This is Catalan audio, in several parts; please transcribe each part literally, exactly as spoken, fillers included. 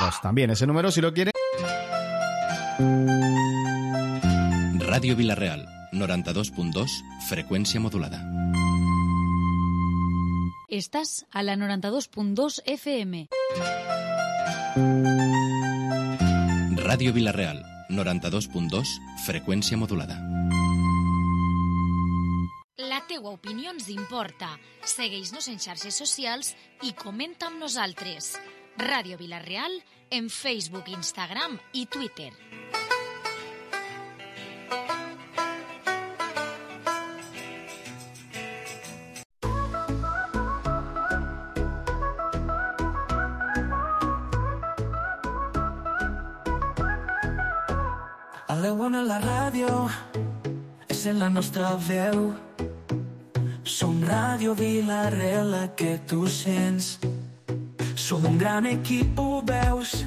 dos. También ese número, si lo quieren. Ràdio Vila-real, noranta-dos punt dos, freqüència modulada. Estás a la noranta-dos punt dos F M. Ràdio Vila-real, noranta-dos punt dos, freqüència modulada. La teua opinió ens importa. Segueix-nos en xarxes socials i comenta amb nosaltres. Ràdio Vila-real en Facebook, Instagram i Twitter. A la bona la ràdio és en la nostra veu. Som Ràdio Vila-real, la que tu sents. Som un gran equip, ho veus,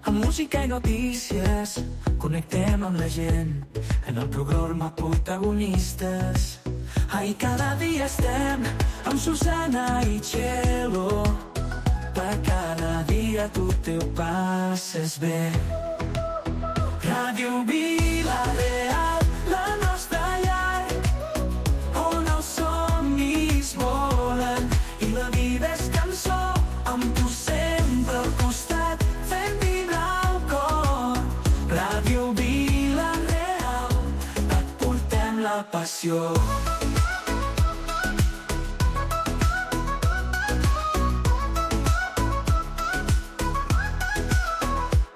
amb música i notícies. Connectem amb la gent en el programa Protagonistes. Ahí cada dia estem amb Susana i Txelo. Per cada dia tu te ho passes bé. Ràdio Vila-real, la nostra llar, on els somnis volen i la vida és cançó, amb tu sempre al costat, fent vibrar el cor. Ràdio Vila-real, et portem la passió.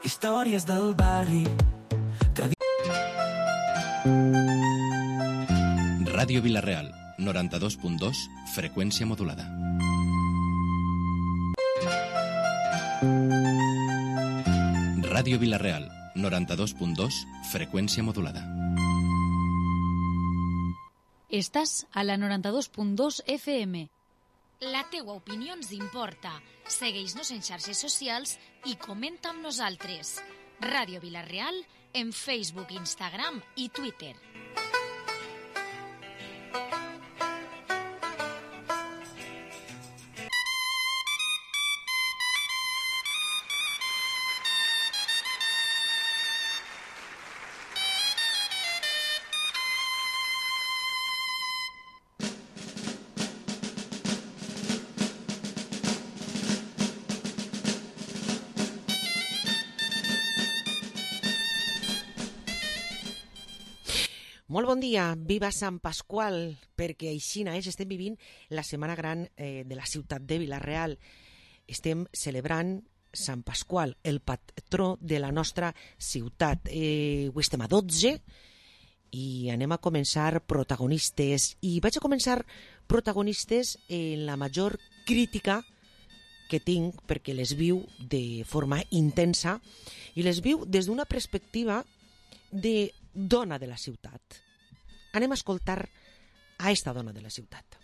Històries del barri. Ràdio Vila-real, noranta-dos punt dos, freqüència modulada. Ràdio Vila-real, noranta-dos punt dos, freqüència modulada. Estàs a la noranta-dos punt dos F M. La teua opinió ens importa. Segueix-nos en xarxes socials i comenta amb nosaltres. Ràdio Vila-real en Facebook, Instagram i Twitter. Molt bon dia, viva Sant Pasqual, perquè aixina és, estem vivint la Setmana Gran eh, de la ciutat de Vila-real. Estem celebrant Sant Pasqual, el patró de la nostra ciutat. Eh, ho estem a dotze i anem a començar protagonistes. I vaig a començar protagonistes en la major crítica que tinc, perquè les viu de forma intensa i les viu des d'una perspectiva de dona de la ciutat. Anem a escoltar a esta dona de la ciutat.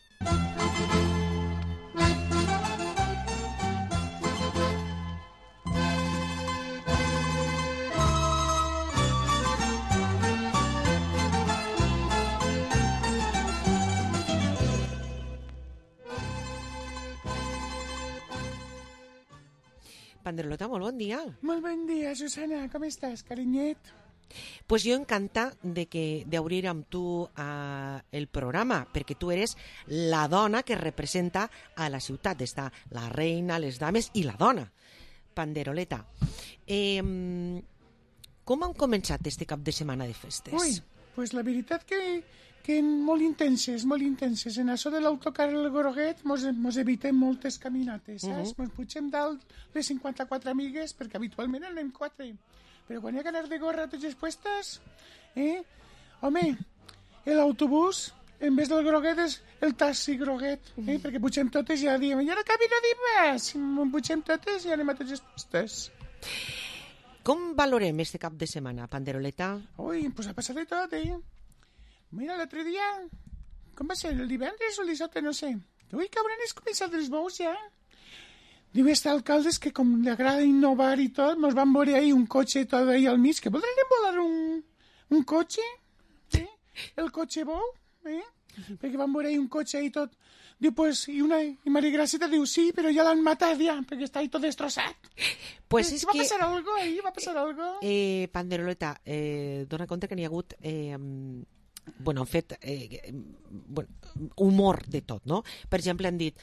Panderolota, molt bon dia. Molt bon dia, Susana. Com estàs, carinyet? Pues jo encanta de que d'obrir amb tu uh, el programa, perquè tu eres la dona que representa a la ciutat. Està la reina, les dames i la dona. Panderoleta, eh, com han començat este cap de setmana de festes? Ui, pues la veritat que, que molt intenses, molt intenses. En això de l'autocar el Groguet mos, mos evitem moltes caminates, saps? Uh-huh. Mos pugem dalt les cinquanta-quatre amigues, perquè habitualment anem quatre. Però quan hi ha que anar de gorra tots els puestos, eh? Home, l'autobús, en vez del Groguet, és el taxi Groguet, eh? Perquè pugem totes i ja diem, i ara camina dir més, pugem totes i anem a tots els puestos. Com valorem este cap de setmana, Panderoleta? Ui, pues ha passat de tot, eh? Mira, l'altre dia, com va ser, el divendres o el dissabte, no sé. Ui, que hauran començat els bous ja. Diu este alcalde que com li agrada innovar i tot, nos van veure ahí un cotxe tot ahí al mig, que voldrem volar un, un cotxe, ¿sí? El cotxe bou, eh? Perquè van veure un cotxe i tot. Diu, pues, i, una, i Maria Graceta diu, sí, però ja l'han matat ja, perquè està ahí tot destrossat. Pues eh, és va que... passar algo ahí, va passar algo. Eh, Panderoleta, eh, dona compte que n'hi ha hagut... Eh, bueno, han fet eh, bueno, humor de tot, no? Per exemple, han dit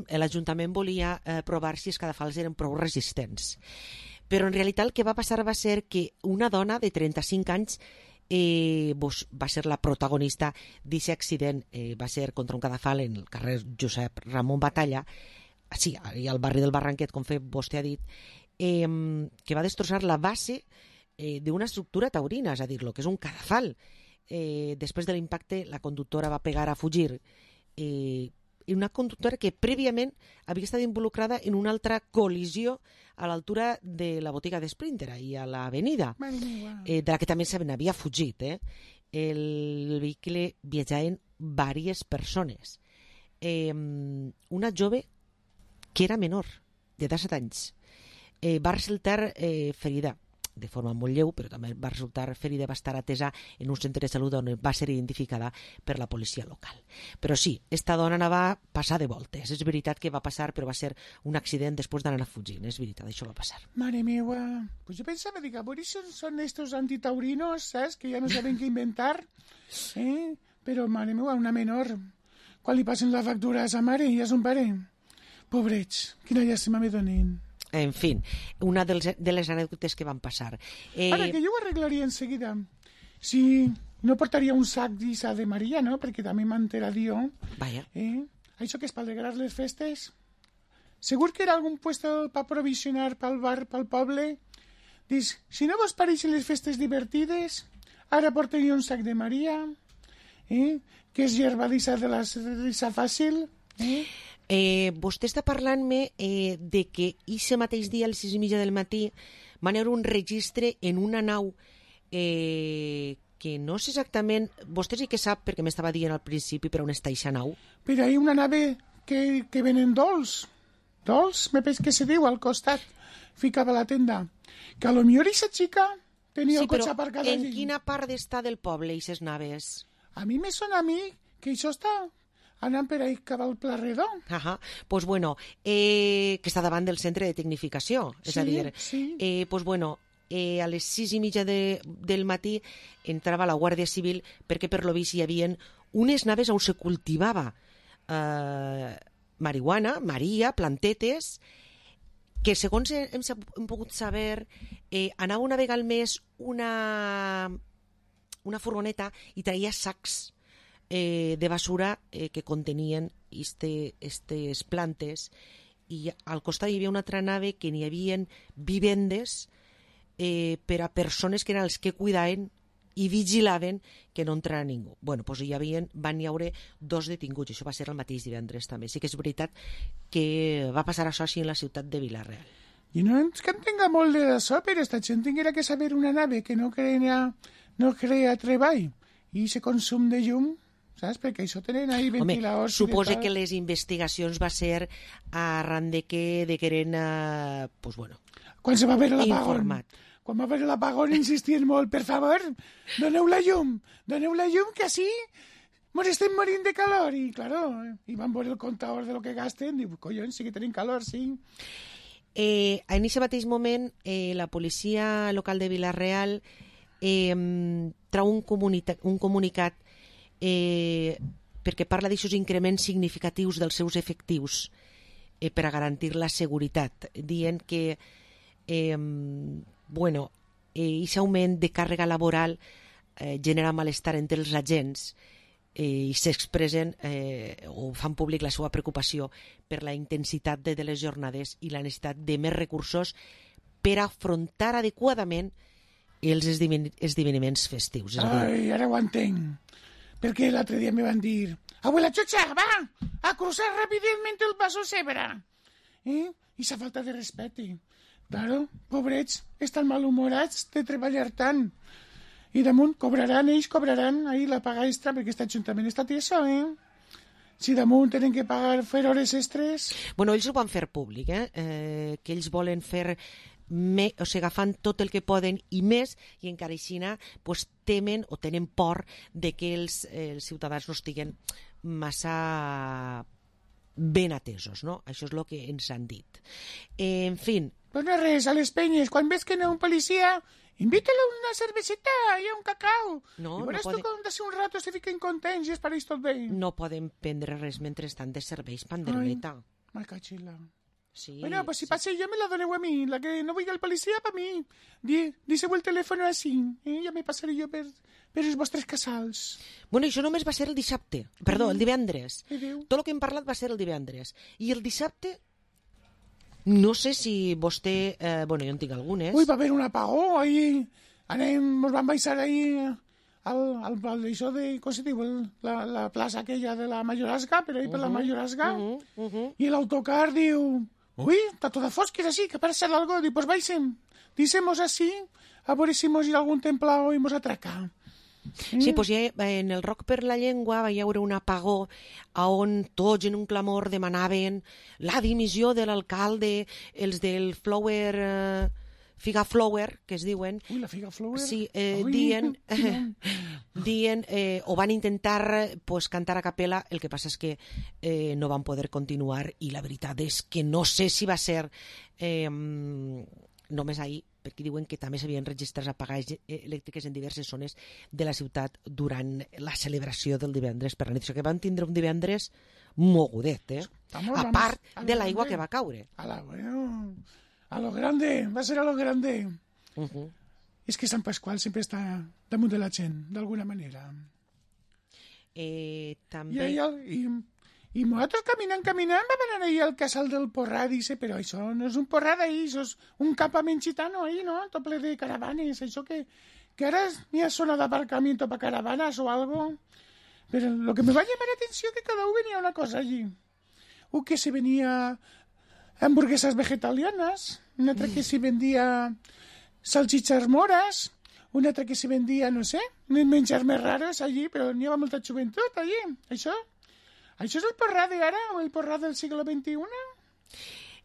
l'Ajuntament volia eh, provar si els cadafals eren prou resistents. Però en realitat el que va passar va ser que una dona de trenta-cinc anys eh, pues, va ser la protagonista d'aquest accident, eh, va ser contra un cadafal en el carrer Josep Ramon Batalla, sí, al barri del Barranquet, com vostè ha dit, eh, que va destrossar la base eh, d'una estructura taurina, és a dir, lo que és un cadafal. Eh, després de l'impacte la conductora va pegar a fugir, eh, i una conductora que prèviament havia estat involucrada en una altra col·lisió a l'altura de la botiga de Sprinter i a l'avenida, eh, de la que també se n'havia fugit. Eh? El vehicle viatjaven diverses persones. Eh, una jove que era menor, de disset anys, eh, va resultar eh, ferida de forma molt lleu, però també va resultar ferida, va estar atesa en un centre de salut on va ser identificada per la policia local. Però sí, esta dona anava a passar de voltes. És veritat que va passar, però va ser un accident després d'anar fugint. És veritat, això va passar. Mare meva, pues jo pensava, dic, a veure si són, són estos antitaurinos, saps? Que ja no saben què inventar. Eh? Però, mare meva, una menor, quan li passen la factura a sa mare i a son pare? Pobrets, quina llàstima me donen. En fi, una dels, de les anècdotes que van passar. Eh... Ara, que jo ho arreglaria enseguida. Si no portaria un sac d'Isa de Maria, no? Perquè també m'entera jo. Vaya. Eh? Això que és per alegrar les festes. Segur que era algun puesto per provisionar pel bar, pel poble. Dius, si no vos pareixen les festes divertides, ara portaria un sac de Maria, eh? Que és gerba d'Isa de la risa fàcil. Eh? Eh, vostè està parlant-me eh, de que ixe mateix dia, a les sis i mitja del matí, van haver un registre en una nau eh, que no sé exactament... Vostè sí que sap, perquè m'estava dient al principi, per on està ixa nau. Però hi ha una nave que, que venen dolç. Dolç, me penso que se diu, al costat. Ficava la tenda. Que a lo millor ixa xica tenia sí, el cotxe aparcat allí. En quina part està del poble, ixes naves? A mi me sona a mi que això està... anant per ahí cap al Pla Redó. Ahà, pues bueno, eh, que està davant del centre de tecnificació, és sí, a dir, sí. eh, pues bueno, eh, a les sis i mitja de, del matí entrava la Guàrdia Civil perquè per lo vist hi havia unes naves on se cultivava eh, marihuana, maria, plantetes, que segons hem, hem pogut saber, eh, anava una vegada al mes una, una furgoneta i traia sacs Eh, de basura eh, que contenien este, estes plantes, i al costat hi havia una altra nave que n'hi havia vivendes eh, per a persones que eren els que cuidaven i vigilaven que no entrara ningú. Bueno, doncs hi havia, van hi haure dos detinguts, això va ser el mateix divendres també. Sí que és veritat que va passar això així en la ciutat de Vila-real. I no és que en tenga molt de d'això, però esta gent tinguera que saber una nave que no crea, no crea treball i se consum de llum, saps? Perquè això tenen ahí ventiladors. Home, suposa que les investigacions va ser arran de que de que eren, uh, pues bueno, quan se va veure l'apagón. Quan va veure l'apagón insistien molt, per favor, doneu la llum, doneu la llum, que així mos estem morint de calor. I, claro, i van veure el comptador de lo que gasten, i, collons, sí que tenim calor, sí. Eh, en aquest mateix moment, eh, la policia local de Vila-real eh, trau un, comunica un comunicat Eh, perquè parla d'aixòs increments significatius dels seus efectius eh, per a garantir la seguretat, dient que eh, bueno, aquest eh, augment de càrrega laboral eh, genera malestar entre els agents eh, i s'expressen eh, o fan públic la seva preocupació per la intensitat de, de les jornades i la necessitat de més recursos per afrontar adequadament els esdeveniments festius. És a dir... Ai, ara ho entenc. Perquè l'altre dia me van dir, abuela Chocha, va, a cruzar rápidamente el paso cebra. Eh? I esa falta de respecte. Claro, pobrets, estan malhumorats de treballar tant. I damunt cobraran, ells cobraran ahí la paga extra, perquè aquest ajuntament està tieso, eh? Si damunt tenen que pagar, fer hores extres... Bueno, ells ho van fer públic, eh? eh que ells volen fer me, o sigui, agafant tot el que poden i més, i encara així pues, temen o tenen por de que els, els ciutadans no estiguen massa ben atesos, no? Això és el que ens han dit. Eh, en fi... Pues no res, a les penyes, quan ves que no un policia, invita-la una cerveseta i un cacau. No, I veuràs no poden... tu com d'ací un rato se fiquen contents i es pareix tot bé. No poden prendre res mentre estan de serveis, panderoleta. Ai, cachila. Sí, bueno, pues si sí. pase yo me la doneu a mí, la que no vull el policía para mí. Di, díseu el telèfon així, eh? Ja me passaré jo per, per els vostres casals. Bueno, això només va ser el dissabte, perdó, el divendres. Adéu. Tot el que hem parlat va ser el divendres. I el dissabte, no sé si vostè... Eh, bueno, jo en tinc algunes. Ui, va haver un apagó, ahí anem, nos van baixar ahí al, al, al això de, com se diu, el, la, la plaça aquella de la Mayorazga, per ahí uh -huh, per la Mayorazga, uh -huh, uh -huh. i l'autocar diu... Uy, está toda fosca, es así, que parece algo. Digo, pues vaisen, dísemos así, a ver si hemos ido a algún templado y hemos atracado. Sí, doncs ja en el Rock per la Llengua va haver un apagó on tots en un clamor demanaven la dimissió de l'alcalde, els del Flower... Eh, Figa Flower, que es diuen... Ui, la Figa Flower... Sí, eh, Ui, dient, eh, dient eh, o van intentar pues, cantar a capella, el que passa és que eh, no van poder continuar i la veritat és que no sé si va ser eh, només ahir, perquè diuen que també s'havien registrat apagades elèctriques en diverses zones de la ciutat durant la celebració del divendres per la nit. Això que van tindre un divendres mogudet, eh? Estamos, a part vamos, de l'aigua que va caure. A la, bueno... A lo grande, va a ser a lo grande. Uh -huh. És que Sant Pasqual sempre està damunt de la gent, d'alguna manera. Eh, també... I, i, i nosaltres caminant, caminant, vam anar ahir al casal del Porrat, dice, però això no és un porrat ahir, això és un campament gitano ahir, no? Tot ple de caravanes, això que, que ara n'hi ha zona d'aparcamiento para caravanas o algo. Pero lo que me va a llamar la atención es que cada uno venía una cosa allí. Un que se venía... hamburguesas vegetarianas, una altra que s'hi vendia salchichas moras, una altra que s'hi vendia, no sé, menjars més raros allí, però n'hi havia molta joventut allí. Això, això és el porrat d'ara o el porrat del segle vint-i-u?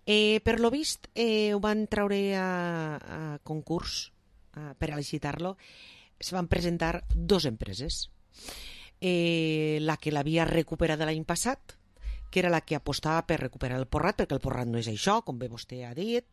Eh, per lo vist, eh, ho van treure a, a concurs a, per a licitar-lo. Se van presentar dos empreses. Eh, la que l'havia recuperat l'any passat, que era la que apostava per recuperar el porrat, perquè el porrat no és això, com bé vostè ha dit,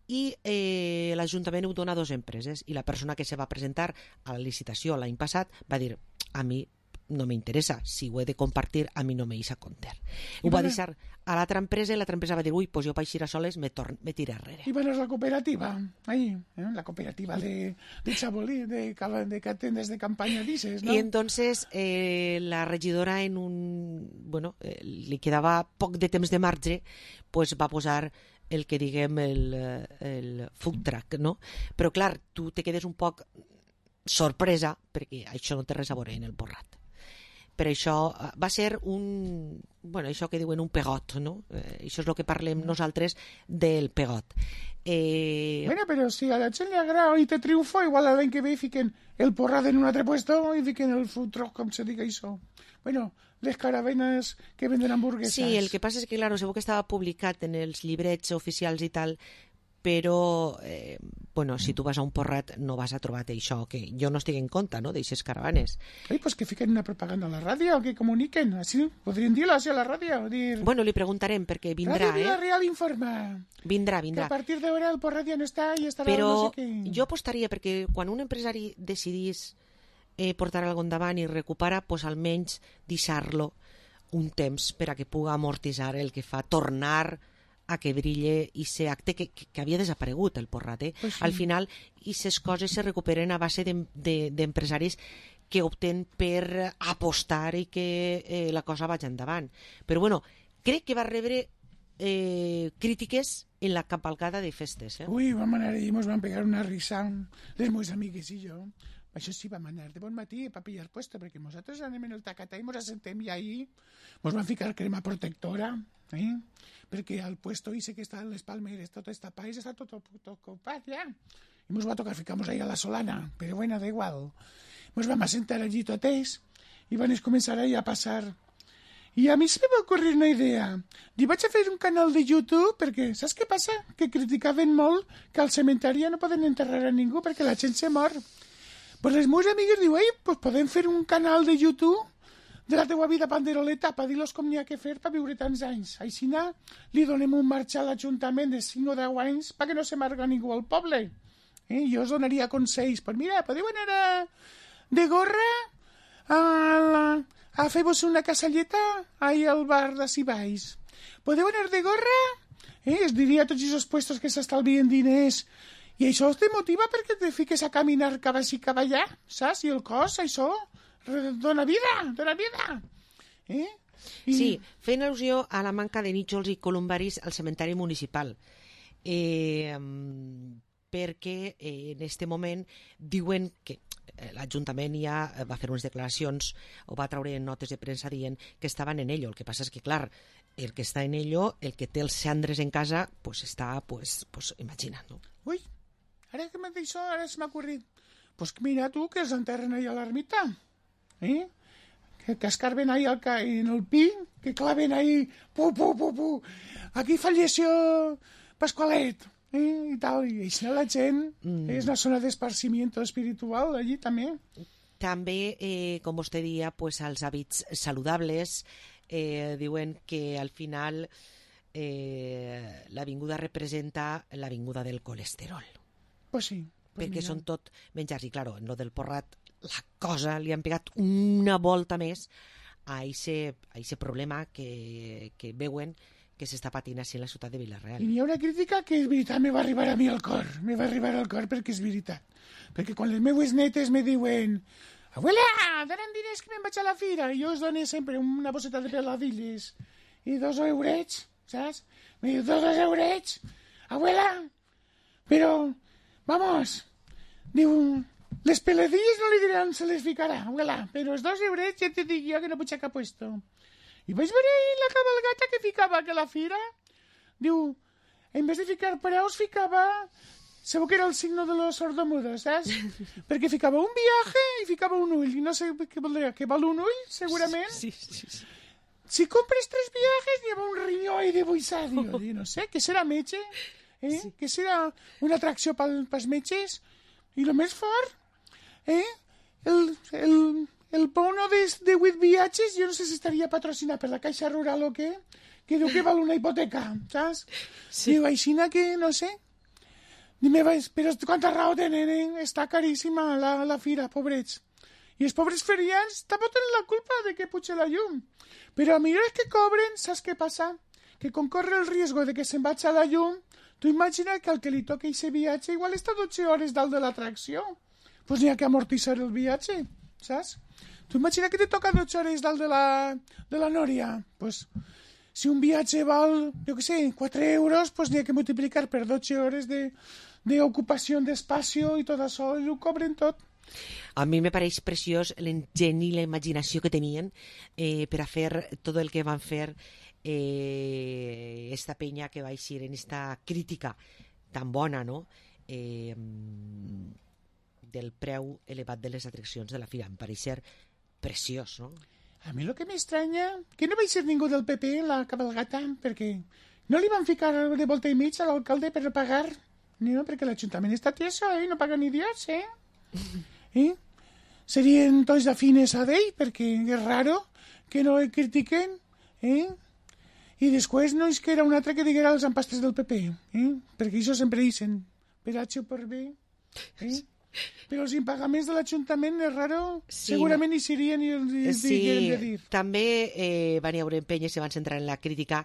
i eh, l'Ajuntament ho dona a dues empreses, i la persona que se va presentar a la licitació l'any passat va dir, a mi no m'interessa, si ho he de compartir, a mi no me hice compter. Ho va deixar a l'altra empresa i l'altra empresa va dir, ui, pues jo per eixir a soles me, torn, me tira arrere. I van a la cooperativa, ahí, ¿eh? La cooperativa de, de Chabolí, de, de, de tendes de campaña, dices, ¿no? Y entonces eh, la regidora en un... Bueno, eh, li quedava poc de temps de marge, pues va posar el que diguem el, el food truck, no? Però clar, tu te quedes un poc sorpresa perquè això no té res a veure en el porrat. Per això va ser un... Bueno, això que diuen un pegot, no? Eh, això és el que parlem nosaltres del pegot. Eh... Bueno, però si a la gent li agrada i te triomfa, igual l'any que ve fiquen el porrat en un altre puesto i fiquen el food truck, com se diga això. Bueno, les caravanes que venden hamburguesas. Sí, el que passa és que, claro, segur que estava publicat en els llibrets oficials i tal, però, eh, bueno, si tu vas a un porrat no vas a trobar això, que jo no estic en compte, no?, d'aixes caravanes. Ai, pues que fiquen una propaganda a la ràdio, que comuniquen, així, podrien dir-lo així a la ràdio, dir... Bueno, li preguntarem, perquè vindrà, Ràdio eh? Vila-real informa. Vindrà, vindrà. Que a partir d'ara el porrat ja no està i estarà però no sé què. Jo apostaria, perquè quan un empresari decidís eh, portar algo endavant i recupera, pues almenys deixar-lo un temps per a que puga amortitzar el que fa tornar a que brille i se acte que, que, que havia desaparegut el porrat, eh? Pues sí. Al final, aquestes coses se recuperen a base d'empresaris de, de, que opten per apostar i que eh, la cosa vagi endavant. Però bueno, crec que va rebre eh, crítiques en la cavalcada de festes, eh? Ui, vam anar i ens van pegar una risa les meves amigues i jo. Això sí, vam anar de bon matí per pillar puesto, perquè nosaltres anem en el tacatà i ens assentem i ahir ens van ficar crema protectora, eh? Perquè al puesto ese que està en les palmeres tot està país, està tot, tot, tot ocupat ja. I ens va tocar ficar-nos ahí a la solana, però bueno, da igual. Ens vam assentar allí totes i van començar ahí a passar I a mi se m'ha ocorrit una idea. Dic, vaig a fer un canal de YouTube perquè, saps què passa? Que criticaven molt que al cementeri no poden enterrar a ningú perquè la gent se mor. Pues les meves amigues diuen, ei, pues podem fer un canal de YouTube de la teua vida panderoleta per dir-los com n'hi ha que fer per viure tants anys. Així li donem un marge a l'Ajuntament de cinc o deu anys perquè no se marga ningú al poble. Eh? Jo us donaria consells. Pues mira, podeu anar a... de gorra a, la... a fer-vos una casalleta ahí al bar de Cibaix. Podeu anar de gorra? Eh? Es diria a tots aquests puestos que s'estalvien diners. I això te motiva perquè te fiques a caminar cap així cap allà, saps? I el cos, això, dona vida, dona vida. Eh? I... Sí, fent al·lusió a la manca de nítxols i columbaris al cementeri municipal. Eh, perquè eh, en este moment diuen que l'Ajuntament ja va fer unes declaracions o va treure notes de premsa dient que estaven en ello. El que passa és que, clar, el que està en ello, el que té els cendres en casa, pues està, pues, pues imagina't, no? Ui, ara que m'ha dit això, ara se m'ha ocorrit. Pues mira tu, que els enterren ahí a l'ermita, eh? Que, que escarben ahí al ca... en el pi, que claven ahí, pu, pu, pu, pu. Aquí falleció Pasqualet. Eh, i tal, i així la gent mm. és una zona d'esparcimiento espiritual allí també. També, eh, com vostè dia, pues, els hàbits saludables eh, diuen que al final eh, l'avinguda representa l'avinguda del colesterol. Pues sí. Pues perquè mira. són tot menjars, i claro, en lo del porrat la cosa li han pegat una volta més a aquest problema que, que veuen que s'està patint així en la ciutat de Vila-real. I hi ha una crítica que és veritat, me va arribar a mi al cor, me va arribar al cor perquè és veritat. Perquè quan les meues netes me diuen abuela, donen diners que me'n vaig a la fira, i jo us dono sempre una bosseta de peladilles i dos eurets, saps? Me diu, dos eurets? Abuela, però, vamos, diu, les peladilles no li diran se les ficarà, abuela, però els dos eurets ja te dic jo que no puig a cap puesto. I vaig veure la cabalgata que ficava que la fira, diu, en vez de ficar preus, ficava, segur que era el signo de los sordomudos, saps? Perquè ficava un viaje i ficava un ull, i no sé què voldria, que val un ull, segurament. Sí, sí, sí. Si compres tres viajes, n'hi ha un rinyó i de buissar, diu, no sé, què serà metge? Eh? Sí. Què serà una atracció pels metges? I el més fort, eh? El... el El bono de, de vuit viatges, jo no sé si estaria patrocinat per la Caixa Rural o què, que diu que val una hipoteca, saps? Sí. Diu, aixina que, no sé. Dime, però quanta raó tenen, eh? Està caríssima la, la fira, pobrets. I els pobres ferians també tenen la culpa de que puja la llum. Però a millor és que cobren, saps què passa? Que com corre el riesgo de que se'n vaig a la llum, tu imagina que al que li toca aquest viatge igual està dotze hores dalt de l'atracció. Doncs pues n'hi ha que amortitzar el viatge, saps? Tu imagina que te toca dotze hores dalt de la, de la Nòria. Pues, si un viatge val, jo què sé, quatre euros, pues n'hi ha que multiplicar per dotze hores d'ocupació de, d'espacio i tot això, i ho cobren tot. A mi me pareix preciós l'enginy i la imaginació que tenien eh, per a fer tot el que van fer eh, esta penya que va eixir en esta crítica tan bona, no?, eh, del preu elevat de les atraccions de la fira. Em pareix ser preciós, no? A mi el que m'estranya, que no vaig ser ningú del P P en la cabalgata, perquè no li van ficar de volta i mig a l'alcalde per pagar, no, perquè l'Ajuntament està tieso, eh? No paga ni Dios, eh? eh? Serien tots afines a ell, perquè és raro que no el critiquen, eh? I després no és que era un altre que diguera els empastres del P P, eh? Perquè això sempre dicen, per H o per B, eh? Però els impagaments de l'Ajuntament és raro, sí, segurament hi serien i els sí, digueren de dir. També eh, van haver empenyes i van centrar en la crítica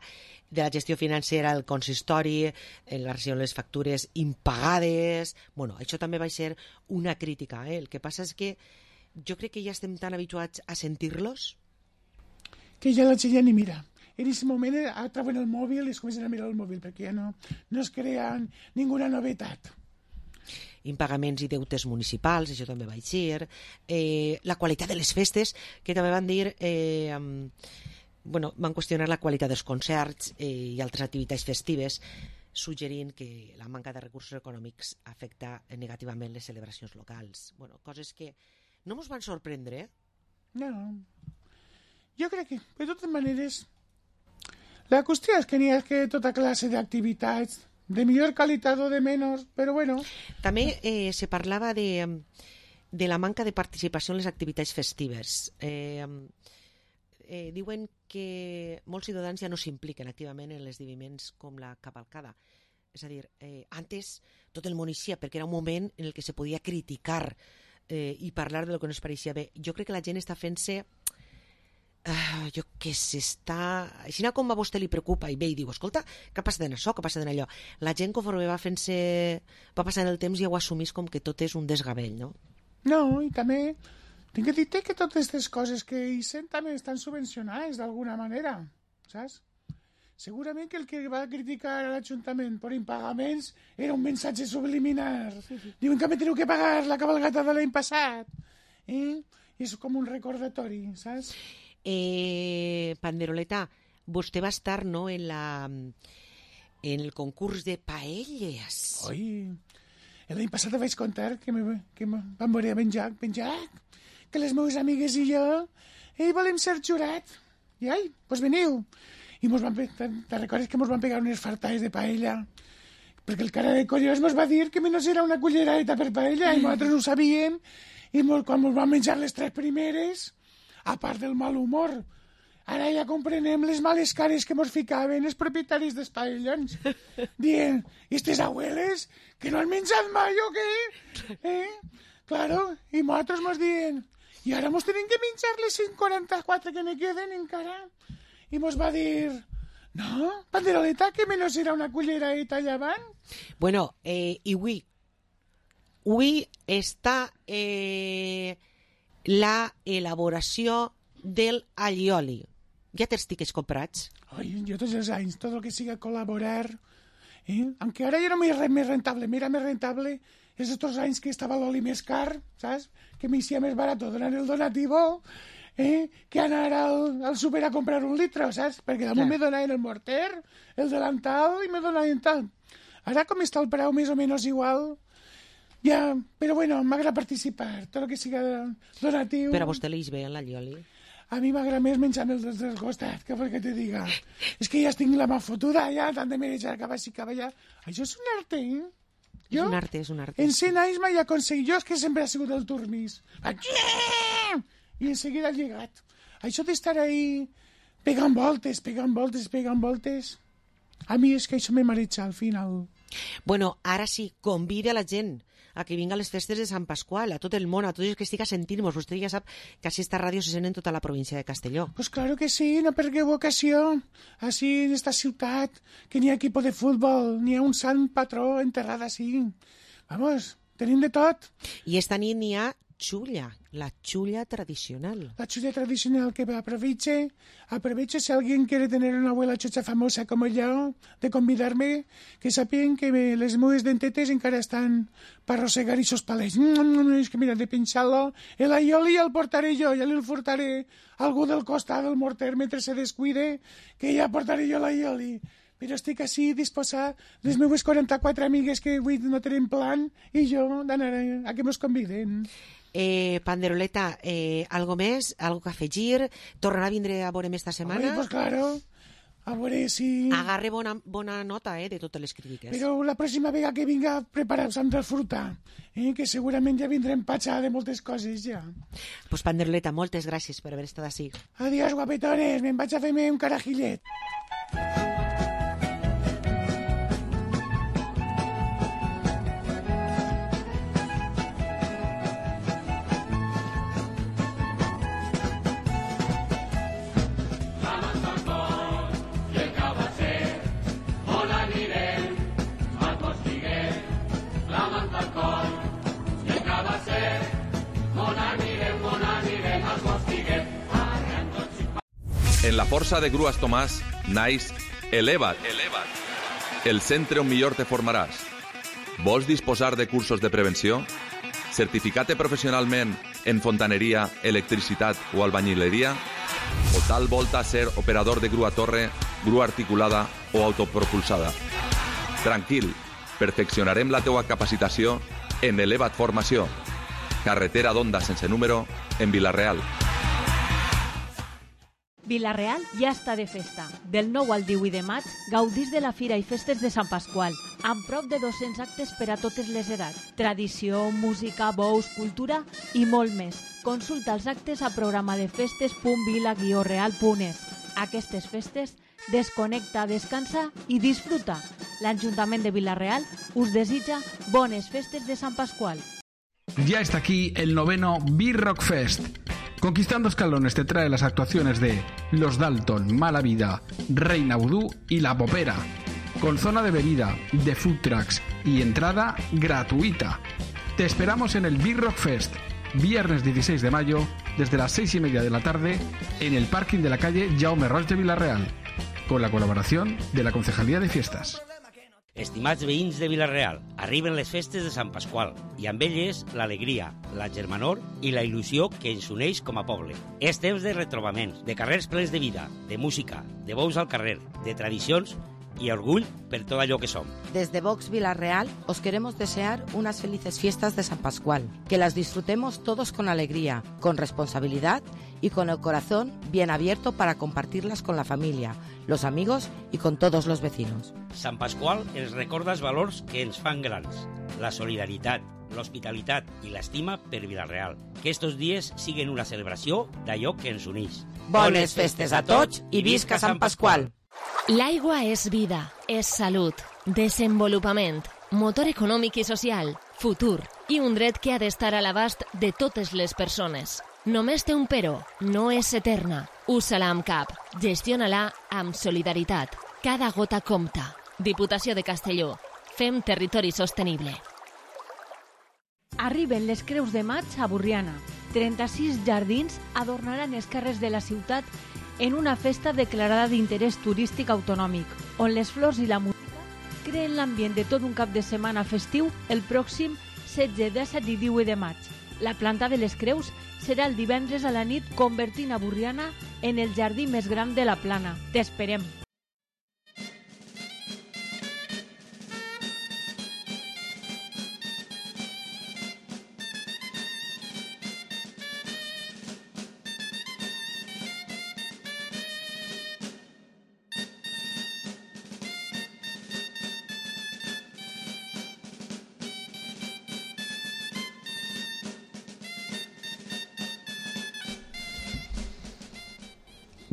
de la gestió financera del consistori, en la regió de les factures impagades. Bueno, això també va ser una crítica, eh? El que passa és que jo crec que ja estem tan habituats a sentir-los que ja la gent ja ni mira. En aquest moment treuen el mòbil i es comencen a mirar el mòbil perquè ja no, no es crea ninguna novetat. Impagaments i deutes municipals, això també va eixir, eh, la qualitat de les festes, que també van dir, eh, bueno, van qüestionar la qualitat dels concerts eh, i altres activitats festives, suggerint que la manca de recursos econòmics afecta negativament les celebracions locals. Bueno, coses que no ens van sorprendre. No. Jo crec que, de totes maneres, la qüestió és que n'hi ha que tota classe d'activitats, de millor qualitat o de menys, però bueno. També eh, se parlava de, de la manca de participació en les activitats festives. Eh, eh, diuen que molts ciutadans ja no s'impliquen activament en els esdeveniments com la cavalcada. És a dir, eh, antes tot el món eixia perquè era un moment en el que se podia criticar eh, i parlar de lo que no es pareixia bé. Jo crec que la gent està fent-se Uh, jo què sé, està... Així com a vostè li preocupa i ve i diu, escolta, què passa en això, què passa en allò? La gent conforme va fent-se... va passant el temps ja ho assumís com que tot és un desgavell, no? No, i també tinc que dir que totes aquestes coses que hi sent també estan subvencionades d'alguna manera, saps? Segurament que el que va criticar a l'Ajuntament per impagaments era un missatge subliminar. Diuen que me teniu que pagar la cabalgata de l'any passat. Eh? I és com un recordatori, saps? Eh, Panderoleta, vostè va estar, no, en la en el concurs de paelles. Oi, l'any passat vaig contar que, me, que me vam veure ben Jack, ben Jack, que les meves amigues i jo eh, volem ser jurat. I ai, doncs veniu. I mos van, te, te recordes que mos van pegar unes fartades de paella? Perquè el cara de collons mos va dir que menys era una culleradeta per paella i nosaltres ho sabíem. I mos, quan mos van menjar les tres primeres, a part del mal humor, ara ja comprenem les males cares que mos ficaven els propietaris dels paellons, dient, i estes abueles, que no han menjat mai o què? Eh? Claro, i nosaltres mos dient, i ara mos tenim que menjar les cent quaranta-quatre que ne queden encara. I mos va dir, no, Panderoleta, que menys era una culleradeta allà avant. Bueno, eh, i avui, avui està... Eh... la elaboració del allioli. Ja tens tiquets comprats? Ai, jo tots els anys, tot el que siga col·laborar, eh? Aunque ara ja no m'era més rentable, m'era més rentable els altres anys que estava l'oli més car, saps? Que m'hicía més barat donar el donativo, eh? Que anar al, al súper a comprar un litre, saps? Perquè damunt me donaven el morter, el delantal i me donaven tal. Ara com està el preu més o menys igual... Ja, però bueno, m'agrada participar, tot el que siga donatiu. Però a vostè li ve en l'allioli? A mi m'agrada més menjar-me el del costat, que vol que te diga. És que ja estic la mà fotuda, ja, tant de menjar cap així, cap allà. Això és un arte, eh? Jo, és un arte, és un arte. En cent anys mai aconseguit, jo és que sempre ha sigut el turmís. I en seguida el llegat. Això d'estar ahí pegant voltes, pegant voltes, pegant voltes, a mi és que això me mareja al final. Bueno, ara sí, convida a la gent a que vinga a les festes de Sant Pasqual, a tot el món, a tots els que estiga sentint-nos. Vostè ja sap que així esta ràdio se sent en tota la província de Castelló. Pues claro que sí, no perdeu ocasió. Així en esta ciutat, que n'hi ha equipo de futbol, n'hi ha un sant patró enterrat així. Vamos, tenim de tot. I esta nit n'hi ha xulla, la xulla tradicional. La xulla tradicional que aproveche, aproveche si alguien quiere tener una abuela chocha famosa como yo, de convidarme, que sapien que me, les meves dentetes encara estan per arrossegar ixos palets. És que mira, de pinxar-lo, el aioli el portaré jo, ja li portaré algú del costat del morter mentre se descuide, que ja portaré jo l'aioli. Però estic així disposat, les meves quaranta-quatre amigues que avui no tenen plan, i jo d'anar a, a que mos conviden. Eh, Panderoleta, eh, algo més? Algo que afegir? Tornarà a vindre a veurem esta setmana? Ai, pues claro. A veure si... Agarre bona, bona nota eh, de totes les crítiques. Però la pròxima vegada que vinga preparats amb fruta, eh, que segurament ja vindrem patxar de moltes coses ja. Pues Panderoleta, moltes gràcies per haver estat així. Adiós, guapetones, me'n vaig a fer-me un carajillet. En la Força de Grues Tomàs naix Eleva't, el centre on millor te formaràs. Vols disposar de cursos de prevenció? Certificat professionalment en fontaneria, electricitat o albañileria? O tal volta ser operador de grua torre, grua articulada o autopropulsada? Tranquil, perfeccionarem la teua capacitació en Eleva't Formació. Carretera d'Onda sense número, en Vila-real. Vila-real ja està de festa. Del nou al divuit de maig gaudís de la Fira i Festes de Sant Pasqual, amb prop de dos-cents actes per a totes les edats. Tradició, música, bous, cultura i molt més. Consulta els actes a programadefestes punt vila guió real punt es. Aquestes festes, desconnecta, descansa i disfruta. L'Ajuntament de Vila-real us desitja bones festes de Sant Pasqual. Ya está aquí el noveno B-Rock Fest. Conquistando escalones te trae las actuaciones de Los Dalton, Mala Vida, Reina Vudú y La Popera, con zona de bebida, de food trucks y entrada gratuita. Te esperamos en el B-Rock Fest, viernes dieciséis de mayo, desde las seis y media de la tarde, en el parking de la calle Jaume Roig de Vila-real, con la colaboración de la Concejalía de Fiestas. Estimats veïns de Vila-real, arriben les festes de Sant Pasqual i amb elles l'alegria, la germanor i la il·lusió que ens uneix com a poble. És temps de retrobaments, de carrers plens de vida, de música, de bous al carrer, de tradicions y orgull per todo allò que som. Desde Vox Vila-real os queremos desear unas felices fiestas de San Pascual, que las disfrutemos todos con alegría, con responsabilidad y con el corazón bien abierto para compartirlas con la familia, los amigos y con todos los vecinos. Sant Pasqual ens recorda els valors que ens fan grans, la solidaritat, l'hospitalitat i l'estima per Vila-real. Que estos dies siguen una celebració d'allò que ens uneix. Bones festes a tots i visca Sant Pasqual! L'aigua és vida, és salut, desenvolupament, motor econòmic i social, futur i un dret que ha d'estar a l'abast de totes les persones. Només té un però, no és eterna. Usa-la amb cap, gestiona-la amb solidaritat. Cada gota compta. Diputació de Castelló. Fem territori sostenible. Arriben les Creus de Maig a Borriana. trenta-sis jardins adornaran els carrers de la ciutat en una festa declarada d'interès turístic autonòmic, on les flors i la música creen l'ambient de tot un cap de setmana festiu el pròxim setze, disset i divuit de maig. La planta de les Creus serà el divendres a la nit, convertint a Borriana en el jardí més gran de la plana. T'esperem!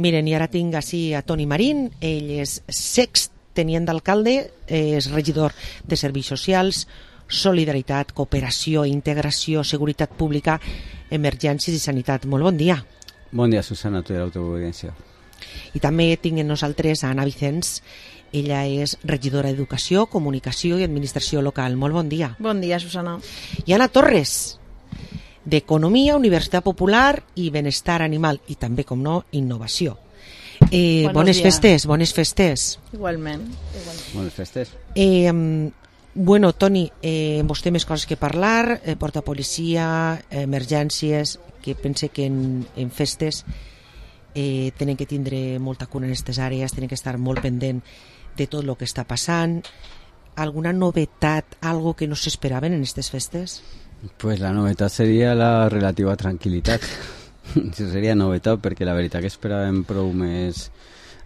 Miren, i ara tinc així a Toni Marín, ell és sext tenient d'alcalde, és regidor de Serveis Socials, Solidaritat, Cooperació, Integració, Seguretat Pública, Emergències i Sanitat. Molt bon dia. Bon dia, Susana, tu i la teva audiència. I també tinc en nosaltres a Anna Vicens, ella és regidora d'Educació, Comunicació i Administració Local. Molt bon dia. Bon dia, Susana. I Anna Torres, d'Economia, Universitat Popular i Benestar Animal, i també, com no, Innovació. Eh, bones dies. festes, bones festes. Igualment. Igualment. Bones festes. Eh, bueno, Toni, eh, amb vostè més coses que parlar, eh, porta policia, emergències, que pense que en, en festes eh, tenen que tindre molta cura en aquestes àrees, tenen que estar molt pendent de tot el que està passant. Alguna novetat, algo que no s'esperaven en aquestes festes? Pues la novetat seria la relativa tranquil·litat. Això seria novetat, perquè la veritat que esperàvem prou més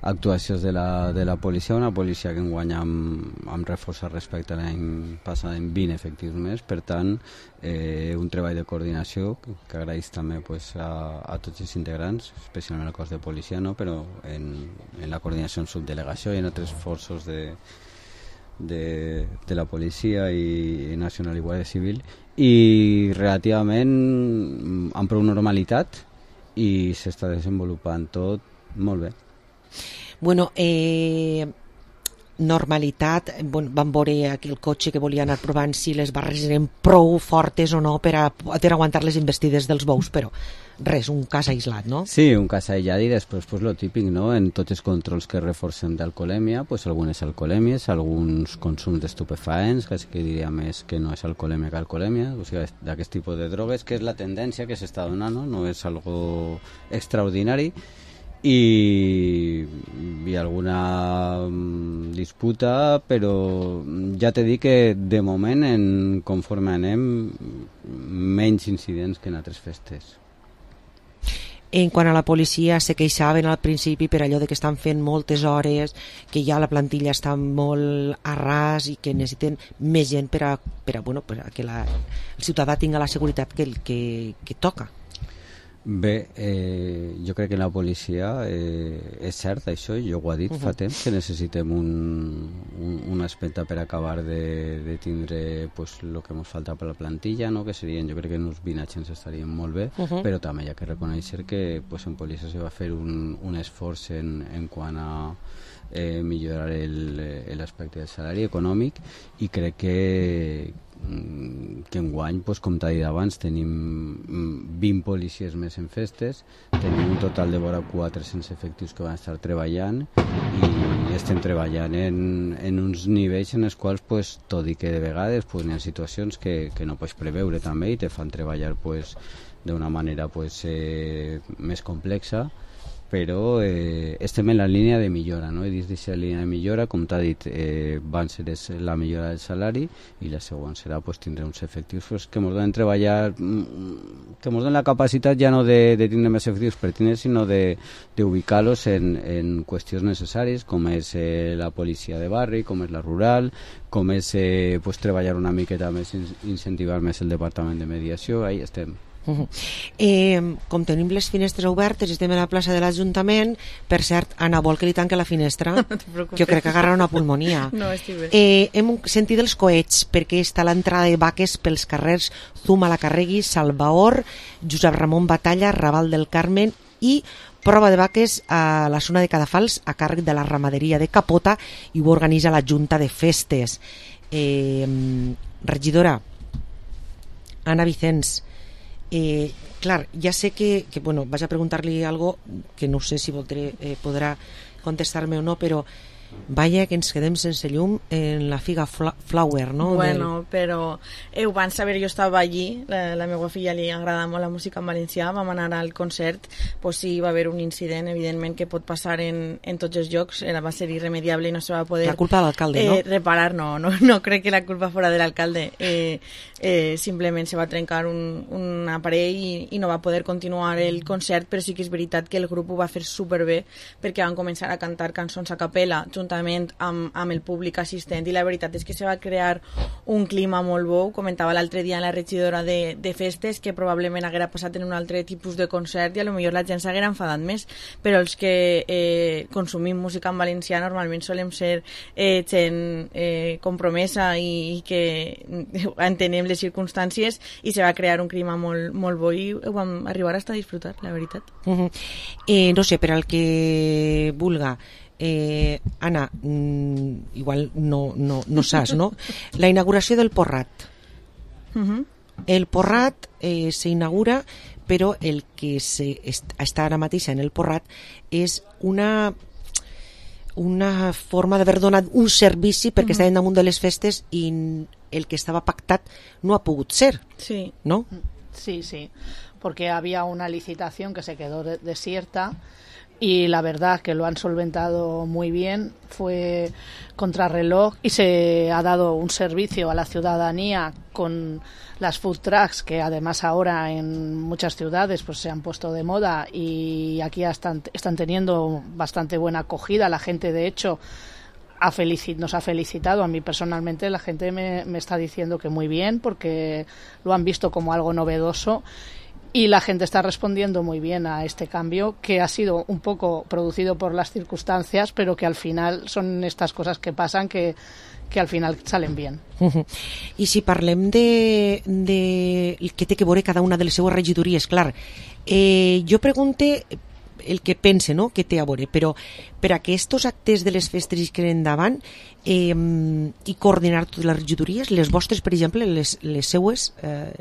actuacions de la, de la policia, una policia que enguany amb, amb reforçat respecte a l'any passat en vint efectius més, per tant eh, un treball de coordinació que, que agraeix també pues, a, a tots els integrants, especialment al cos de policia, no? Però en, en la coordinació en subdelegació i en altres forços de, de, de la policia i, i Nacional i Guàrdia Civil, i relativament amb prou normalitat i s'està desenvolupant tot molt bé. Bueno, eh, normalitat, bueno, vam veure aquí el cotxe que volia anar provant si les barres eren prou fortes o no per a poder aguantar les investides dels bous, però res, un cas aïslat, no? Sí, un cas aïllat i després pues, lo típic, no? En tots els controls que reforcem d'alcoholèmia, pues, algunes alcoholèmies, alguns consums d'estupefaents, que sí que diria més que no és alcoholèmia que alcoholèmia, o sigui, d'aquest tipus de drogues, que és la tendència que s'està donant, no? No és algo extraordinari, i hi ha alguna disputa, però ja t'he dit que de moment, en, conforme anem, menys incidents que en altres festes. En quant a la policia, se queixaven al principi per allò de que estan fent moltes hores, que ja la plantilla està molt a ras i que necessiten més gent per a, per a, bueno, per a que la, el ciutadà tinga la seguretat que, que, que toca. Bé, eh, jo crec que la policia eh, és cert això, jo ho he dit uh -huh. fa temps que necessitem un, un, un aspecte per acabar de, de tindre pues, el que ens falta per la plantilla, no? Que serien, jo crec que uns vint agents estarien molt bé, uh -huh. però també hi ha que reconèixer que pues, en policia se va fer un, un esforç en, en quant a eh, millorar l'aspecte del salari econòmic i crec que que enguany, pues, com t'ha dit abans, tenim vint policies més en festes, tenim un total de vora quatre-cents efectius que van estar treballant i estem treballant en, en uns nivells en els quals, pues, tot i que de vegades pues, hi ha situacions que, que no pots preveure també i te fan treballar pues, d'una manera pues, eh, més complexa, però eh, estem en la línia de millora, no? I dins d'aquesta línia de millora, com t'ha dit, eh, van ser la millora del salari i la següent serà pues, tindre uns efectius pues, que ens donen treballar, que ens donen la capacitat ja no de, de tindre més efectius per tindre, sinó d'ubicar-los en, en qüestions necessàries, com és eh, la policia de barri, com és la rural, com és eh, pues, treballar una miqueta més, incentivar més el departament de mediació, ahí estem. Uh -huh. eh, com tenim les finestres obertes, estem a la plaça de l'Ajuntament. Per cert, Anna, vol que li tanque la finestra? No jo crec que agarra una pulmonia. No, estic bé. Eh, hem sentit els coets perquè està l'entrada de vaques pels carrers Zumalacarregui, Salvaor, Josep Ramon Batalla, Raval del Carmen i prova de vaques a la zona de Cadafals a càrrec de la ramaderia de Capota i ho organitza la Junta de Festes. Eh, regidora Anna Vicens, Eh, clar, ja sé que, que bueno, vaig a preguntar-li algo que no sé si voldré, eh, podrà contestar-me o no, però vaya que ens quedem sense llum en la figa fla Flower, no? Bueno, Del... però eh, ho van saber, jo estava allí, la, la meva filla li agrada molt la música en valencià, vam anar al concert, pues sí, va haver un incident, evidentment, que pot passar en, en tots els llocs, era, va ser irremediable i no se va poder... La culpa de l'alcalde, eh, no? Reparar, no, no, no crec que la culpa fora de l'alcalde, eh, eh, simplement se va trencar un, un aparell i, i no va poder continuar el concert, però sí que és veritat que el grup ho va fer superbé, perquè van començar a cantar cançons a capella, juntament amb, amb el públic assistent, i la veritat és que se va crear un clima molt bo. Comentava l'altre dia la regidora de, de festes que probablement haguera passat en un altre tipus de concert i a lo millor la gent s'haguera enfadat més, però els que eh, consumim música en valencià normalment solem ser eh, gent eh, compromesa i, i que entenem les circumstàncies, i se va crear un clima molt, molt bo i ho vam arribar a estar a disfrutar, la veritat. Uh -huh. eh, no sé, per al que vulga, Eh, Anna, mm, igual no, no, no saps, no? La inauguració del Porrat. Uh -huh. El Porrat eh, s'inaugura, però el que se est està ara mateix en el Porrat és una una forma d'haver donat un servici perquè uh -huh. estàvem damunt de les festes i el que estava pactat no ha pogut ser. Sí. ¿No? Sí, sí, porque había una licitación que se quedó de desierta. Y la verdad que lo han solventado muy bien, fue contrarreloj y se ha dado un servicio a la ciudadanía con las food trucks, que además ahora en muchas ciudades pues se han puesto de moda y aquí están, están teniendo bastante buena acogida. La gente, de hecho, ha felicit, nos ha felicitado. A mí personalmente la gente me, me está diciendo que muy bien, porque lo han visto como algo novedoso. Y la gente está respondiendo muy bien a este cambio, que ha sido un poco producido por las circunstancias, pero que al final son estas cosas que pasan que, que al final salen bien. Uh-huh. I si parlem de, de que té que veure cada una de les seues regidories, clar, eh, jo pregunte el que pense, no?, que té a veure, però per a que estos actes de les festes es queden endavant eh, i coordinar totes les regidories, les vostres, per exemple, les, les seues, eh,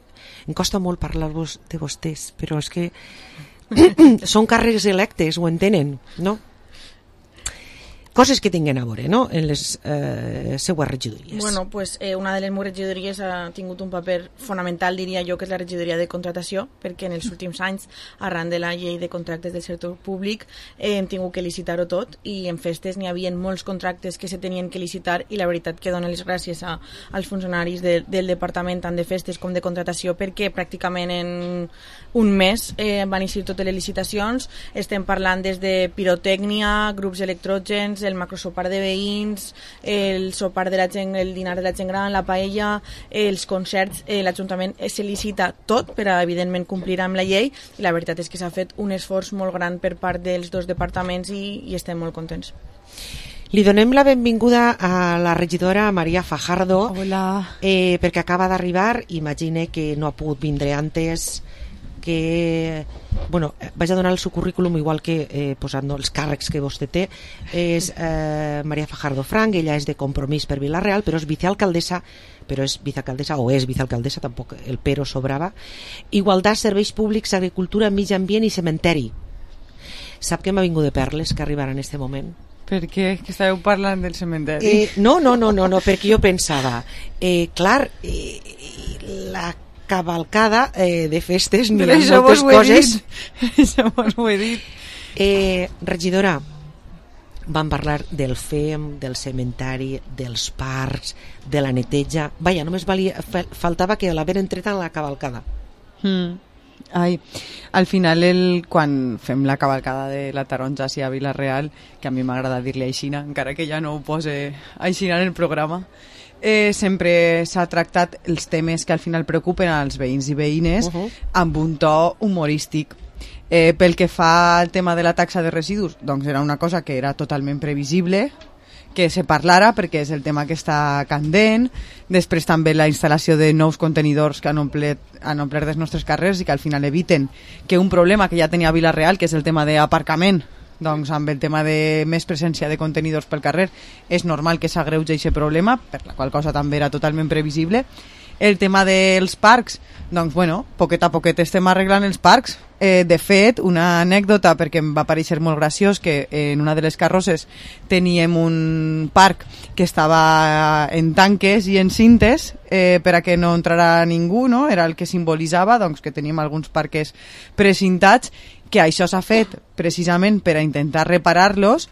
em costa molt parlar-vos de vostès, però és que són càrrecs electes, ho entenen, no? coses que tinguin a veure, no?, en les eh, seues regidories. Bueno, pues eh, una de les meves regidories ha tingut un paper fonamental, diria jo, que és la regidoria de contratació, perquè en els últims anys, arran de la llei de contractes del sector públic, eh, hem tingut que licitar-ho tot, i en festes n'hi havia molts contractes que se tenien que licitar, i la veritat que dono les gràcies a, als funcionaris de, del departament, tant de festes com de contratació, perquè pràcticament en un mes eh, van eixir totes les licitacions. Estem parlant des de pirotècnia, grups electrògens, el macrosopar de veïns, el sopar de la gent, el dinar de la gent gran, la paella, els concerts, eh, l'Ajuntament se licita tot per a, evidentment, complir amb la llei, i la veritat és que s'ha fet un esforç molt gran per part dels dos departaments i, i estem molt contents. Li donem la benvinguda a la regidora Maria Fajardo. Hola. Eh, perquè acaba d'arribar, imagine que no ha pogut vindre antes, que bueno, vaig a donar el seu currículum igual que eh, posant els càrrecs que vostè té. És eh, Maria Fajardo Frank, ella és de Compromís per Vila-real, però és vicealcaldessa, però és vicealcaldessa o és vicealcaldessa, tampoc el pero sobrava. Igualtat, serveis públics, agricultura, mig ambient i cementeri. Sap que m'ha vingut de perles que arribarà en este moment? Per què? Que estàveu parlant del cementeri? Eh, no, no, no, no, no, perquè jo pensava, eh, clar, eh, la cavalcada eh, de festes, ni moltes coses. Això vos ho he dit. Eh, regidora, vam parlar del F E M, del cementari, dels parcs, de la neteja. Vaja, només valia, faltava que l'haver entret en la cavalcada. Mm. Ai, al final el, quan fem la cavalcada de la taronja a Vila-real, que a mi m'agrada dir-li aixina, encara que ja no ho pose aixina en el programa, eh, sempre s'ha tractat els temes que al final preocupen als veïns i veïnes uh-huh. amb un to humorístic. Eh, pel que fa al tema de la taxa de residus, doncs era una cosa que era totalment previsible que se parlara, perquè és el tema que està candent. Després també la instal·lació de nous contenidors que han omplert, han omplert els nostres carrers i que al final eviten que un problema que ja tenia Vila-real, que és el tema d'aparcament, doncs amb el tema de més presència de contenidors pel carrer, és normal que s'agreugi aquest problema, per la qual cosa també era totalment previsible. El tema dels parcs, doncs bueno, poquet a poquet estem arreglant els parcs. Eh, de fet, una anècdota, perquè em va parecer molt graciós, que en una de les carrosses teníem un parc que estava en tanques i en cintes eh, per a que no entrara ningú, no? Era el que simbolitzava doncs, que teníem alguns parques precintats, que això s'ha fet precisament per a intentar reparar-los,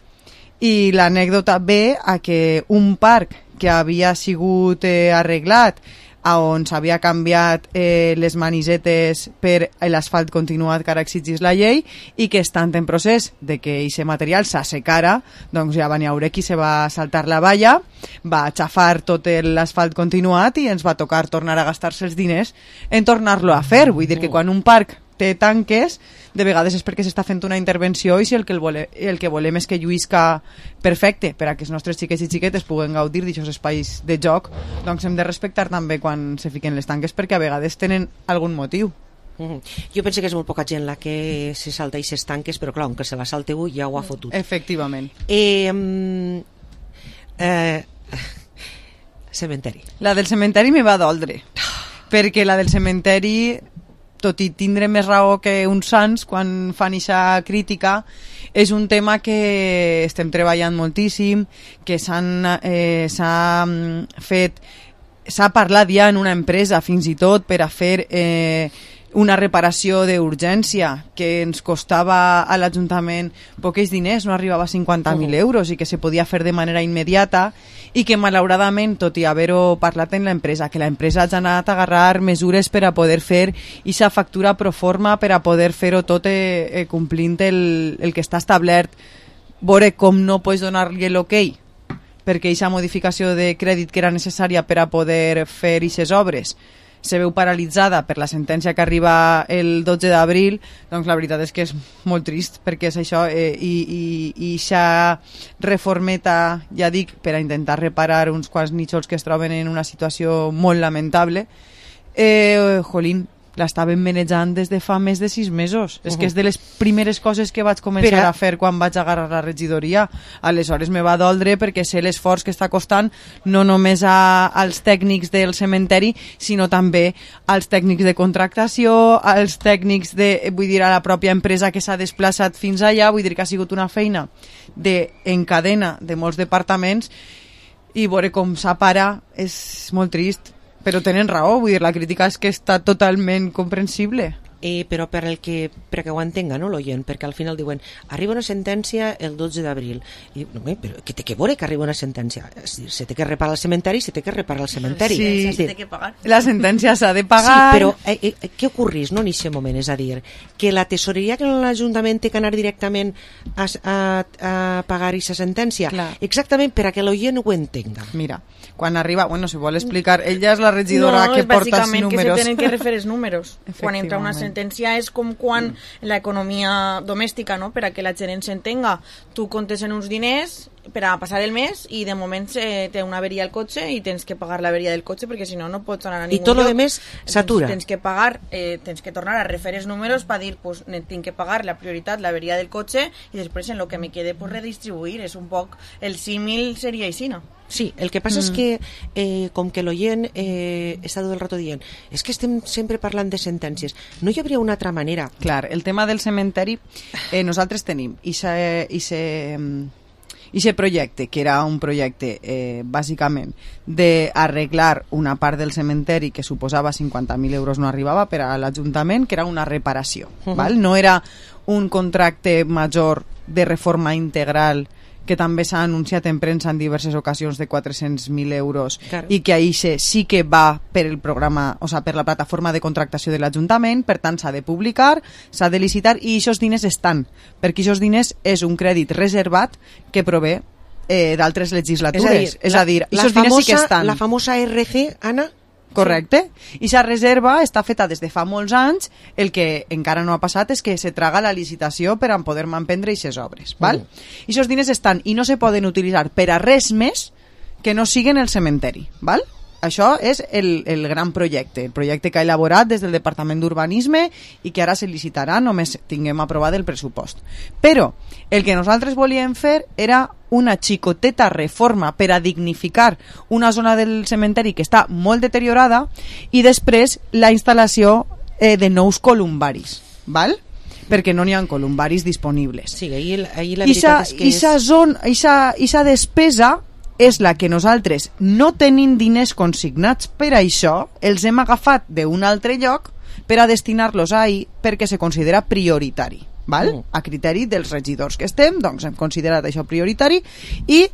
i l'anècdota ve a que un parc que havia sigut eh, arreglat, a on s'havia canviat eh, les manisetes per l'asfalt continuat que ara exigís la llei i que estant en procés de que aquest material s'assecara, doncs ja va n'hi haure qui se va saltar la valla, va aixafar tot l'asfalt continuat i ens va tocar tornar a gastar-se els diners en tornar-lo a fer. Vull dir que quan un parc té tanques, de vegades és perquè s'està fent una intervenció i si el que, el vole, el que volem és que lluïsca perfecte per a que els nostres xiquets i xiquetes puguen gaudir d'aquests espais de joc, doncs hem de respectar també quan se fiquen les tanques, perquè a vegades tenen algun motiu. Mm-hmm. Jo penso que és molt poca gent la que se salta aquestes tanques, però clar, aunque se la salteu ja ho ha fotut. Efectivament. Eh, eh, cementeri. La del cementeri me va doldre, perquè la del cementeri, tot i tindre més raó que uns sants quan fan aquesta crítica, és un tema que estem treballant moltíssim, que s'han eh, s'ha fet, s'ha parlat ja en una empresa fins i tot per a fer eh, una reparació d'urgència que ens costava a l'Ajuntament poquets diners, no arribava a cinquanta mil euros i que se podia fer de manera immediata i que malauradament, tot i haver-ho parlat en l'empresa, que l'empresa ha anat a agarrar mesures per a poder fer aquesta factura pro forma, per a poder fer-ho tot eh, eh, complint el, el que està establert. Veure com no pots donar-li l'ok perquè aquesta modificació de crèdit que era necessària per a poder fer aquestes obres se veu paralitzada per la sentència que arriba el dotze d'abril, doncs la veritat és que és molt trist, perquè és això, eh, i, i, i aquesta reformeta, ja dic, per a intentar reparar uns quants nítxols que es troben en una situació molt lamentable, eh, jolín, l'estaven manejant des de fa més de sis mesos. Uh-huh. És que és de les primeres coses que vaig començar Però... a fer quan vaig agarrar la regidoria. Aleshores me va doldre perquè sé l'esforç que està costant no només a, als tècnics del cementeri, sinó també als tècnics de contractació, als tècnics de, vull dir, a la pròpia empresa que s'ha desplaçat fins allà, vull dir que ha sigut una feina de, en cadena de molts departaments, i veure com s'apara és molt trist. Però tenen raó, vull dir, la crítica és que està totalment comprensible. Eh, però per el que, perquè ho entenga, no, l'oient, perquè al final diuen arriba una sentència el dotze d'abril i no, però què té que veure que arriba una sentència? Se té que reparar el cementeri, se té que reparar el cementeri. Sí, sí. Que pagar. La sentència s'ha de pagar. Sí, però eh, eh, què ocorrís, no, en aquest moment? És a dir, que la tesoreria que l'Ajuntament té que anar directament a, a, a pagar aquesta sentència? Clar. Exactament per a que l'oient ho entenga. Mira, quan arriba, bueno, si vol explicar, ella és la regidora no, que porta els números. No, és bàsicament que se tenen que refer els números. Quan entra una sentència és com quan mm. l'economia domèstica, no? Per a que la gent s'entenga, tu comptes en uns diners per a passar el mes i de moment eh, té una averia al cotxe i tens que pagar l'averia del cotxe perquè si no no pots anar a ningú lloc. I tot el més s'atura. Tens que pagar, eh, tens que tornar a refer els números per dir, pues, tinc que pagar la prioritat, l'averia del cotxe i després en el que me quede pues, redistribuir. És un poc, el símil seria així, no? Sí, el que passa mm. és que eh, com que l'oient eh, està tot el rato dient és que estem sempre parlant de sentències, no hi hauria una altra manera? Clar, el tema del cementeri, eh, nosaltres tenim i se, i se, i se projecte, que era un projecte eh, bàsicament d'arreglar una part del cementeri que suposava cinquanta mil euros, no arribava per a l'Ajuntament, que era una reparació. Uh-huh. Val? No era un contracte major de reforma integral que també s'ha anunciat en premsa en diverses ocasions de quatre-cents mil euros claro. I que ahí sí que va per el programa, o sea, per la plataforma de contractació de l'Ajuntament, per tant s'ha de publicar, s'ha de licitar i aquests diners estan, perquè aquests diners és un crèdit reservat que prové eh, d'altres legislatures. És a dir, aquests diners sí que estan. La famosa R C, Anna? Correcte. I sa reserva està feta des de fa molts anys. El que encara no ha passat és que se traga la licitació per a poder manprendre aquestes obres. Val? Mm. I aquests diners estan i no se poden utilitzar per a res més que no siguen el cementeri. Val? Això és el, el gran projecte, el projecte que ha elaborat des del Departament d'Urbanisme i que ara se licitarà només tinguem aprovat el pressupost. Però el que nosaltres volíem fer era una xicoteta reforma per a dignificar una zona del cementeri que està molt deteriorada i després la instal·lació eh, de nous columbaris, val? Perquè no n'hi ha columbaris disponibles. Sí, ahí, ahí la veritat és que és... Ixa zona, ixa, ixa despesa és la que nosaltres, no tenint diners consignats per a això, els hem agafat d'un altre lloc per a destinar-los ahí perquè se considera prioritari. Val? Mm. A criteri dels regidors que estem, doncs hem considerat això prioritari i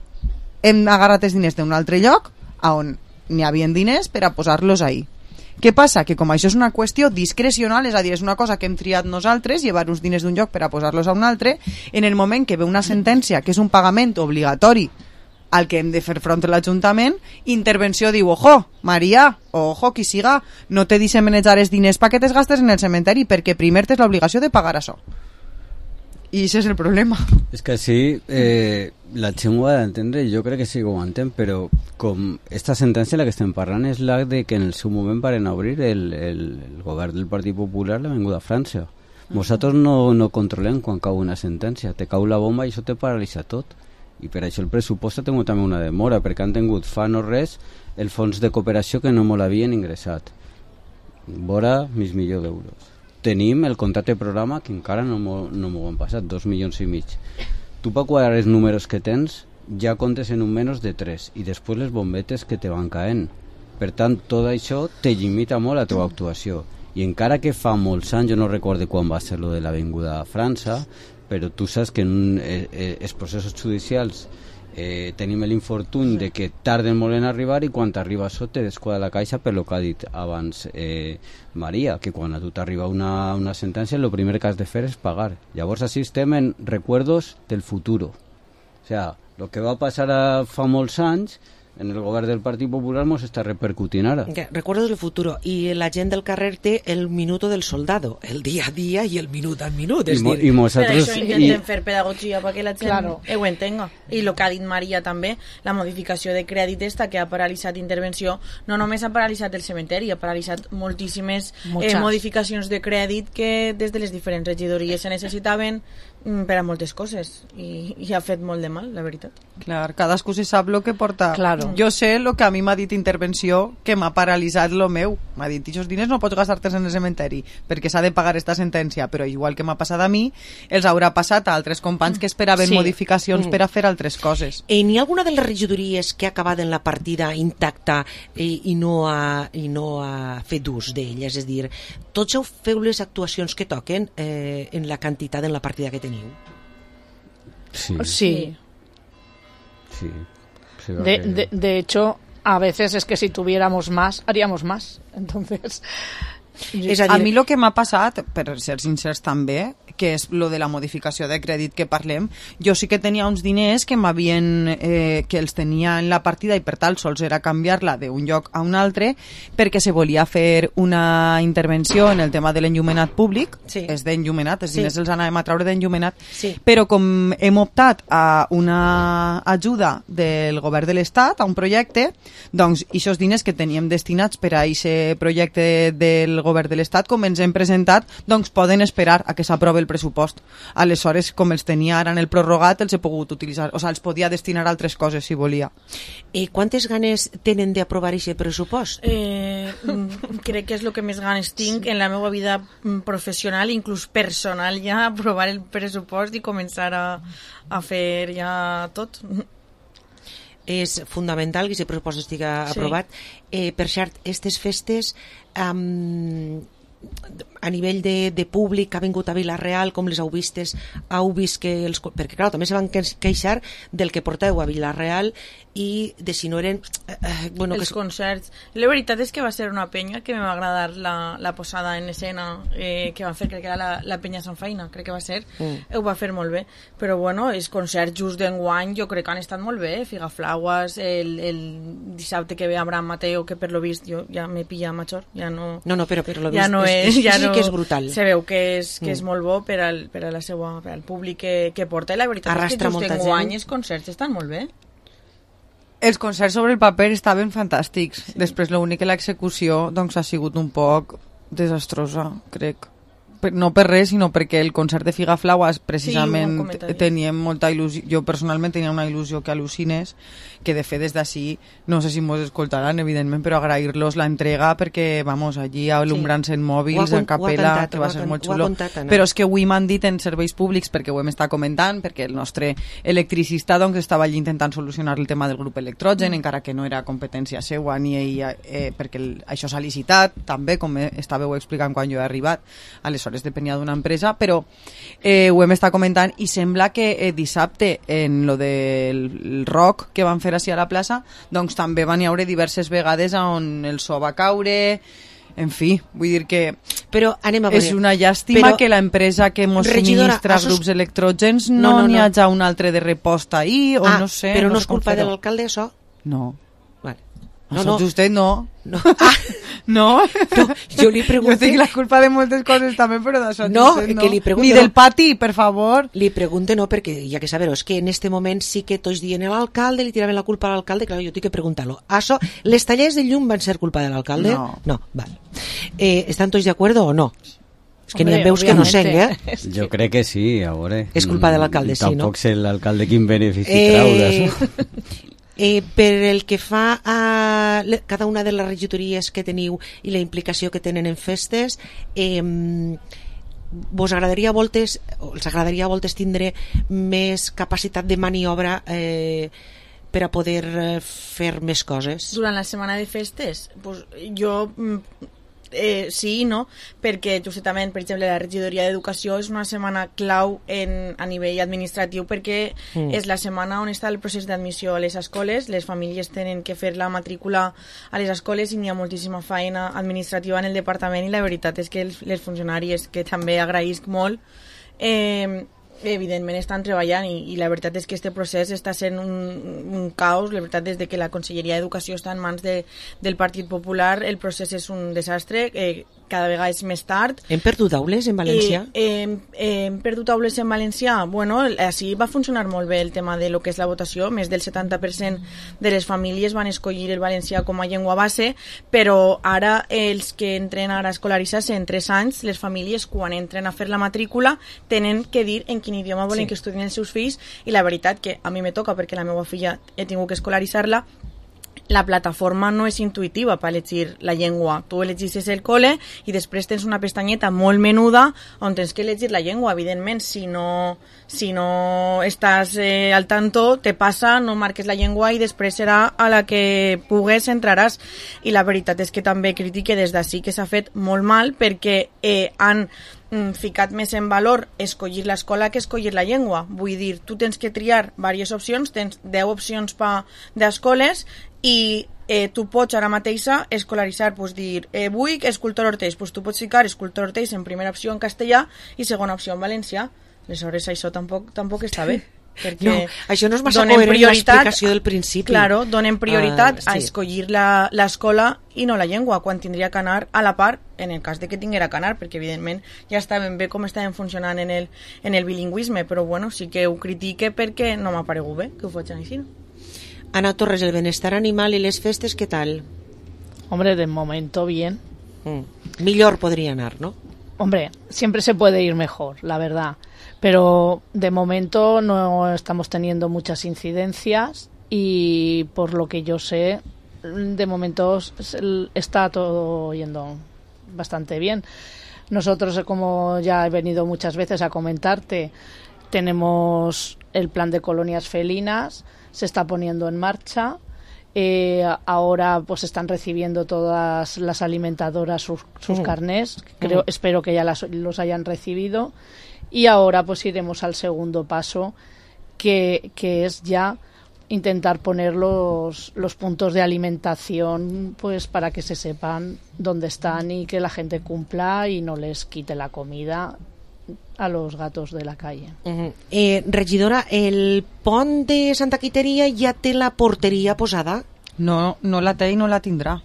hem agarrat els diners d'un altre lloc on n'hi havia diners per a posar-los ahí. Què passa? Que com això és una qüestió discrecional, és a dir, és una cosa que hem triat nosaltres, llevar uns diners d'un lloc per a posar-los a un altre, en el moment que ve una sentència que és un pagament obligatori al que hem de fer front a l'Ajuntament, intervenció diu, ojo, Maria, ojo, qui siga, no te deixen manejar els diners perquè te'ls gastes en el cementeri, perquè primer tens l'obligació de pagar això. I això és el problema. És que sí, eh, la gent ho ha d'entendre, jo crec que sí que ho entén, però com esta sentència la que estem parlant és la de que en el seu moment varen obrir el, el, el govern del Partit Popular l'Avinguda França. Vosaltres no, no controlem quan cau una sentència, te cau la bomba i això te paralitza tot. I per això el pressupost ha tingut també una demora, perquè han tingut fa no res el fons de cooperació que no molt havien ingressat. Vora mig milió d'euros. Tenim el contracte de programa que encara no m'ho no han passat, dos milions i mig. Tu per quadrar els números que tens ja comptes en un menys de tres i després les bombetes que te van caent. Per tant, tot això te limita molt la teva actuació. I encara que fa molts anys, jo no recordo quan va ser lo de l'Avinguda a França, però tu saps que en eh, eh, els processos judicials eh, tenim l'infortuni de que tarden molt en arribar i quan t'arriba això te desquadra la caixa per lo que ha dit abans eh, Maria, que quan a tu t'arriba una, una sentència el primer que has de fer és pagar. Llavors així estem en recuerdos del futuro. O sea, lo que va passar a, fa molts anys en el govern del Partit Popular mos està repercutint ara. Recuerdos del futuro. I la gent del carrer té el minuto del soldado, el dia a dia i el minut al minut. I, és mo, dir, i nosaltres, per això intentem i... fer pedagogia perquè la gent claro. ho entenga. I el que ha dit Maria també, la modificació de crèdit esta que ha paralitzat intervenció, no només ha paralitzat el cementeri, ha paralitzat moltíssimes eh, modificacions de crèdit que des de les diferents regidories se necessitaven per a moltes coses i, i ha fet molt de mal, la veritat. Clar, cadascú se sap el que porta. Claro. Jo sé el que a mi m'ha dit intervenció que m'ha paralitzat lo meu. M'ha dit, aquests diners no pots gastar-te's en el cementeri perquè s'ha de pagar esta sentència, però igual que m'ha passat a mi, els haurà passat a altres companys que esperaven sí. modificacions mm. per a fer altres coses. I n'hi ha alguna de les regidories que ha acabat en la partida intacta i, i no ha, i no ha fet ús d'elles? És dir, tots heu feu les actuacions que toquen eh, en la quantitat en la partida que teniu? Sí. Sí. Sí. sí de, de, de hecho, a veces es que si tuviéramos más, haríamos más. Entonces... És a, dir... a mi el que m'ha passat, per ser sincers també, que és lo de la modificació de crèdit que parlem, jo sí que tenia uns diners que m'havien eh, que els tenia en la partida i per tal sols era canviar-la d'un lloc a un altre perquè se volia fer una intervenció en el tema de l'enllumenat públic, sí. és d'enllumenat, els diners sí. els anàvem a traure d'enllumenat, sí. però com hem optat a una ajuda del govern de l'Estat, a un projecte, doncs aquests diners que teníem destinats per a aquest projecte del govern de l'Estat, com ens hem presentat, doncs poden esperar a que s'aprovi el pressupost. Aleshores, com els tenia ara en el prorrogat, els he pogut utilitzar, o sigui, els podia destinar a altres coses si volia. I quantes ganes tenen d'aprovar aquest pressupost? Eh, crec que és el que més ganes tinc en la meva vida professional, inclús personal, ja aprovar el pressupost i començar a, a fer ja tot. És fundamental que aquest pressupost estigui aprovat. Sí. Eh, per cert, aquestes festes um, a nivell de, de públic que ha vingut a Vila-real, com les heu vistes, heu vist que els... Perquè, clar, també se van queixar del que porteu a Vila-real i de si no eren... Eh, bueno, els que... concerts. La veritat és que va ser una penya que me va agradar la, la posada en escena eh, que van fer, crec que era la, la penya Sant Feina, crec que va ser. Mm. Ho va fer molt bé. Però, bueno, els concerts just d'enguany jo crec que han estat molt bé. Figaflaues, el, el dissabte que ve Abraham Mateo, que per lo vist jo ja me pilla major, ja no... No, no, però per lo vist ja no és, és, és, ja sí no, que és brutal. Se veu que és, que mm. és molt bo per al, per a la seva, per al públic que, que porta, i la veritat arrastra és que just enguany els concerts estan molt bé. Els concerts sobre el paper estaven fantàstics. Sí. Després l'únic que l'execució doncs, ha sigut un poc desastrosa, crec. No per res, sinó perquè el concert de Figaflaues precisament sí, teníem molta il·lusió, jo personalment tenia una il·lusió que al·lucines, que de fet des d'ací, no sé si mos escoltaran evidentment, però agrair-los la entrega perquè, vamos, allí alumbrant-se en mòbils, sí. en capella, cantat, que va ser molt xulo. Contat, però és que avui m'han dit en serveis públics, perquè ho hem estat comentant, perquè el nostre electricista doncs, estava allí intentant solucionar el tema del grup electrogen, mm. encara que no era competència seua, ni ella, eh, perquè el, això s'ha licitat, també, com estàveu explicant quan jo he arribat, aleshores depenia d'una empresa, però eh, ho hem estat comentant i sembla que eh, dissabte en lo del rock que van fer així a la plaça, doncs també van hi haure diverses vegades on el so va caure, en fi, vull dir que però anem a veure. És una llàstima però, que l'empresa que ens subministra asos... grups electrògens no n'hi no, no, no. hagi un altre de reposta ahir, o ah, no sé. Però no, no és culpa de l'alcalde, això? No. Vale. No, no. Vostè no. No. Ah. No. no, jo li pregunto... Jo tinc la culpa de moltes coses també, però d'això no, no. Que li pregunto, ni del pati, per favor. Li pregunte no, perquè ja que saber és que en este moment sí que tots dient l'alcalde, li tiraven la culpa a l'alcalde, clar, jo tinc que preguntar-lo. Això, les tallers de llum van ser culpa de l'alcalde? No. No, val. Eh, ¿Estan tots d'acord o no? És que n'hi ha veus que no sé, eh? Jo crec que sí, a veure. És culpa de l'alcalde, sí, no? Tampoc sé l'alcalde quin benefici eh... trau d'això. Eh, per el que fa a le, cada una de les regidories que teniu i la implicació que tenen en festes, eh, vos agradaria a voltes, els agradaria a voltes tindre més capacitat de maniobra eh, per a poder fer més coses? Durant la setmana de festes? Pues jo... Eh, sí i no, perquè justament, per exemple, la regidoria d'Educació és una setmana clau en, a nivell administratiu perquè mm. és la setmana on està el procés d'admissió a les escoles, les famílies tenen que fer la matrícula a les escoles i n'hi ha moltíssima feina administrativa en el departament i la veritat és que els, les funcionàries, que també agraïsc molt, eh, evidentment estan treballant i, i la veritat és que este procés està sent un, un caos. La veritat és que la Conselleria d'Educació està en mans de, del Partit Popular, el procés és un desastre, eh, cada vegada és més tard. Hem perdut aules en València? Eh, eh, eh, hem perdut aules en València? Bueno, així va funcionar molt bé el tema de lo que és la votació, més del setanta per cent de les famílies van escollir el valencià com a llengua base, però ara els que entren ara a escolaritzar-se en tres anys, les famílies quan entren a fer la matrícula tenen que dir en quin idioma volen sí. que estudien els seus fills, i la veritat que a mi me toca perquè la meva filla he tingut que escolaritzar-la, la plataforma no és intuïtiva per elegir la llengua. Tu elegis el col·le i després tens una pestanyeta molt menuda on tens que elegir la llengua. Evidentment, si no, si no estàs eh, al tanto, te passa, no marques la llengua i després serà a la que pugues entraràs. I la veritat és que també critique des d'ací que s'ha fet molt mal perquè eh, han ficat més en valor escollir l'escola que escollir la llengua. Vull dir, tu tens que triar diverses opcions, tens deu opcions pa d'escoles i eh, tu pots ara mateixa escolaritzar, pues dir, eh, vull escultor Orteix, pues tu pots ficar escultor Orteix en primera opció en castellà i segona opció en valencià. Aleshores això tampoc, tampoc està bé. Perquè no, això no és massa coherent amb l'explicació del principi. Claro, donen prioritat uh, sí. a escollir l'escola i no la llengua, quan tindria que anar a la part, en el cas de que tinguera que anar, perquè evidentment ja estaven bé com estaven funcionant en el, en el bilingüisme, però bueno, sí que ho critique perquè no m'ha paregut bé que ho facin així. Ana Torres, el benestar animal i les festes, ¿qué tal? Hombre, de momento bien. Mm. Millor podría anar, ¿no? Hombre, siempre se puede ir mejor, la verdad. Pero de momento no estamos teniendo muchas incidencias y por lo que yo sé, de momento está todo yendo bastante bien. Nosotros, como ya he venido muchas veces a comentarte, tenemos el plan de colonias felinas, se está poniendo en marcha. Eh, ahora pues están recibiendo todas las alimentadoras sus, sus mm. carnés. Creo, mm. Espero que ya las, los hayan recibido. Y ahora pues iremos al segundo paso, que, que es ya intentar poner los, los puntos de alimentación pues para que se sepan dónde están y que la gente cumpla y no les quite la comida a los gatos de la calle. Uh-huh. eh, regidora, el pont de Santa Quiteria ja té la porteria posada? No, no la té i no la tindrà.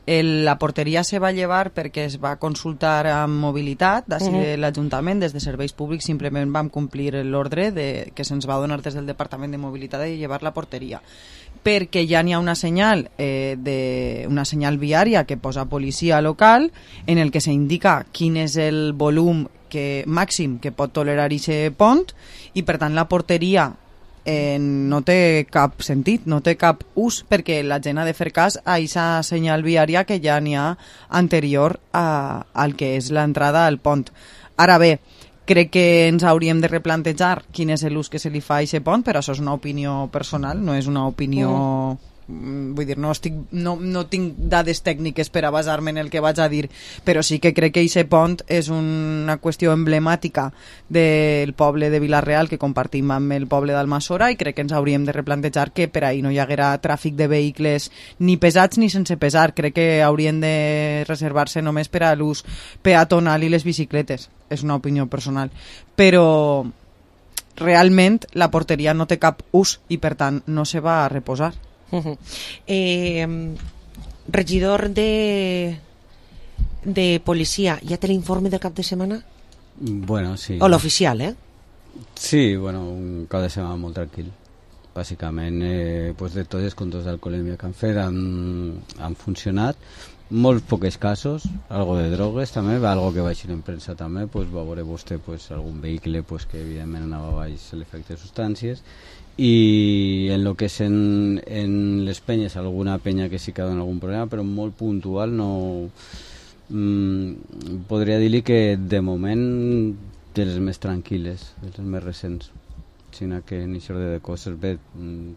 El, la porteria se va llevar perquè es va consultar amb mobilitat d'ací uh-huh. de l'Ajuntament. Des de Serveis Públics simplement vam complir l'ordre de, que se'ns va donar des del Departament de Mobilitat de llevar la porteria, perquè ja n'hi ha una senyal eh, de, una senyal viària que posa policia local en el que s'indica quin és el volum que, màxim que pot tolerar aquest pont, i per tant la porteria Eh, no té cap sentit, no té cap ús, perquè la gent ha de fer cas a aquesta senyal viària que ja n'hi ha anterior a, al que és l'entrada al pont. Ara bé, crec que ens hauríem de replantejar quin és l'ús que se li fa a aquest pont, però això és una opinió personal, no és una opinió... Mm. Vull dir, no, estic, no, no tinc dades tècniques per a basar-me en el que vaig a dir, però sí que crec que aquest pont és una qüestió emblemàtica del poble de Vila-real que compartim amb el poble d'Almassora, i crec que ens hauríem de replantejar que per ahir no hi haguera tràfic de vehicles ni pesats ni sense pesar. Crec que haurien de reservar-se només per a l'ús peatonal i les bicicletes. És una opinió personal, però realment la porteria no té cap ús i per tant no se va a reposar. Uh-huh. eh, regidor de de policia, ¿ya té l'informe del cap de setmana? Bueno, sí. O l'oficial, eh? Sí, bueno, un cap de setmana molt tranquil. Bàsicament, eh, pues de tots els controls d'alcoholèmia que han fet han, han funcionat. Molts pocs casos, algo de drogues també, algo que va eixir en premsa també, pues va veure vostè pues, algun vehicle pues, que evidentment anava baix l'efecte de substàncies, i en lo que és en, en les penyes, alguna penya que sí que dona algun problema, però molt puntual. No mm, podria dir-li que de moment de les més tranquil·les, de les més recents. sinó que en això de coses bé,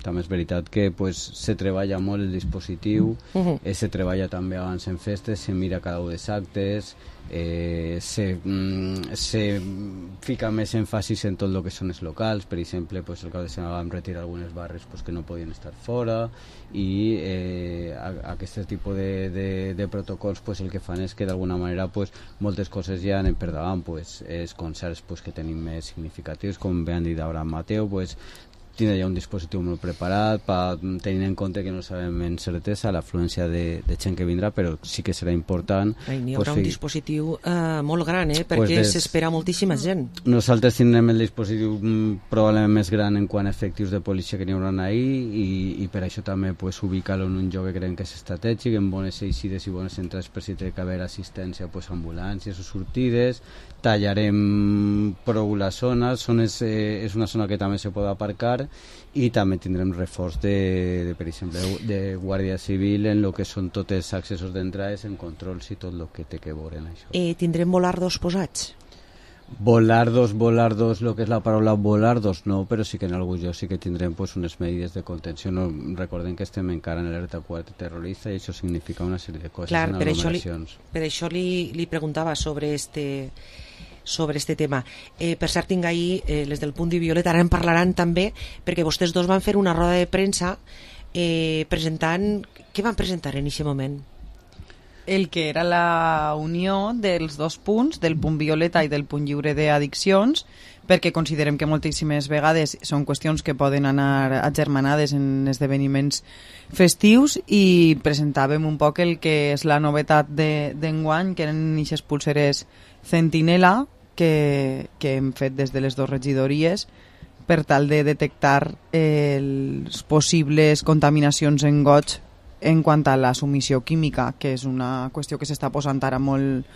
també és veritat que pues, se treballa molt el dispositiu, uh-huh. eh, se treballa també abans en festes, se mira cada un dels actes, eh, se, mm, se fica més èmfasis en tot el que són els locals. Per exemple, pues, el cap de setmana vam retirar algunes barres pues, que no podien estar fora, i eh, a, aquest tipus de, de, de protocols pues, el que fan és que d'alguna manera pues, moltes coses ja anem per davant, pues, els concerts pues, que tenim més significatius, com bé han dit Abraham Mateu, pues, tindre ja un dispositiu molt preparat, pa, tenint en compte que no sabem en certesa l'afluència de, de gent que vindrà, però sí que serà important. Ai, n'hi haurà pues, un fi... dispositiu eh, molt gran, eh, perquè pues s'espera moltíssima gent. Nosaltres tindrem el dispositiu probablement més gran en quant a efectius de policia que n'hi haurà ahir, i, i per això també pues, ubicar-lo en un lloc que creiem que és estratègic, en bones eixides i bones entrades, per si té que haver assistència, pues, ambulàncies o sortides. Tallarem prou la zona, Són és, eh, és una zona que també se pot aparcar, i també tindrem reforç de, de per exemple, de Guàrdia Civil en el que són tots els accessos d'entrades, en controls i tot el que té que veure en això. Eh, tindrem volardos posats? Volardos, volardos, el que és la paraula volardos no, però sí que en algun lloc sí que tindrem pues, unes medides de contenció. No, recordem que estem encara en l'alerta quatre terrorista, i això significa una sèrie de coses. Clar, en per això, li, aglomeracions. per això li, li preguntava sobre este, sobre este tema. Eh, per cert, tinc ahir eh, les del Punt i Violeta, ara en parlaran també, perquè vostès dos van fer una roda de premsa eh, presentant... Què van presentar en aquest moment? El que era la unió dels dos punts, del punt violeta i del punt lliure d'addiccions, perquè considerem que moltíssimes vegades són qüestions que poden anar agermanades en esdeveniments festius, i presentàvem un poc el que és la novetat d'enguany, que eren aquestes pulseres Centinela que, que hem fet des de les dues regidories per tal de detectar eh, les possibles contaminacions en goig en quant a la submissió química, que és una qüestió que s'està posant ara molt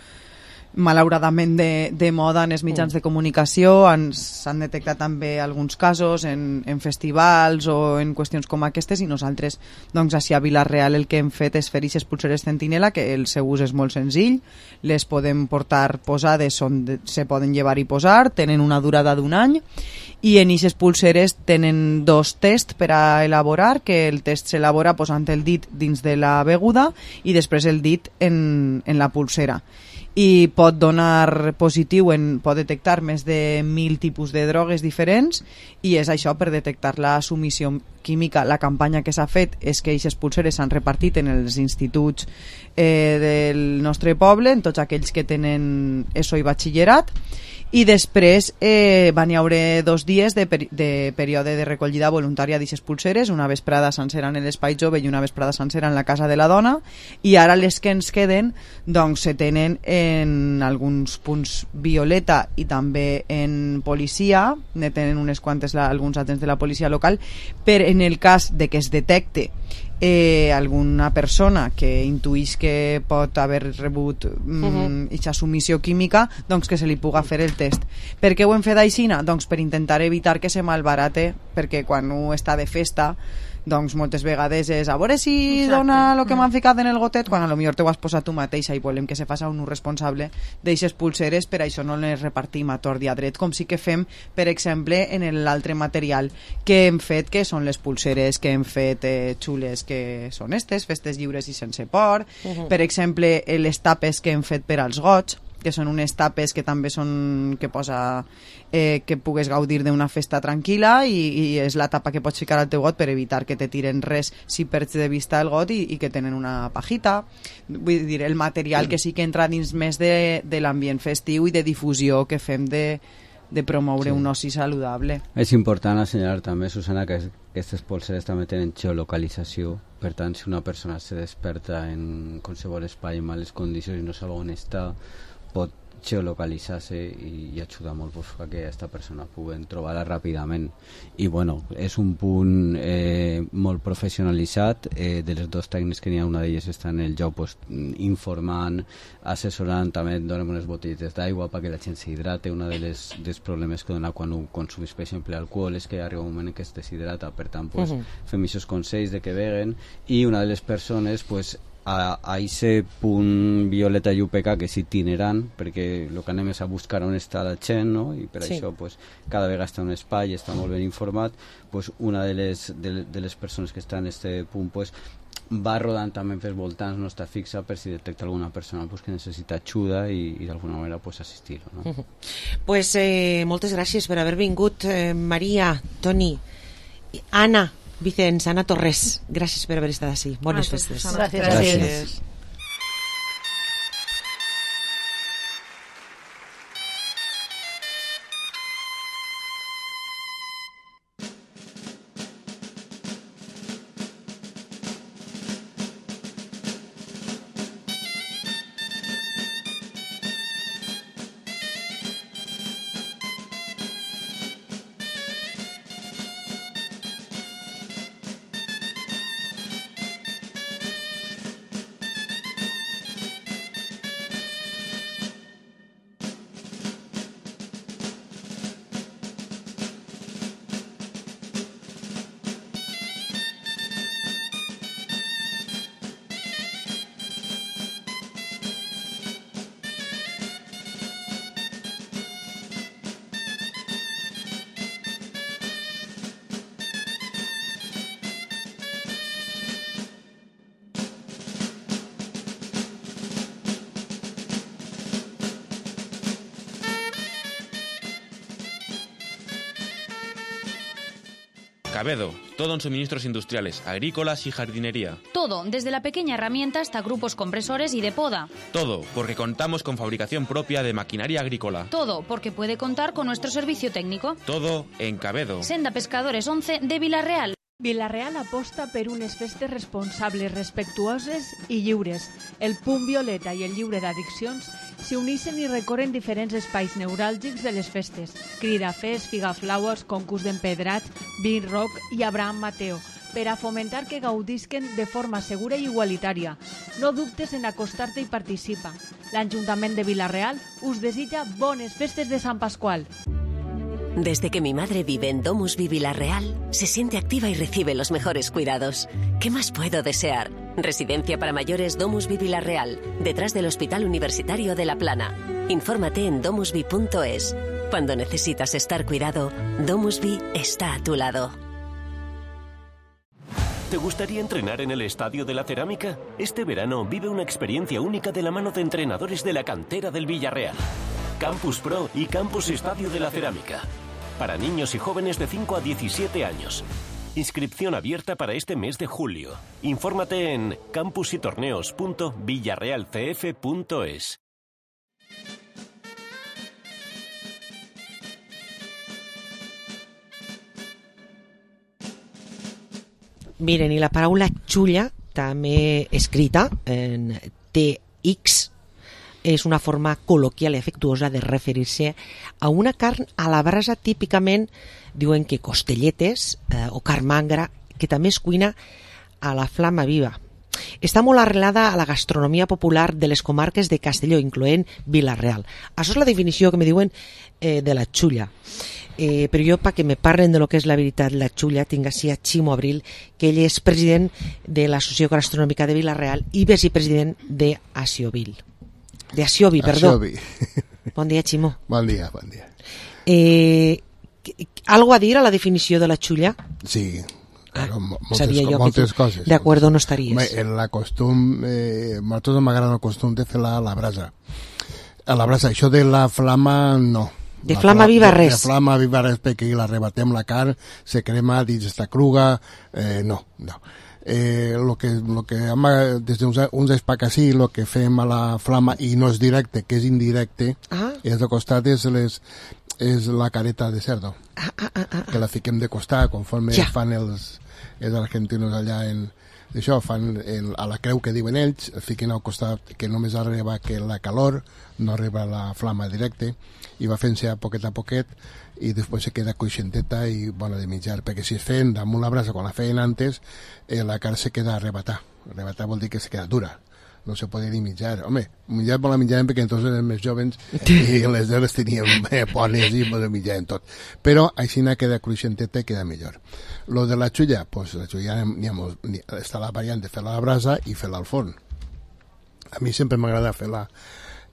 malauradament de, de moda en els mitjans de comunicació. S'han detectat també alguns casos en, en festivals o en qüestions com aquestes, i nosaltres doncs, a Vilareal el que hem fet és fer aquestes pulseres Centinela, que el seu ús és molt senzill, les podem portar posades, són de, se poden llevar i posar, tenen una durada d'un any, i en aquestes pulseres tenen dos tests per a elaborar, que el test s'elabora posant el dit dins de la beguda i després el dit en, en la pulsera, i pot donar positiu, en, pot detectar més de mil tipus de drogues diferents, i és això per detectar la submissió química. La campanya que s'ha fet és que aquestes pulseres s'han repartit en els instituts eh, del nostre poble, en tots aquells que tenen ESO i batxillerat, i després eh, van hi haure dos dies de, peri de període de recollida voluntària d'aquestes pulseres, una vesprada sencera en l'Espai Jove i una vesprada sencera en la Casa de la Dona, i ara les que ens queden doncs se tenen en alguns punts violeta i també en policia, ne tenen unes quantes la, alguns agents de la policia local, per en el cas de que es detecte eh, alguna persona que intuïs que pot haver rebut mm, uh-huh. submissió química, doncs que se li puga fer el test. Per què ho hem fet aixina? Doncs per intentar evitar que se malbarate, perquè quan un està de festa doncs moltes vegades és a veure si Exacte. Dona el que m'han ficat en el gotet, quan a lo millor t'ho has posat tu mateixa, i volem que se faci un ús responsable d'eixes pulseres, per això no les repartim a tort i a dret, com sí que fem per exemple en l'altre material que hem fet, que són les pulseres que hem fet eh, xules, que són estes, festes lliures i sense por, uh-huh. per exemple les tapes que hem fet per als goig, que són unes tapes que també són que posa eh, que pugues gaudir d'una festa tranquil·la, i, i és la tapa que pots ficar al teu got per evitar que te tiren res si perds de vista el got, i, i que tenen una pajita. Vull dir, el material que sí que entra dins més de, de l'ambient festiu i de difusió que fem de, de promoure sí. un oci saludable. És important assenyalar també, Susana, que aquestes pulseres també tenen geolocalització. Per tant, si una persona se desperta en qualsevol espai en males condicions i no sap on està, pot geolocalitzar-se i, i ajudar molt pues, a que aquesta persona pugui trobar-la ràpidament. I bueno, és un punt eh, molt professionalitzat. Eh, de les dos tècnics que n'hi ha, una d'elles està en el lloc pues, informant, assessorant, també donem unes botelletes d'aigua perquè la gent s'hidrate. Una de les dels problemes que dona quan un consumís, per exemple, alcohol, és que arriba un moment en què es deshidrata. Per tant, pues, uh-huh. fem aquests consells de que beguen, i una de les persones pues, a aquest punt Violeta i U P K, que és itinerant, perquè el que anem és a buscar on està la gent, no? I per Sí. això pues, cada vegada està un espai, està molt ben informat, pues, una de les, de, de les persones que està en aquest punt pues, va rodant també pels voltants, no està fixa per si detecta alguna persona pues, que necessita ajuda i, i d'alguna manera pues, assistir-ho. No? Uh -huh. Pues eh, moltes gràcies per haver vingut, eh, Maria, Toni, Anna, Vicenç, Anna Torres, gràcies per haver estat així. Bones festes. Gràcies. Gràcies. Gràcies. Cabedo, todo en suministros industriales, agrícolas y jardinería. Todo, desde la pequeña herramienta hasta grupos compresores y de poda. Todo, porque contamos con fabricación propia de maquinaria agrícola. Todo, porque puede contar con nuestro servicio técnico. Todo en Cabedo. Senda Pescadores once de Vilareal. Vilareal aposta per unes festes responsables, respectuoses i lliures. El Punt Violeta i el Lliure d'Addiccions s'hi uneixen i recorren diferents espais neuràlgics de les festes. Cridafest, Figaflaues, concurs d'empedrats, Beat Rock i Abraham Mateo, per a fomentar que gaudisquen de forma segura i igualitària. No dubtes en acostar-te i participa. L'Ajuntament de Vilareal us desitja bones festes de Sant Pasqual. Desde que mi madre vive en Domus Vi Vilareal, se siente activa y recibe los mejores cuidados. ¿Qué más puedo desear? Residencia para mayores Domus Vi Vilareal, detrás del Hospital Universitario de La Plana. Infórmate en domusvi punto es. Cuando necesitas estar cuidado, Domus Vi está a tu lado. ¿Te gustaría entrenar en el Estadio de la Cerámica? Este verano vive una experiencia única de la mano de entrenadores de la cantera del Villarreal. Campus Pro y Campus Estadio de la Cerámica. Para niños y jóvenes de cinco a diecisiete años. Inscripción abierta para este mes de julio. Infórmate en campusytorneos punto villarrealcf punto es. Miren, i la paraula xulla, també escrita en T X, és una forma col·loquial i afectuosa de referir-se a una carn a la brasa, típicament diuen que costelletes eh, o carn magra, que també es cuina a la flama viva. Està molt arrelada a la gastronomia popular de les comarques de Castelló, incloent Vila-real. Això és la definició que me diuen eh, de la xulla. Eh, però jo, perquè me parlen de lo que és la veritat la xulla, tinc així a Ximo Abril, que ell és president de l'Associació Gastronòmica de Vila-real i vicepresident de Aciovil. De Aciovi, perdó. Aciovi. Bon dia, Ximo. Bon dia, bon dia. Eh, ¿Algo a dir a la definició de la xulla? Sí, claro, ah, moltes, moltes coses. De acuerdo no estaries. Bé, en la costum, eh, a nosaltres m'agrada el costum de fer-la a la brasa. A la brasa, això de la flama, no. De flama viva de, res. De flama viva res, perquè l'arrebatem la carn, se crema, dins està cruga, eh, no, no. Eh, lo que, lo que ama, des d'uns uns espacací, lo que fem a la flama, i no és directe, que és indirecte, ah. és de costat, és, les, és la careta de cerdo, ah, ah, ah, ah. que la fiquem de costat, conforme ja. fan els, els argentinos allà en, això, fan el, a la creu que diuen ells, fiquen al costat que només arriba que la calor, no arriba la flama directe, i va fent-se a poquet a poquet, i després se queda coixenteta i bona de menjar, perquè si es feien damunt la brasa quan la feien antes, eh, la carn se queda arrebatar. Arrebatar vol dir que se queda dura, no se podia ni menjar. Home, menjar molt la menjàvem perquè entonces eren més jovens i les dones teníem eh, bones i molt menjàvem tot. Però així queda cruixenteta i queda millor. Lo de la xulla, pues la xulla n'hi ha, n'hi ha, està la variant de fer-la a la brasa i fer-la al forn. a mi sempre m'agrada fer-la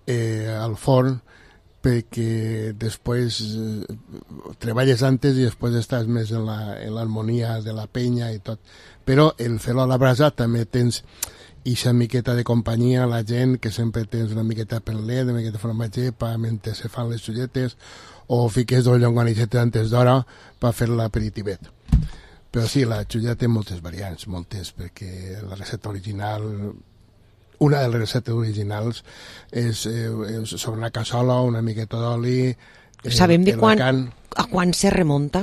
eh, al forn, perquè després eh, treballes antes i després estàs més en l'harmonia la, de la penya i tot. Però el fer-lo a la brasa també tens ixa miqueta de companyia, la gent que sempre tens una miqueta per llet, una miqueta de formatge pa mentre se fan les xulletes, o fiques dos llonganissetes antes d'hora per fer l'aperitivet. Però sí, la xulla té moltes variants, moltes, perquè la recepta original... Una de les receptes originals és, eh, és sobre una cassola, una miqueta d'oli... Eh, Sabem de quan, a quan se remunta?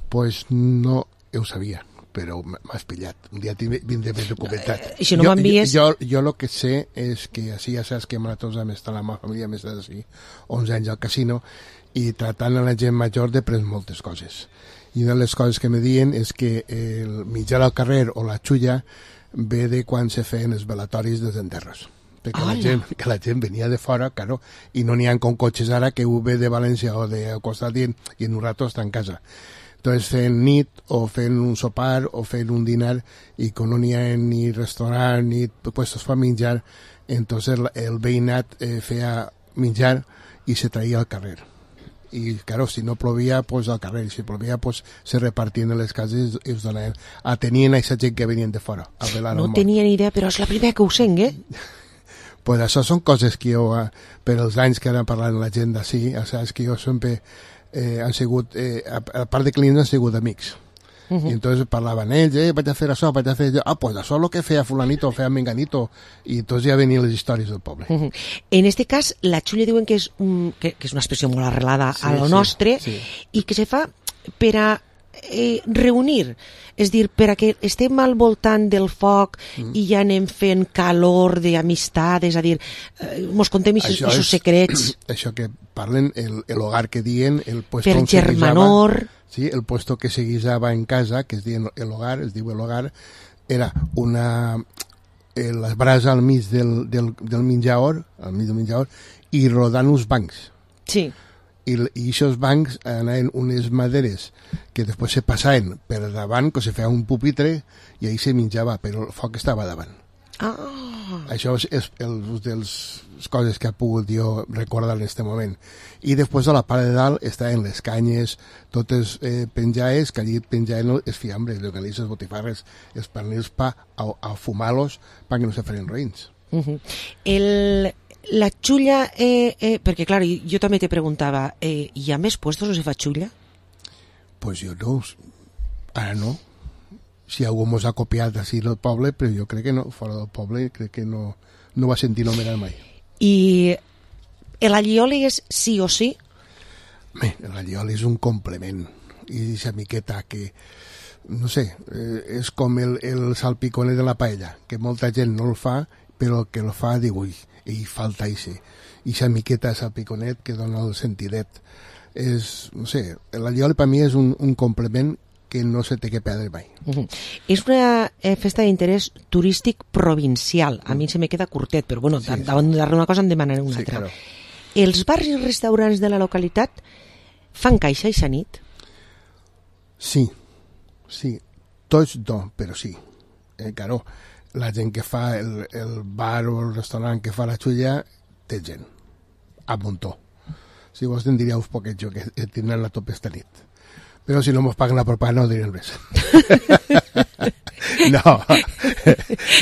Pues no ho sabia, però m'has pillat. Un dia vindré més documentat. Eh, si no m'envies... Jo, jo, jo lo que sé és que així ja saps que nosaltres hem estat la meva família més d'ací, onze anys al casino, i tratant a la gent major de pres moltes coses. I una de les coses que me diuen és que el menjar al carrer o la xulla ve de quan se feien els velatoris dels enterros, perquè la gent, que la gent venia de fora, claro, i no n'hi ha com cotxes ara que ho ve de València o de costat i en, i en un rato està en casa. Entonces fent nit o fent un sopar o fent un dinar i com no n'hi ha ni restaurant ni puestos per menjar, entonces el, el veïnat eh, feia menjar i se traia al carrer. Y claro, si no plovia, pues al carrer, si plovia, pues se repartien en les cases i us donaven. Atenien a aquesta gent que venien de fora a velar no el món. tenia ni idea, però és la primera que ho sent, eh? Pues això són coses que jo, per els anys que ara parlant la gent d'ací, saps que jo sempre eh, han sigut, eh, a part de clients han sigut amics. Uh-huh. I entonces parlaven ells, eh, vaig a fer això, vaig a fer allò. Ah, pues això és el que feia fulanito, feia menganito. I entonces ja venien les històries del poble. Uh-huh. En este cas, la xulla diuen que és, un, que, que és una expressió molt arrelada sí, a lo sí, nostre sí. I que se fa per a eh, reunir, és dir, per a que estem al voltant del foc mm. i ja anem fent calor d'amistat, és a dir, eh, mos contem aquests secrets. Això que parlen, el, el hogar que diuen, el puesto per germanor... Sí, el puesto que se guisaba en casa, que es diu el hogar, es diu el hogar, era una... Eh, la brasa al mig del, del, del menjador, al mig del menjador, i rodant uns bancs. Sí. I aquests bancs anaven unes maderes que després se passaven per davant, que se feia un pupitre, i ahí se menjava, però el foc estava davant. Ah. Això és, és el, de les coses que ha pogut jo recordar en aquest moment. I després a la part de dalt estaven les canyes, totes eh, penjades, que allí penjaven els fiambres, les galices, les botifarres, els pernils pa a, a fumar-los perquè no se feien roïns. Uh-huh. El, la xulla, eh, eh, perquè clar, jo també te preguntava, eh, hi ha més puestos on se fa xulla? Pues jo no, ara no. Si algú mos ha copiat així del poble, però jo crec que no, fora del poble, crec que no, no va sentir nomenar mai. I l'allioli és sí o sí? Bé, l'allioli és un complement, i aquesta miqueta que, no sé, eh, és com el, el salpiconet de la paella, que molta gent no el fa, però el que el fa diu, ui, i falta això. I aquesta miqueta de salpiconet que dona el sentidet. És, no sé, l'allioli per mi és un, un complement que no se té que perdre mai. Uh-huh. És una eh, festa d'interès turístic provincial. A mi se me queda curtet, però bueno, sí, davant d'una cosa em demanaré una sí, altra. Claro. Els bars i restaurants de la localitat fan caixa aquesta nit? Sí, sí. Tots no, però sí. Eh, claro, la gent que fa el, el bar o el restaurant que fa la xulla té gent. A muntó. Si vos en diríeu poquet jo que tindran la tope esta nit. Però si no mos paguen la propaganda no direm res. no,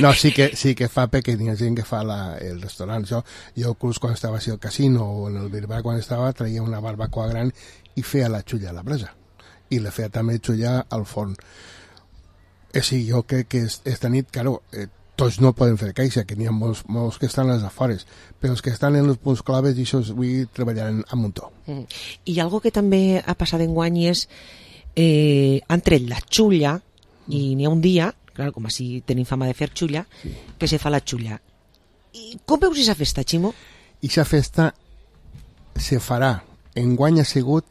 no sí, que, sí que fa perquè hi ha gent que fa la, el restaurant. Jo, jo inclús quan estava així al casino o en el Bilbao quan estava traia una barbacoa gran i feia la xulla a la brasa. I la feia també xulla al forn. Eh, sí, jo crec que esta nit, claro, eh, tots no poden fer caixa, que n'hi ha molts, molts que estan als afores, però els que estan en els punts claves i això avui treballaran a muntó. Mm. I algo que també ha passat enguany és eh, han tret la xulla i n'hi ha un dia, clar, com així tenim fama de fer xulla, sí. que se fa la xulla. I com veus aquesta festa, Ximo? Aquesta festa se farà, enguany ha sigut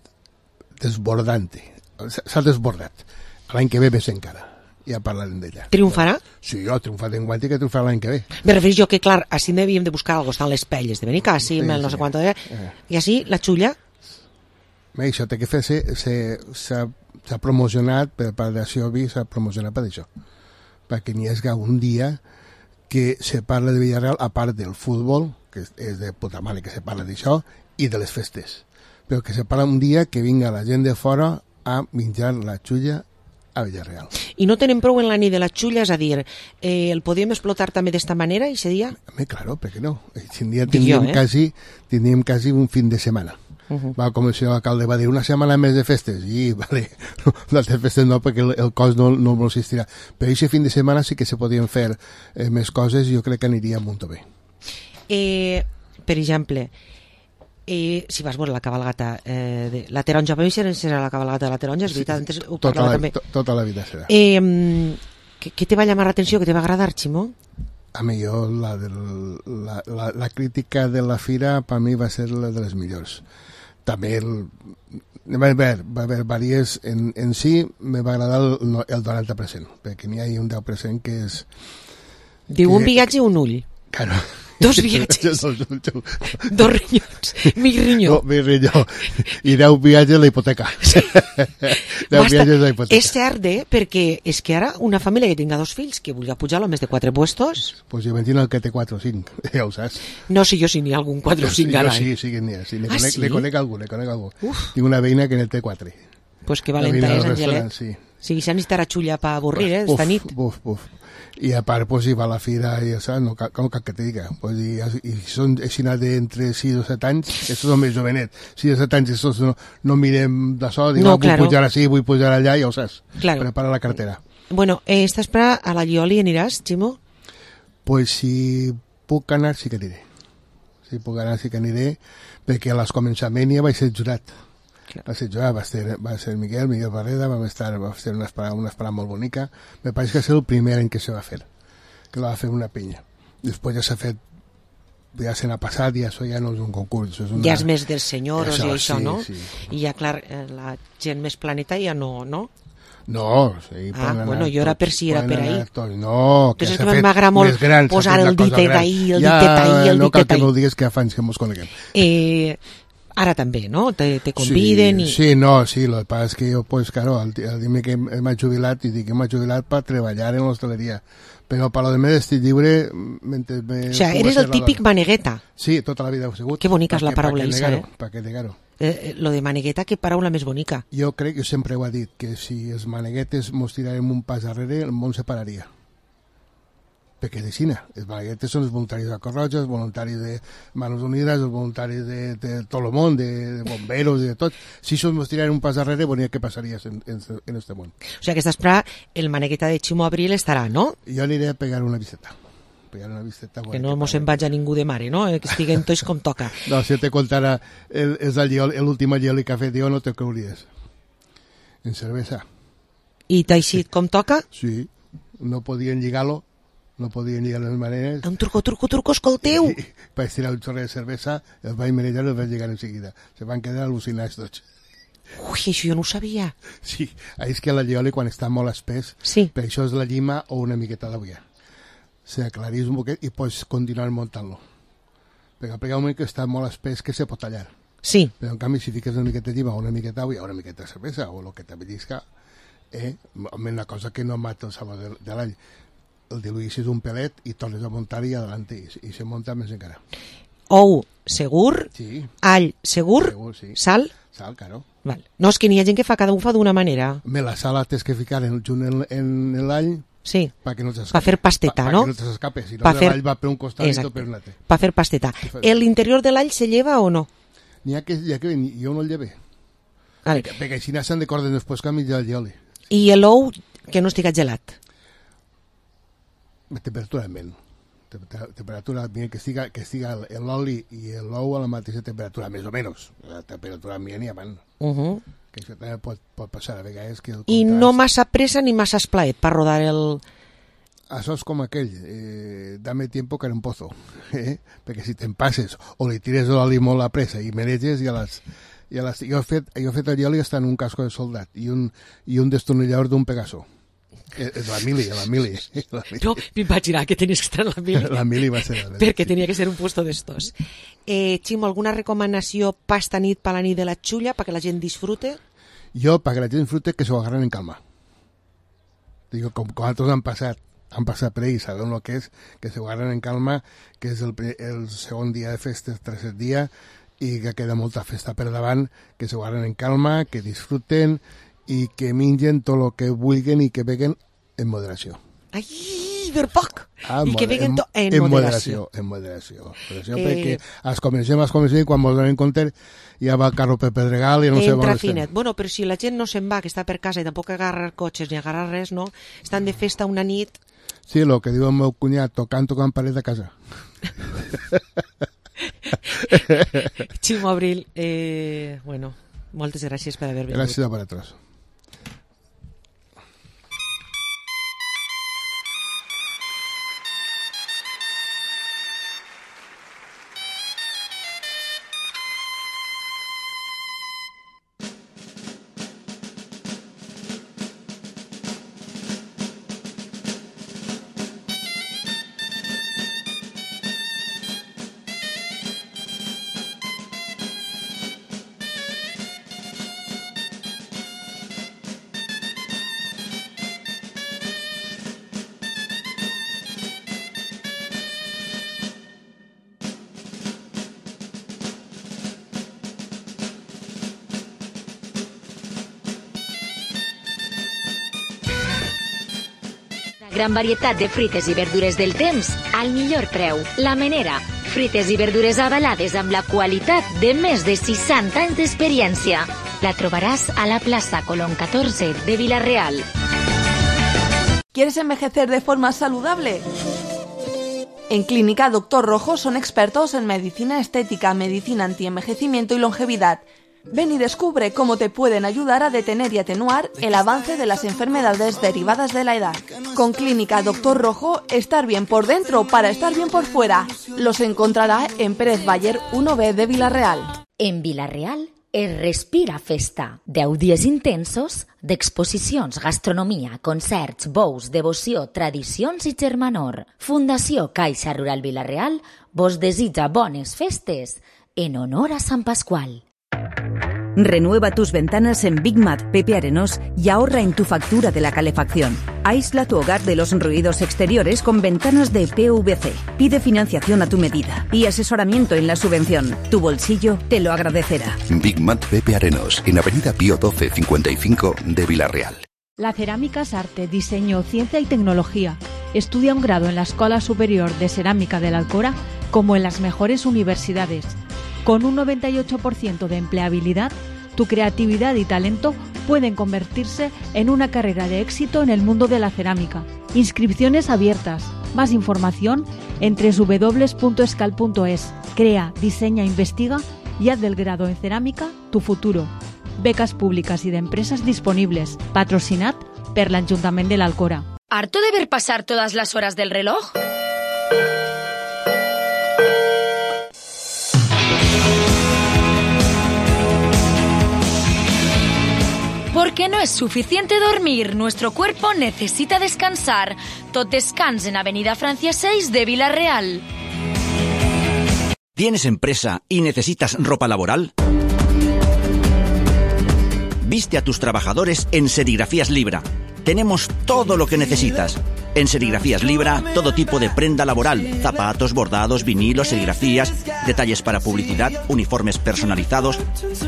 desbordante, s'ha desbordat. L'any que ve més encara. Ja parlarem d'ella. Triomfarà? Sí, jo, triomfat en guanti que triomfarà l'any que ve. Me refereix jo que, clar, així n'havíem de buscar algo, estan les pelles de Benicàssim, sí, el no sí. sé quant de... Eh. I així, la xulla? Bé, això té que fer, s'ha promocionat per part d'Acció Vi, s'ha promocionat per això. Perquè n'hi hagi un dia que se parla de Villarreal a part del futbol, que és de puta mare que se parla d'això, i de les festes. Però que se parla un dia que vinga la gent de fora a menjar la xulla a Villarreal. I no tenen prou en la nit de la xulla, és a dir, eh, el podíem explotar també d'esta manera, i dia? Home, claro, per què no? Aquest dia tindríem, eh? quasi, tindríem quasi un fin de setmana. Uh -huh. Va, com el senyor alcalde va dir, una setmana més de festes, i vale, no, de festes no, perquè el, el cos no, no existirà. Però aquest fin de setmana sí que se podien fer eh, més coses, i jo crec que aniria molt bé. Eh, per exemple, eh, si vas veure la cabalgata eh, de la taronja, per mi serà la cabalgata de la taronja, és veritat, antes ho tota, parlava la, també. To, tota la vida serà. Eh, què, què te va llamar l'atenció, què te va agradar, Ximo? A mi jo, la, del, la, la, la crítica de la fira per mi va ser la de les millors. També el, va haver, va haver diverses, en, en si me va agradar el, el noranta per cent, perquè n'hi ha un deu per cent que és... Diu que, un viatge i un ull. Claro. Dos viatges. Dos rinyons. Mi rinyó. No, mi rinyó. I deu viatges a la hipoteca. Sí. deu Basta. viatges a la hipoteca. És cert, eh? Perquè és que ara una família que tinga dos fills que vulgui pujar-lo més de quatre puestos... Pues imagina el que té quatre o cinc, ja ho saps. No sé jo si n'hi ha algun quatre o cinc ara. Sí, sí que n'hi ha. Sí, le, ah, conec, sí? le conec algú, le conec algú. Uf. Tinc una veïna que en té quatre. Pues que valenta és, Angelet. Sí. Sí, s'ha necessitat xulla per avorrir, eh, esta nit. Uf, uf. I a part, pues, hi va a la fira i això, no cal, com cal que te diga. Pues, i, i són així d'entre sis o set anys, això són més jovenet. sis o set anys, això no, no mirem d'això, dic, no, vull claro. pujar així, vull pujar allà, ja ho saps. Claro. Prepara la cartera. Bueno, eh, estàs per a la Llioli aniràs, Ximo? Pues si puc anar, sí que aniré. Si puc anar, sí que aniré, perquè a les començaments ja vaig ser jurat. Va ser jo, va ser, va ser Miguel, Miguel Barreda, va estar, va ser una esperada, una esperada molt bonica. Me pareix que és el primer any que se va fer, que la va fer una pinya. Després ja s'ha fet, ja se n'ha passat i això ja no és un concurs. És una... Ja és més dels senyors això, i això, sí, no? Sí. I ja, clar, la gent més planeta ja no, no? No, sí, ah, bueno, jo era per si era per ahir. No, que s'ha fet m'agrada molt gran, posar el ditet ahí, el ja, ditet ahí, el no ditet ahí. No cal que m'ho digues que fa anys que mos coneguem. Eh... Ara també, ¿no? Te, te conviden sí, i... Sí, no, sí, lo que pasa es que yo, pues, claro, al, al dir-me que m'he jubilat, i dic que m'he jubilat per treballar en l'hostaleria. Però per lo de més estic lliure... Mentre me o sea, eres el típic manegueta. Sí, tota la vida he sigut. Que bonica és la paraula, Isa, eh? Pa que negar-ho. Eh, lo de manegueta, que paraula més bonica. Jo crec, jo sempre ho he dit, que si els maneguetes mos tirarem un pas darrere, el món se pararia. Perquè de Xina, els maneguetes són els voluntaris de Cruz Roja, els voluntaris de Manos Unides, els voluntaris de, de tot el món, de, de bomberos, de tot. Si això ens tiraren un pas darrere, volia què passaria en, en, en este món. O sigui que estàs per el manegueta de Ximo Abril estarà, no? Jo aniré a pegar una visita. Pegar una visita que no mos en vaig a ningú de mare, no? Que estiguen tots com toca. No, si te contara l'última Llioli que ha fet jo, no te creuries. En cervesa. I t'ha eixit com toca? Sí, no podien lligar-lo. No podien lligar les maneres. Un truco, truco, truco, escolteu! Vaig tirar un xorre de cervesa, els vaig manejar i els vaig lligar en seguida. Se van quedar al·lucinats tots. Ui, això jo no ho sabia. Sí, és que la llioli quan està molt espès, sí. Per això és la llima o una miqueta d'avui. Se aclarís un poquet i pots continuar muntant-lo. Perquè al un moment que està molt espès que se pot tallar. Sí. Però en canvi si fiques una miqueta de llima o una miqueta d'avui o una miqueta de cervesa o el que te bellisca, eh, una cosa que no mata el sabor de, de l'all. El diluïssis un pelet i tornes a muntar i adelante i, i se munta més encara. Ou segur, sí. All segur, segur sí. Sal. Sal, claro. Val. No, és que n'hi ha gent que fa, cada un fa d'una manera. Me la sal la tens que ficar en, en, en l'all sí. per que no t'escape. Per fer pasteta, pa, no? Pa que no t'escape, si no fer... l'all va per un costat Exacte. I tot per un altre. Per fer pasteta. L'interior de l'all se lleva o no? N'hi ha que, ha que jo no el lleve. Vale. Perquè, perquè si no se'n decorden després canvis del llioli. I l'ou que no estigui gelat? Temperatura ambient. Temperatura ambient que estiga, que estiga l'oli i l'ou a la mateixa temperatura, més o menys. La temperatura ambient i avant. Uh -huh. Que això també pot, pot passar a vegades. Que el I contrast... no massa pressa ni massa esplaet per rodar el... Això és com aquell, eh, dame tiempo que era un pozo. Eh? Perquè si te'n passes o li tires l'oli molt a pressa i mereges i a les... I a les... Jo, he fet, jo he fet el oli està en un casco de soldat i un, i un destornillador d'un Pegaso. És la mili, la mili. La mili. No, me'n vaig girar que tenies que estar en la mili. La mili va ser... Perquè tenia que ser un puesto d'estos. Eh, Ximo, alguna recomanació pasta nit per la nit de la xulla perquè la gent disfrute? Jo, perquè la gent disfrute, que s'ho agarren en calma. Digo, com, com altres han passat han passat per ahí, saben el que és, que se guarden en calma, que és el, el segon dia de festes, tercer dia, i que queda molta festa per davant, que se guarden en calma, que disfruten i que mengen tot el que vulguin i que beguen en moderació. Ai, per poc! Ah, I que beguen tot en, en moderació. moderació. En moderació. moderació Eh, perquè es comencem, es comencem, i quan ens donem compte ja va el carro per Pedregal i no sé on Entra estem. finet. Bueno, però si la gent no se'n va, que està per casa i tampoc agarra cotxes ni agarra res, no? Estan de festa una nit. Sí, el que diu el meu cunyat, tocant, tocant paret de casa. Ximo Abril, eh, bueno, moltes gràcies per haver vingut. Gràcies a vosaltres. Gran varietat de fruites i verdures del temps al millor preu. La Menera. Fruites i verdures avalades amb la qualitat de més de seixanta anys d'experiència. La trobaràs a la plaça Colón catorze de Vila-real. ¿Quieres envejecer de forma saludable? En Clínica Doctor Rojo son expertos en medicina estética, medicina antienvejecimiento y longevidad. Ven y descubre cómo te pueden ayudar a detener y atenuar el avance de las enfermedades derivadas de la edad. Con Clínica Doctor Rojo, estar bien por dentro para estar bien por fuera. Los encontrará en Pérez Baller uno B de Vila-real. En Vila-real es respira festa. Deu dies intensos d'exposicions, gastronomia, concerts, bous, devoció, tradicions i germanor. Fundació Caixa Rural Vila-real vos desitja bones festes en honor a Sant Pasqual. Renueva tus ventanas en Big Mat Pepe Arenós y ahorra en tu factura de la calefacción. Aísla tu hogar de los ruidos exteriores con ventanas de P V C. Pide financiación a tu medida y asesoramiento en la subvención. Tu bolsillo te lo agradecerá. Big Mat Pepe Arenós, en Avenida Pío doce cincuenta y cinco de Vila-real. La cerámica es arte, diseño, ciencia y tecnología. Estudia un grado en la Escuela Superior de Cerámica de la Alcora como en las mejores universidades. Con un noventa y ocho por ciento de empleabilidad, tu creatividad y talento pueden convertirse en una carrera de éxito en el mundo de la cerámica. Inscripciones abiertas. Más información en doble u doble u doble u punto escal punto es. Crea, diseña, investiga y haz del grado en cerámica tu futuro. Becas públicas y de empresas disponibles. Patrocinat per l'Ajuntament de l'Alcora. ¿Harto de ver pasar todas las horas del reloj? Porque no es suficiente dormir, nuestro cuerpo necesita descansar. Tot descans en Avenida Francia seis de Vila-real. ¿Tienes empresa y necesitas ropa laboral? Viste a tus trabajadores en Serigrafías Libra. Tenemos todo lo que necesitas. En Serigrafías Libra, todo tipo de prenda laboral, zapatos, bordados, vinilos, serigrafías, detalles para publicidad, uniformes personalizados.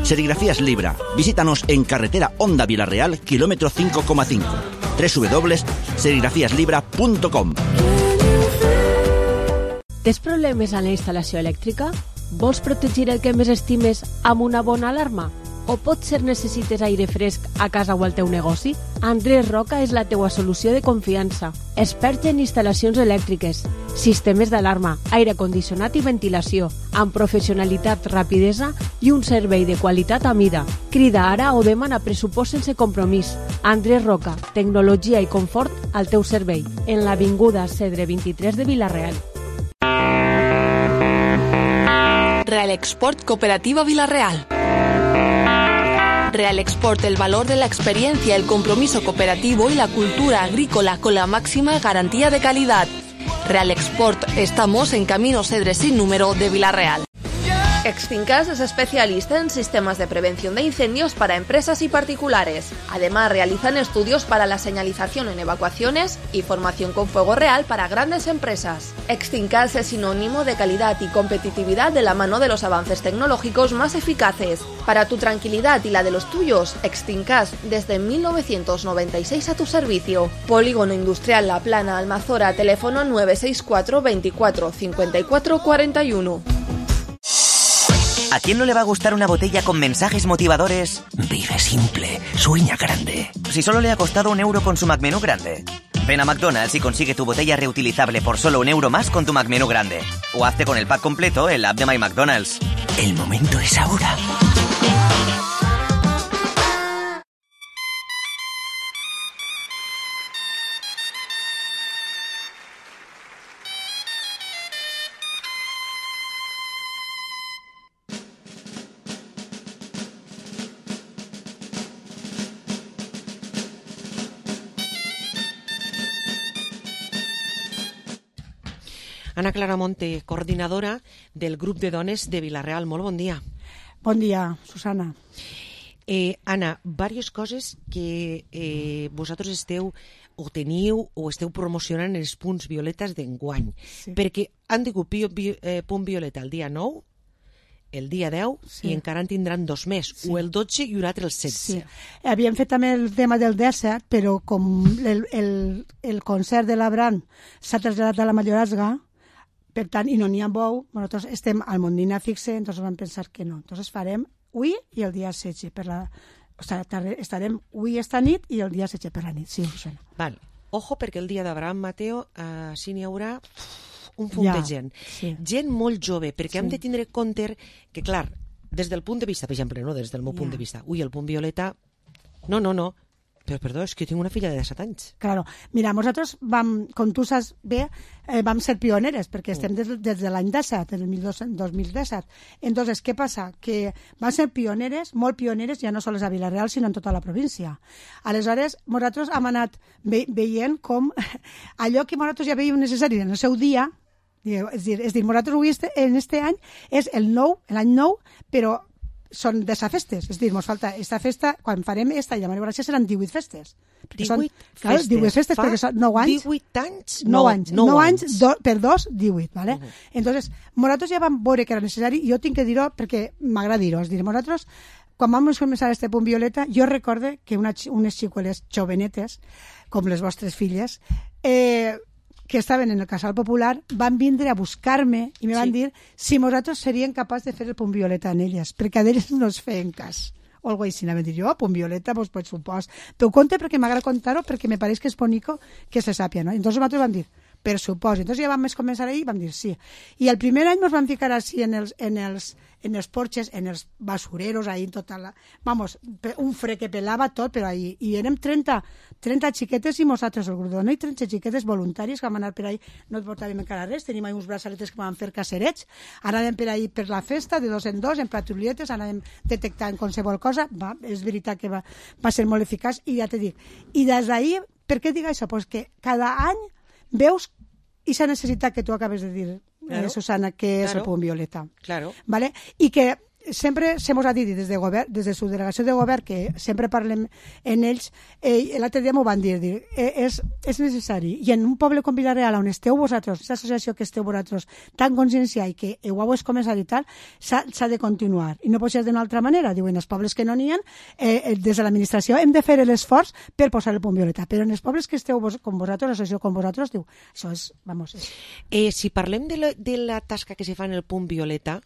Serigrafías Libra. Visítanos en carretera Honda Vila-real, kilómetro cinco coma cinco. doble u doble u doble u punt serigrafías libra punto com. Tens problemes en la instal·lació elèctrica? Vols protegir el que més estimes amb una bona alarma? O potser necessites aire fresc a casa o al teu negoci? Andrés Roca és la teua solució de confiança. Expert en instal·lacions elèctriques, sistemes d'alarma, aire condicionat i ventilació, amb professionalitat, rapidesa i un servei de qualitat a mida. Crida ara o demana pressupost sense compromís. Andrés Roca, tecnologia i confort al teu servei. En l'avinguda Cedre vint-i-tres de Vila-real. Real Export Cooperativa Vila-real. Real Export, el valor de la experiencia, el compromiso cooperativo y la cultura agrícola con la máxima garantía de calidad. Real Export, estamos en Camino Cedre sin número de Vila-real. Extincas es especialista en sistemas de prevención de incendios para empresas y particulares. Además, realizan estudios para la señalización en evacuaciones y formación con fuego real para grandes empresas. Extincas es sinónimo de calidad y competitividad de la mano de los avances tecnológicos más eficaces. Para tu tranquilidad y la de los tuyos, Extincas desde mil novecientos noventa y seis a tu servicio. Polígono Industrial La Plana, Almazora, teléfono nueve seis cuatro veinticuatro cincuenta y cuatro cuarenta y uno. ¿A quién no le va a gustar una botella con mensajes motivadores? Vive simple, sueña grande. Si solo le ha costado un euro con su McMenú grande. Ven a McDonald's y consigue tu botella reutilizable por solo un euro más con tu McMenú grande. O hazte con el pack completo en la app de My McDonald's. El momento es ahora. Ana Clara Monte, coordinadora del grup de dones de Vila-real. Molt bon dia. Bon dia, Susana. Eh, Ana, diverses coses que eh, vosaltres esteu o teniu o esteu promocionant en els punts violetes d'enguany. Sí. Perquè han digut eh, punt violeta el dia nou, el dia deu, sí. I encara en tindran dos més, sí. O el dotze i un altre el setze. Sí. Havíem fet també el tema del disset, però com el, el, el concert de l'Abraham s'ha traslladat a la Mayorazga, per tant, i no n'hi ha bou, nosaltres estem al Mondina fixe, entonces vam pensar que no. Entonces farem avui i el dia setze per la... O sigui, estarem avui esta nit i el dia setze per la nit, sí, Susana. Val. Ojo, perquè el dia d'Abraham Mateo uh, sí n'hi haurà un punt ja, de gent. Sí. Gent molt jove, perquè sí. Hem de tindre compte que, clar, des del punt de vista, per exemple, no des del meu ja. Punt de vista, ui, el punt violeta, no, no, no, però perdó, és que jo tinc una filla de disset anys. Claro, mira, nosaltres vam, com tu saps bé, eh, vam ser pioneres, perquè estem des, des de l'any disset, el dos mil disset. Entonces, què passa? Que vam ser pioneres, molt pioneres, ja no sols a Vila-real, sinó en tota la província. Aleshores, nosaltres hem anat ve veient com allò que nosaltres ja veiem necessari en el seu dia, és dir, és dir nosaltres avui este, en este any és el nou, l'any nou, però són de sa festes, és dir, ens falta esta festa, quan farem esta llama de gràcia seran divuit festes. divuit festes? Clar, divuit festes, perquè són nou anys. divuit anys? nou anys. nou anys, do, per dos, divuit, ¿vale? Uh -huh. Entonces, nosaltres ja vam veure que era necessari, i jo tinc que dir-ho perquè m'agrada dir-ho, és dir, nosaltres, quan vam començar este punt violeta, jo recorde que una, unes xicueles jovenetes, com les vostres filles, eh, que estaven en el Casal Popular, van vindre a buscar-me i me van sí. dir si nosaltres seríem capaços de fer el punt violeta en elles, perquè a elles no es feien cas. O algo així, vam dir jo, punt violeta, doncs, pues, supos. T'ho conte perquè m'agrada contar-ho, perquè me pareix que és bonico que se sàpia, no? Entonces nosaltres vam dir, per supòsit. Entonces ja vam començar ahir i vam dir sí. I el primer any ens vam ficar així en els, en els, en els porxes, en els basureros, ahí en tota la... Vamos, un fre que pelava tot, però ahí. I érem trenta, trenta xiquetes i nosaltres el grup, no? I trenta xiquetes voluntàries que vam anar per ahí, no et portàvem encara res, tenim ahí uns braçaletes que vam fer cacerets, anàvem per ahí per la festa, de dos en dos, en patrulletes, anàvem detectant qualsevol cosa, va, és veritat que va, va ser molt eficaç, i ja te dic. I des d'ahir, per què dic això? Pues que cada any veus aquesta necessitat que tu acabes de dir, claro. eh, Susana, que és claro. El punt violeta. Claro. ¿Vale? I que sempre se mos ha dit des de govern, des de su delegació de govern, que sempre parlem en ells, eh, l'altre dia m'ho van dir, dir eh, és, és necessari. I en un poble com Vila-real, on esteu vosaltres, aquesta associació que esteu vosaltres, tan conscienciada i que ho heu començat i tal, s'ha de continuar. I no pot ser d'una altra manera. Diuen, els pobles que no n'hi ha, eh, des de l'administració hem de fer l'esforç per posar el punt violeta. Però en els pobles que esteu vos, com vosaltres, l'associació com vosaltres, diu, això és, vamos... És... Eh, si parlem de la, de la tasca que se fa en el punt violeta,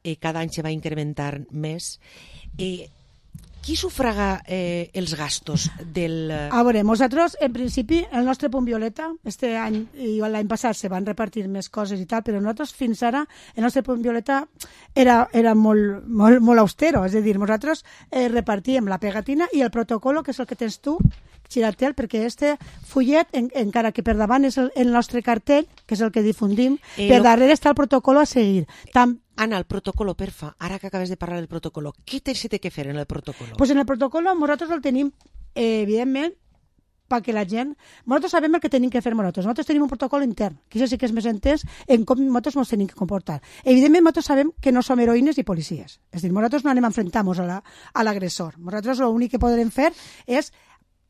eh, cada any se va incrementar més. Eh, qui sufraga eh, els gastos del... A veure, nosaltres, en principi, el nostre punt violeta, este any i l'any passat se van repartir més coses i tal, però nosaltres fins ara, el nostre punt violeta era, era molt, molt, molt austero, és a dir, nosaltres eh, repartíem la pegatina i el protocolo, que és el que tens tu, Xiratel, perquè este fullet, en, encara que per davant és el, el nostre cartell, que és el que difundim, eh, per darrere està el protocolo a seguir. Tam Ana, el protocolo, perfa, ara que acabes de parlar del protocolo, què se té que fer en el protocolo? Pues en el protocolo nosaltres el tenim, eh, evidentment, perquè la gent... Nosaltres sabem el que tenim que fer nosaltres. Nosaltres tenim un protocol intern, que això sí que és més entès en com nosaltres ens tenim que comportar. Evidentment, nosaltres sabem que no som heroïnes i policies. És a dir, nosaltres no anem a enfrentar-nos a l'agressor. La, nosaltres l'únic que podrem fer és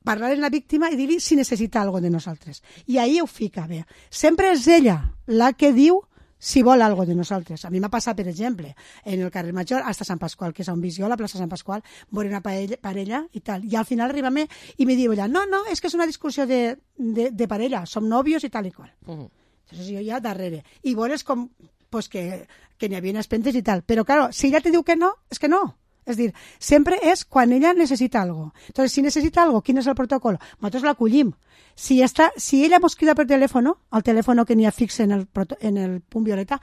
parlar amb la víctima i dir-li si necessita alguna cosa de nosaltres. I ahí ho fica bé. Sempre és ella la que diu si vol algo de nosaltres. A mi m'ha passat, per exemple, en el carrer Major, hasta Sant Pasqual, que és on visc jo, la plaça Sant Pasqual, veure una parella, parella i tal. I al final arriba a mi i me diu ella, no, no, és que és una discussió de, de, de parella, som nòvios i tal i qual. Uh -huh. Entonces jo ja darrere. I veus com pues, que, que n'hi havia espentes i tal. Però, claro, si ella te diu que no, és que no. És dir, sempre és quan ella necessita algo. Entonces, si necessita algo, quin és el protocol? Nosaltres l'acollim. Si, està, si ella mos crida per telèfon, al telèfon que n'hi ha fix en el, en el punt violeta,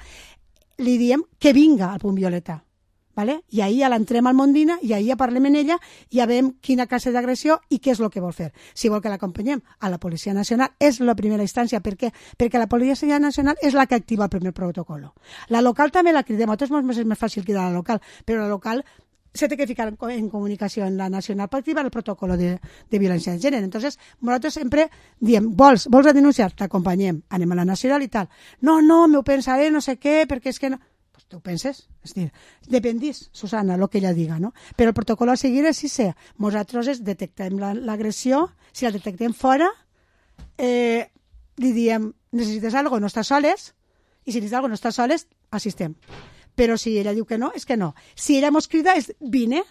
li diem que vinga al punt violeta. ¿Vale? I ahí ja l'entrem al Mondina i ahí ja parlem amb ella i ja veiem quina classe d'agressió i què és el que vol fer. Si vol que l'acompanyem a la Policia Nacional, és la primera instància. Per què? Perquè la Policia Nacional és la que activa el primer protocol. La local també la cridem. A tots és més fàcil cridar a la local, però la local se té que ficar en, en comunicació en la nacional per activar el protocol de, de violència de gènere. Entonces, nosaltres sempre diem, vols, vols a denunciar? T'acompanyem, anem a la nacional i tal. No, no, m'ho pensaré, no sé què, perquè és que no... Pues tu penses, és dir, dependís, Susana, el que ella diga, no? Però el protocol a seguir és si sé, nosaltres detectem l'agressió, si la detectem fora, eh, li diem, necessites alguna cosa, no estàs soles, i si necessites alguna cosa, no estàs soles, assistem. Però si ella diu que no, és que no. Si ella mos crida, és vine,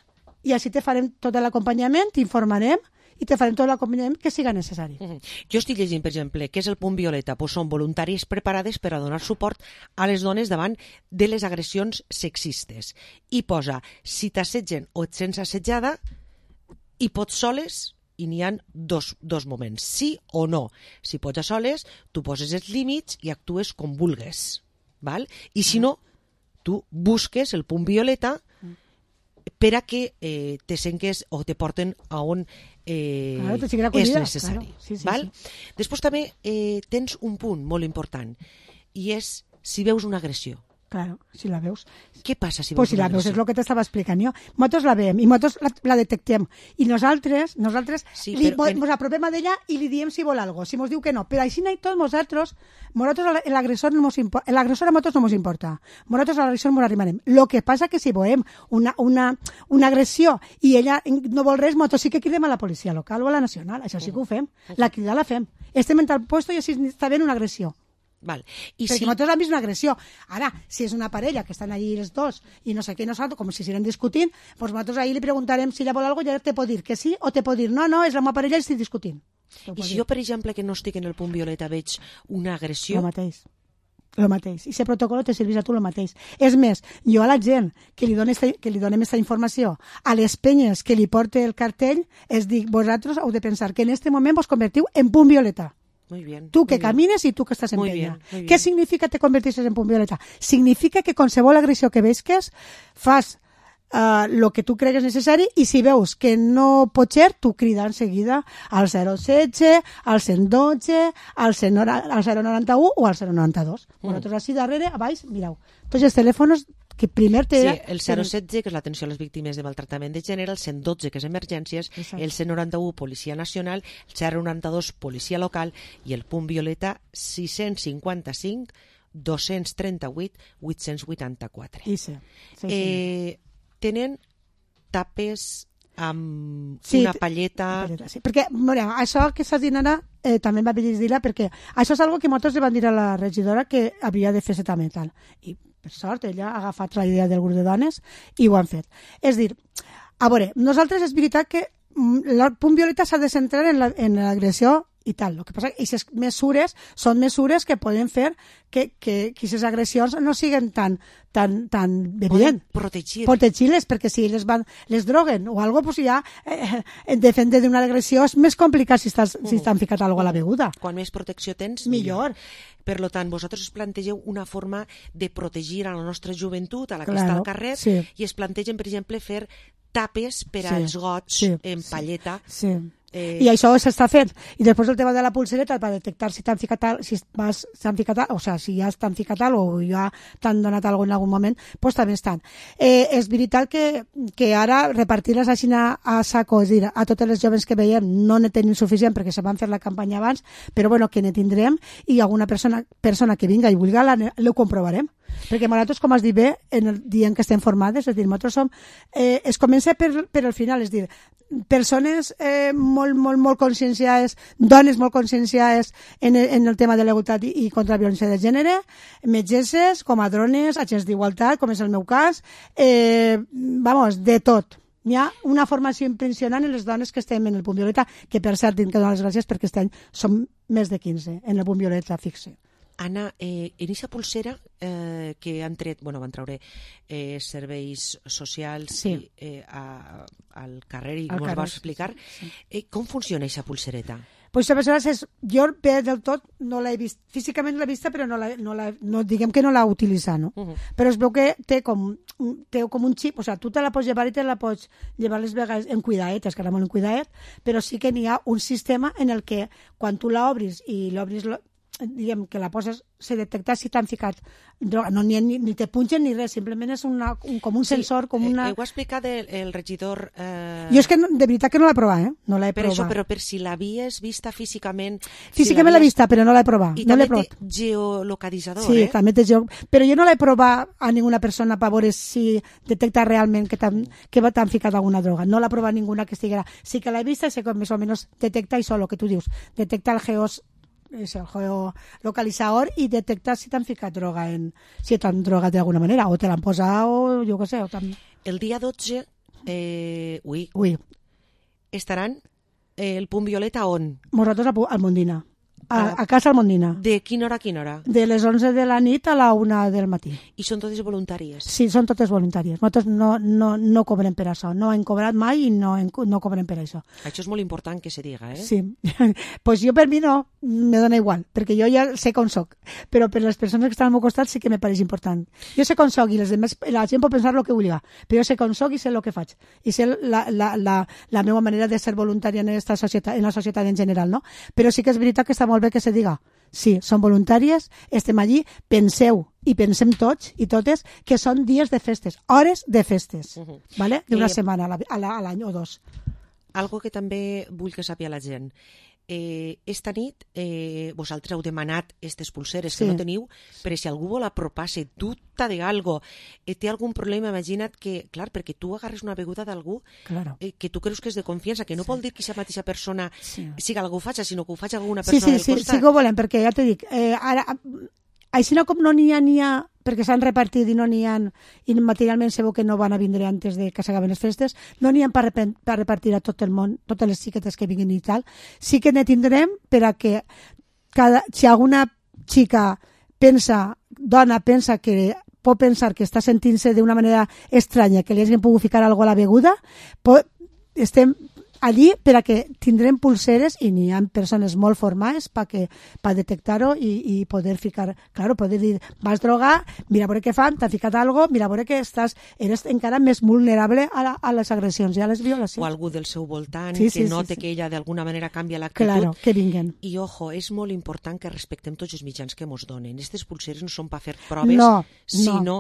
i així te farem tot l'acompanyament, t'informarem, i te farem tot l'acompanyament que siga necessari. Uh -huh. Jo estic llegint, per exemple, què és el punt violeta? Pues són voluntaris preparades per a donar suport a les dones davant de les agressions sexistes. I posa, si t'assetgen o et sents assetjada, i pots soles, i n'hi ha dos, dos moments, sí o no. Si pots a soles, tu poses els límits i actues com vulgues. Val? I si no, tu busques el punt violeta per a que eh, te senques o te porten a on eh, claro, és necessari. Claro. Sí, sí, val? sí. Després també eh, tens un punt molt important i és si veus una agressió. Claro, si la veus. Què passa si veus pues si una la veus, agressió? és el que t'estava explicant jo. Nosaltres la veiem i nosaltres la, la detectem. I nosaltres, nosaltres sí, li, però en... mos apropem a d'ella i li diem si vol algo, si mos diu que no. Però així i tot, nosaltres, nosaltres l'agressor no mos importa, l'agressor a nosaltres no mos importa. Nosaltres a l'agressor mos arribarem. Lo que passa que si veiem una, una, una agressió i ella no vol res, nosaltres sí que cridem a la policia local o a la nacional. Això sí que ho fem. La crida la fem. Estem en tal puesto i així està ben una agressió. Val. I perquè si... nosaltres hem vist una agressió. Ara, si és una parella que estan allí els dos i no sé què, nosaltres, com si estiguin discutint, doncs nosaltres ahir li preguntarem si ella vol alguna cosa i ella te pot dir que sí o te pot dir no, no, és la meva parella i estic discutint. I si jo, per exemple, que no estic en el punt violeta veig una agressió... El mateix. El mateix. I aquest protocol te serveix a tu el mateix. És més, jo a la gent que li, doni esta, que li donem aquesta informació, a les penyes que li porte el cartell, es dic, vosaltres heu de pensar que en aquest moment vos convertiu en punt violeta. Muy bien, tú que muy camines bien. y tú que estás en Muy peña. bien, muy bien. ¿Qué significa te convertirse en punt violeta? Significa que qualsevol agressió que veisques fas uh, lo que tu cregues necessari i si veus que no pot ser, tu crida en seguida al zero setze, al cent dotze, al zero noranta-u o al zero noranta-dos. Mm. Vosaltres així darrere, a baix, mireu. Tots els telèfons que primer té... Sí, el zero setze, que és l'atenció a les víctimes de maltractament de gènere, el cent dotze, que és emergències, exacte. El cent noranta-u, Policia Nacional, el zero noranta-dos, Policia Local, i el punt violeta sis-cents cinquanta-cinc, dos-cents trenta-vuit, vuit-cents vuitanta-quatre. I sí. sí, sí. Eh, tenen tapes amb sí, una palleta... Una palleta sí. Perquè, mira, això que estàs dient ara eh, també em va dir-la perquè això és algo que nosaltres li van dir a la regidora que havia de fer-se també tal. I per sort, ella ha agafat la idea del grup de dones i ho han fet. És dir, a veure, nosaltres és veritat que el punt violeta s'ha de centrar en l'agressió la, i tal. El que passa és que aquestes mesures són mesures que poden fer que, que, que aquestes agressions no siguin tan, tan, tan evident. Protegir. Protegir-les, perquè si les, van, les droguen o alguna cosa, pues ja eh, defendre d'una agressió és més complicat si, estàs, uh -huh. si estan ficat alguna cosa a la beguda. Quan més protecció tens, millor. millor. Per tant, vosaltres us plantegeu una forma de protegir a la nostra joventut, a la que claro, està al carrer, sí. i es plantegen, per exemple, fer tapes per sí, als gots sí, en palleta. Sí, Eh... I això s'està fent. I després el tema de la pulsereta, per detectar si t'han ficat, al, si vas, s'han ficat, al, o sea, si ja t'han ficat al, o ja t'han donat alguna en algun moment, pues també estan. Eh, és veritat que, que ara repartir-les així a, a saco, és a dir, a totes les joves que veiem no ne tenim suficient perquè se van fer la campanya abans, però bueno, que ne tindrem i alguna persona, persona que vinga i vulgui, l'ho comprovarem. Perquè nosaltres, com has dit bé, en el, dient que estem formades, és a dir, nosaltres som, eh, es comença per, per el final, és a dir, persones eh, molt, molt, molt conscienciades, dones molt conscienciades en el, en el tema de la igualtat i, i contra la violència de gènere, metgesses, comadrones, agents d'igualtat, com és el meu cas, eh, vamos, de tot. Hi ha una formació impressionant en les dones que estem en el Punt Violeta, que per cert tinc que donar les gràcies perquè aquest any som més de quinze en el Punt Violeta fixe. Anna, eh, en aquesta pulsera eh, que han tret, bueno, van treure eh, serveis socials sí. i, eh, a, al carrer i al ens carrer, vas explicar, sí. eh, com funciona aquesta pulsereta? Pues aleshores és, jo bé del tot no l'he vist, físicament l'he vista però no, la, no, la, no diguem que no l'ha utilitzat, no? Uh -huh. Però es veu que té com, té com un xip, o sea, tu te la pots llevar i te la pots llevar les vegades en cuidaet, és que ara molt en cuidaet, però sí que n'hi ha un sistema en el que quan tu l'obris i l'obris diguem que la poses, se detecta si t'han ficat droga, no, ni, ni, ni te punxen ni res, simplement és una, un, com un sensor, com una... Eh, ho ha explicat el, el regidor... Eh... Jo és que no, de veritat que no l'he provat, eh? No l'he per provat. Això, però per si l'havies vista físicament... Físicament si l'he vista, però no l'he provat. I no també provat. té geolocalitzador, sí, eh? Sí, també té geo... Però jo no l'he provat a ninguna persona per veure si detecta realment que t'han que ficat alguna droga. No l'ha provat ninguna que estiguera... Sí que l'he vista i sé que més o menys detecta això, el que tu dius. Detecta el geos... és el geolocalitzador i detectar si t'han ficat droga en, si t'han drogat d'alguna manera o te l'han posat o jo què sé o el dia dotze eh, ui, ui. estaran eh, el Punt Violeta on? Nosaltres al Mondina a, a casa al Mondina. De quina hora a quina hora? De les onze de la nit a la una del matí. I són totes voluntàries? Sí, són totes voluntàries. Nosaltres no, no, no cobrem per això. No hem cobrat mai i no, no cobrem per això. Això és molt important que se diga, eh? Sí. Pues jo per mi no, me dona igual, perquè jo ja sé com soc. Però per les persones que estan al meu costat sí que me pareix important. Jo sé com soc i les demés, la gent pot pensar el que vulgui, però jo sé com soc i sé el que faig. I sé la, la, la, la meva manera de ser voluntària en, esta societat, en la societat en general, no? Però sí que és veritat que està molt bé que se diga, sí, són voluntàries, estem allí, penseu i pensem tots i totes que són dies de festes, hores de festes, uh -huh. ¿vale? D'una eh, setmana a l'any o dos. Algo que també vull que sàpiga la gent. Eh, esta nit eh, vosaltres heu demanat aquestes pulseres sí. que no teniu, però si algú vol apropar-se, dubta d'algo, eh, té algun problema, imagina't que, clar, perquè tu agarres una beguda d'algú claro. eh, que tu creus que és de confiança, que no sí. vol dir que aquesta mateixa persona sí. siga algú faig, sinó que ho faig alguna persona sí, sí, del sí, costat. Sí, que ho volem, perquè ja t'he dit, eh, ara, així no com no n'hi ha, n'hi ha perquè s'han repartit i no n'hi ha, i materialment se veu que no van a vindre antes de que s'acaben les festes, no n'hi ha per, per repartir a tot el món, totes les xiquetes que vinguin i tal. Sí que ne tindrem per a que cada, si alguna xica pensa, dona pensa que pot pensar que està sentint-se d'una manera estranya, que li hagin pogut ficar alguna cosa a la beguda, pot, estem allí per a que tindrem pulseres i n'hi ha persones molt formades per pa detectar-ho i, i poder ficar, claro, poder dir, vas drogar, mira a veure què fan, t'ha ficat alguna cosa, mira a veure que estàs, eres encara més vulnerable a, la, a les agressions i a les violacions. O algú del seu voltant sí, que sí, note sí, sí. que ella d'alguna manera canvia l'actitud. Claro, que vinguen. I ojo, és molt important que respectem tots els mitjans que mos donen. Aquestes pulseres no són per fer proves, no, sinó no.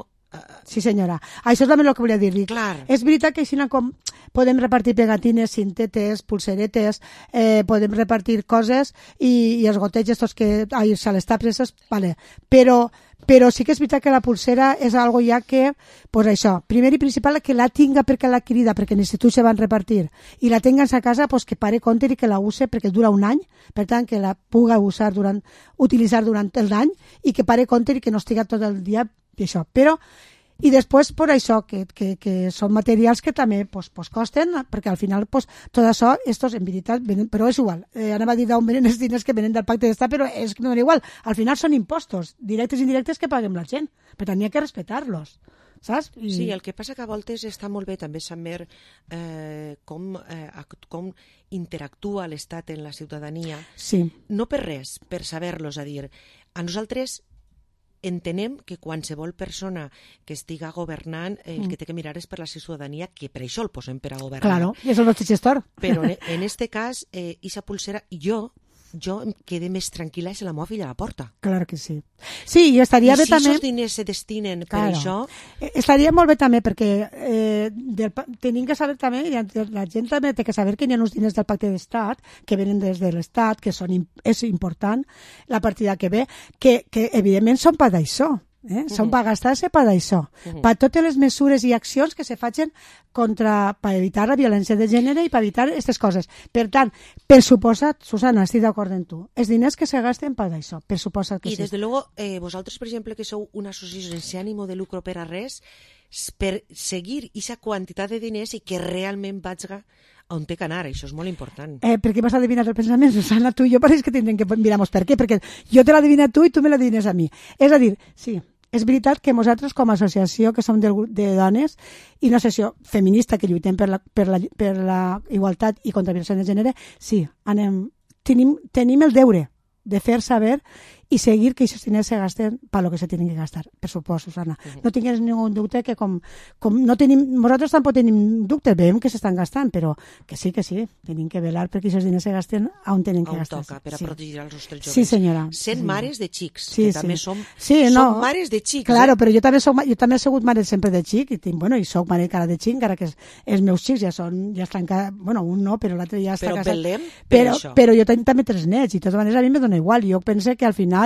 Sí, senyora. Això és també el que volia dir-li. Clar. És veritat que així com podem repartir pegatines, cintetes, pulseretes, eh, podem repartir coses i, i els gotets estos que... Ai, se les tapes, vale. Però, però sí que és veritat que la pulsera és algo ja que, pues això, primer i principal que la tinga perquè l'ha adquirida, perquè en l'institut se van repartir, i la tingues a casa, pues que pare compte i que la use perquè dura un any, per tant que la puga usar durant, utilitzar durant l'any i que pare compte i que no estiga tot el dia i això, però i després per això que, que, que són materials que també pues, pues costen, perquè al final pues, tot això, estos en veritat venen, però és igual, eh, anava a dir d'on venen els diners que venen del pacte d'estat, però és que no és igual, al final són impostos directes i indirectes que paguem la gent, per tant hi ha que respectar-los, saps? I... Sí, el que passa que a voltes està molt bé també saber eh, com, eh, com interactua l'Estat en la ciutadania, sí. no per res, per saber-los, a dir, a nosaltres entenem que qualsevol persona que estiga governant eh, el Mm. que té que mirar és per la ciutadania, que per això el posem per a governar. Claro, i és el nostre gestor. Però en, en este cas, eh, esa pulsera, jo jo em quedé més tranquil·la si la meva filla a la porta. Claro que sí. Sí, i estaria I bé si també... esos diners se destinen per Claro. això... Eh, Estaria molt bé també perquè eh, del, pa- tenim que saber també, i la gent també té que saber que hi ha uns diners del pacte d'estat que venen des de l'estat, que són, im- és important la partida que ve, que, que evidentment són per d'això. Eh? Són per gastar-se per d'això, Mhm. per totes les mesures i accions que se facin contra, per evitar la violència de gènere i per evitar aquestes coses. Per tant, per suposat, Susana, estic d'acord amb tu, els diners que se gasten per d'això, per suposat que I sí. des de luego, eh, vosaltres, per exemple, que sou una associació sense ànimo de lucro per a res, s- per seguir aquesta quantitat de diners i que realment vagi on té que anar, això és molt important. Eh, per què m'has adivinat el pensament, Susana? Tu i jo pareix que tindrem que mirar-nos per què, perquè jo te l'adivina tu i tu me l'adivines a mi. És a dir, sí, és veritat que nosaltres com a associació que som del grup de dones i una associació feminista que lluitem per la, per la, per la igualtat i contra la violència de gènere, sí, anem, tenim, tenim el deure de fer saber i seguir que aquests diners se gasten per lo que se tenen que gastar, per suposo, Susana. Mhm. No tingués ningú dubte que com, com no tenim, nosaltres tampoc tenim dubtes, veiem que s'estan gastant, però que sí, que sí, tenim que velar perquè aquests diners se gasten on tenen que On gastar. toca, per a sí. protegir els nostres joves. Sí, senyora. Sent Sí. mares de xics, Sí, que sí. també som, sí, som no. mares de xics. Claro, eh? però jo també, soc, ma- jo també he sigut mare sempre de xic, i tinc, bueno, i soc mare encara de xic, encara que els, els meus xics ja són, ja estan, ca- bueno, un no, però l'altre ja està Però casat. velem per però, això. però jo tinc també tres nets, i de totes maneres a mi me dona igual, jo penso que al final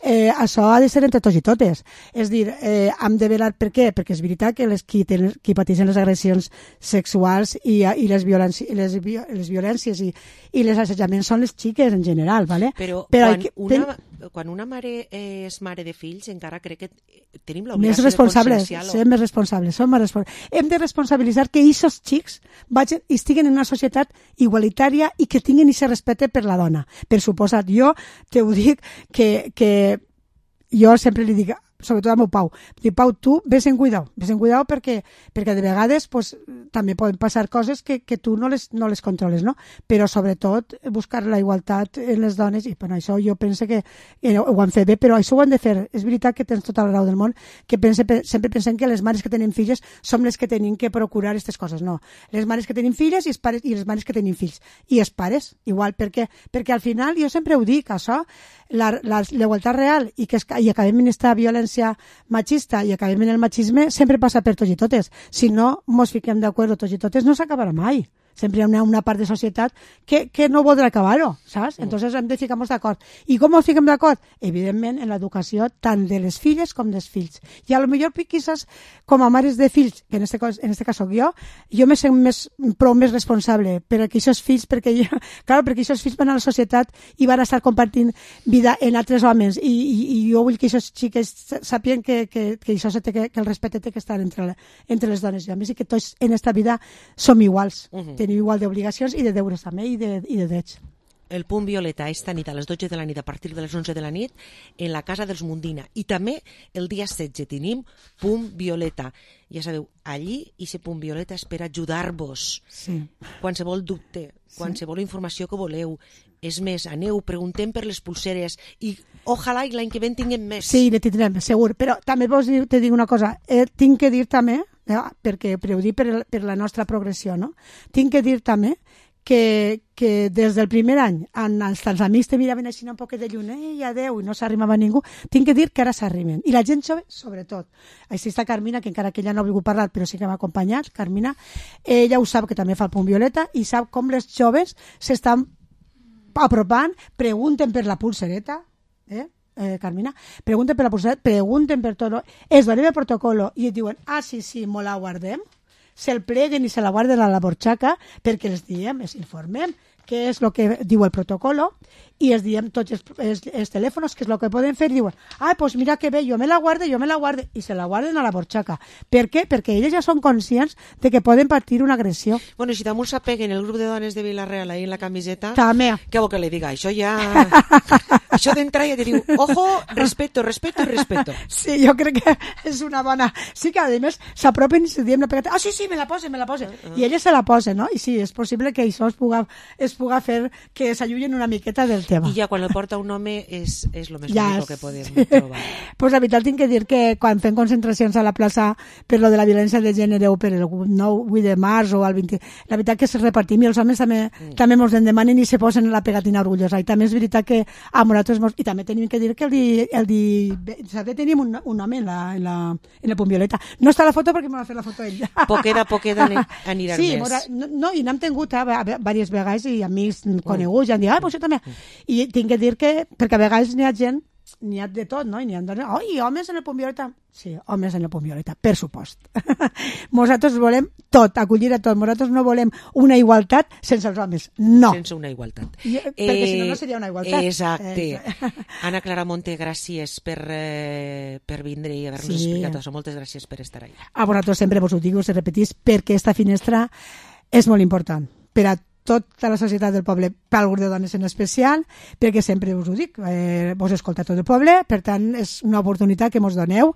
eh, això ha de ser entre tots i totes. És dir, eh, hem de velar per què? Perquè és veritat que les qui, tenen, qui pateixen les agressions sexuals i, i les, violències, les, vi- les violències i, i les assetjaments són les xiques en general, ¿vale? Però, Però quan, hay que- una, quan una mare és mare de fills, encara crec que tenim més l'obligació de responsables, conscienciar-lo. ser més responsables, som més responsables. Hem de responsabilitzar que aquests xics vagin, estiguen en una societat igualitària i que tinguin aquest respecte per la dona. Per suposat, jo te ho dic que, que jo sempre li dic, sobretot al meu Pau, dic, Pau, tu ves en cuidao, ves en cuidao perquè, perquè de vegades pues, també poden passar coses que, que tu no les, no les controles, no? Però sobretot buscar la igualtat en les dones, i per això jo penso que eh, ho han fet bé, però això ho han de fer. És veritat que tens tota la raó del món, que pense, sempre pensem que les mares que tenen filles som les que tenim que procurar aquestes coses. No, les mares que tenen filles i, els pares, i les mares que tenen fills. I els pares, igual, perquè, perquè al final, jo sempre ho dic, això, la, la, la igualtat real i que es, i acabem en aquesta violència machista i acabem en el machisme sempre passa per tots i totes. Si no mos fiquem d'acord tots i totes no s'acabarà mai. Sempre hi ha una, una part de societat que, que no voldrà acabar-ho, saps? Entonces hem de ficar-nos d'acord. I com ens fiquem d'acord? Evidentment, en l'educació tant de les filles com dels fills. I a lo millor, quizás, com a mares de fills, que en este, cas, en este cas soc jo, jo me sent més, prou més responsable per a que aquests fills, perquè jo, claro, perquè aquests fills van a la societat i van a estar compartint vida en altres homes, i, i, i jo vull que aquests xiques sàpien que, que, que, això se té que, que el respecte té que estar entre, la, entre les dones i homes, i que tots en esta vida som iguals. Uh -huh. Tenim igual d'obligacions i de deures també, i de, i de drets. El punt violeta esta nit a les dotze de la nit a partir de les onze de la nit en la casa dels Mundina, i també el dia setze tenim punt violeta. Ja sabeu, allí i ese punt violeta és per ajudar-vos. Sí. Qualsevol dubte, qualsevol informació que voleu. És més, aneu, preguntem per les pulseres i ojalà i l'any que ve en tinguem més. Sí, ne tindrem, segur. Però també vols dir, te dic una cosa, eh, tinc que dir també, eh, perquè per ho dir per, per la nostra progressió, no? Tinc que dir també que, que des del primer any en, els, els amics te miraven així un poquet de lluny, ei, adeu, i no s'arrimava ningú, tinc que dir que ara s'arrimen. I la gent jove, sobretot. Així està Carmina, que encara que ella no ha volgut parlar, però sí que m'ha acompanyat, Carmina, ella ho sap, que també fa el punt violeta, i sap com les joves s'estan apropant, pregunten per la pulsereta, eh? Eh, Carmina, pregunten per la pulsereta, pregunten per tot, es donen el protocolo i et diuen, ah, sí, sí, mo la guardem, se'l pleguen i se la guarden a la borxaca perquè els diem, els informem què és el que diu el protocolo i els diem tots els, els, els telèfons què és el que poden fer i diuen, ah, pues mira que bé, jo me la guardo, jo me la guardo, i se la guarden a la borxaca. Per què? Perquè elles ja són conscients de que poden patir una agressió. Bueno, si damunt s'apeguen el grup de dones de Vilareal ahí en la camiseta, també. Què vol que li diga? Això ja... Això d'entrada ja te diu, ojo, respeto, respeto i respeto. Sí, jo crec que és una bona... Sí que, a més, s'apropen i se diem la pegata. Ah, sí, sí, me la posen, me la posen. Uh -huh. I elles se la posen, no? I sí, és possible que això es puga, es puga fer que s'allunyen una miqueta del tema. I ja quan el porta un home és, és el més ja bonic que podem sí. trobar. Pues la veritat tinc que dir que quan fem concentracions a la plaça per lo de la violència de gènere o per el nou vuit de març o el vint, la veritat que es repartim i els homes també, mm. també mos en demanen i se posen la pegatina orgullosa. I també és veritat que a nosaltres mos... I també tenim que dir que el di... El di saber, tenim un, un home en, la, en, la, en el punt violeta. No està la foto perquè m'ha fet la foto ell. Poqueda, poqueda aniran sí, més. Mora, no, no, i n'hem tingut eh, diverses vegades i amics coneguts i han dit, ah, pues jo també. I tinc que dir que, perquè a vegades n'hi ha gent, n'hi ha de tot, no? I n'hi ha dones, oi, homes en el punt violeta. Sí, homes en el punt violeta, per supost. Nosaltres volem tot, acollir a tot. Nosaltres no volem una igualtat sense els homes, no. Sense una igualtat. I, perquè eh, si no, no seria una igualtat. Exacte. Eh. Anna Clara Monte, gràcies per, eh, per vindre i haver-nos sí. explicat això. Moltes gràcies per estar allà. A vosaltres sempre vos ho dic, us repetís, perquè esta finestra és molt important per a tota la societat del poble, per al grup de dones en especial, perquè sempre us ho dic, eh, vos escolta tot el poble, per tant és una oportunitat que mos doneu,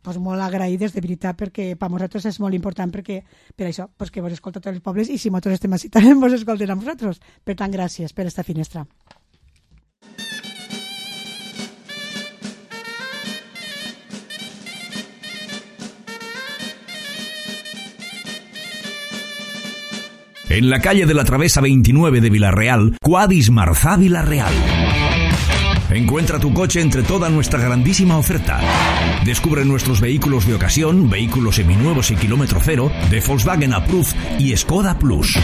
pues molt agraïdes de veritat, perquè per a nosaltres és molt important, perquè per això, pues que vos escolta tots els pobles i si nosaltres estem així també vos escolten a vosaltres. Per tant, gràcies per esta finestra. En la calle de la Travesa veintinueve de Villarreal, Quadis Marzá Villarreal. Encuentra tu coche entre toda nuestra grandísima oferta. Descubre nuestros vehículos de ocasión, vehículos seminuevos y kilómetro cero, de Volkswagen Approved y Skoda Plus.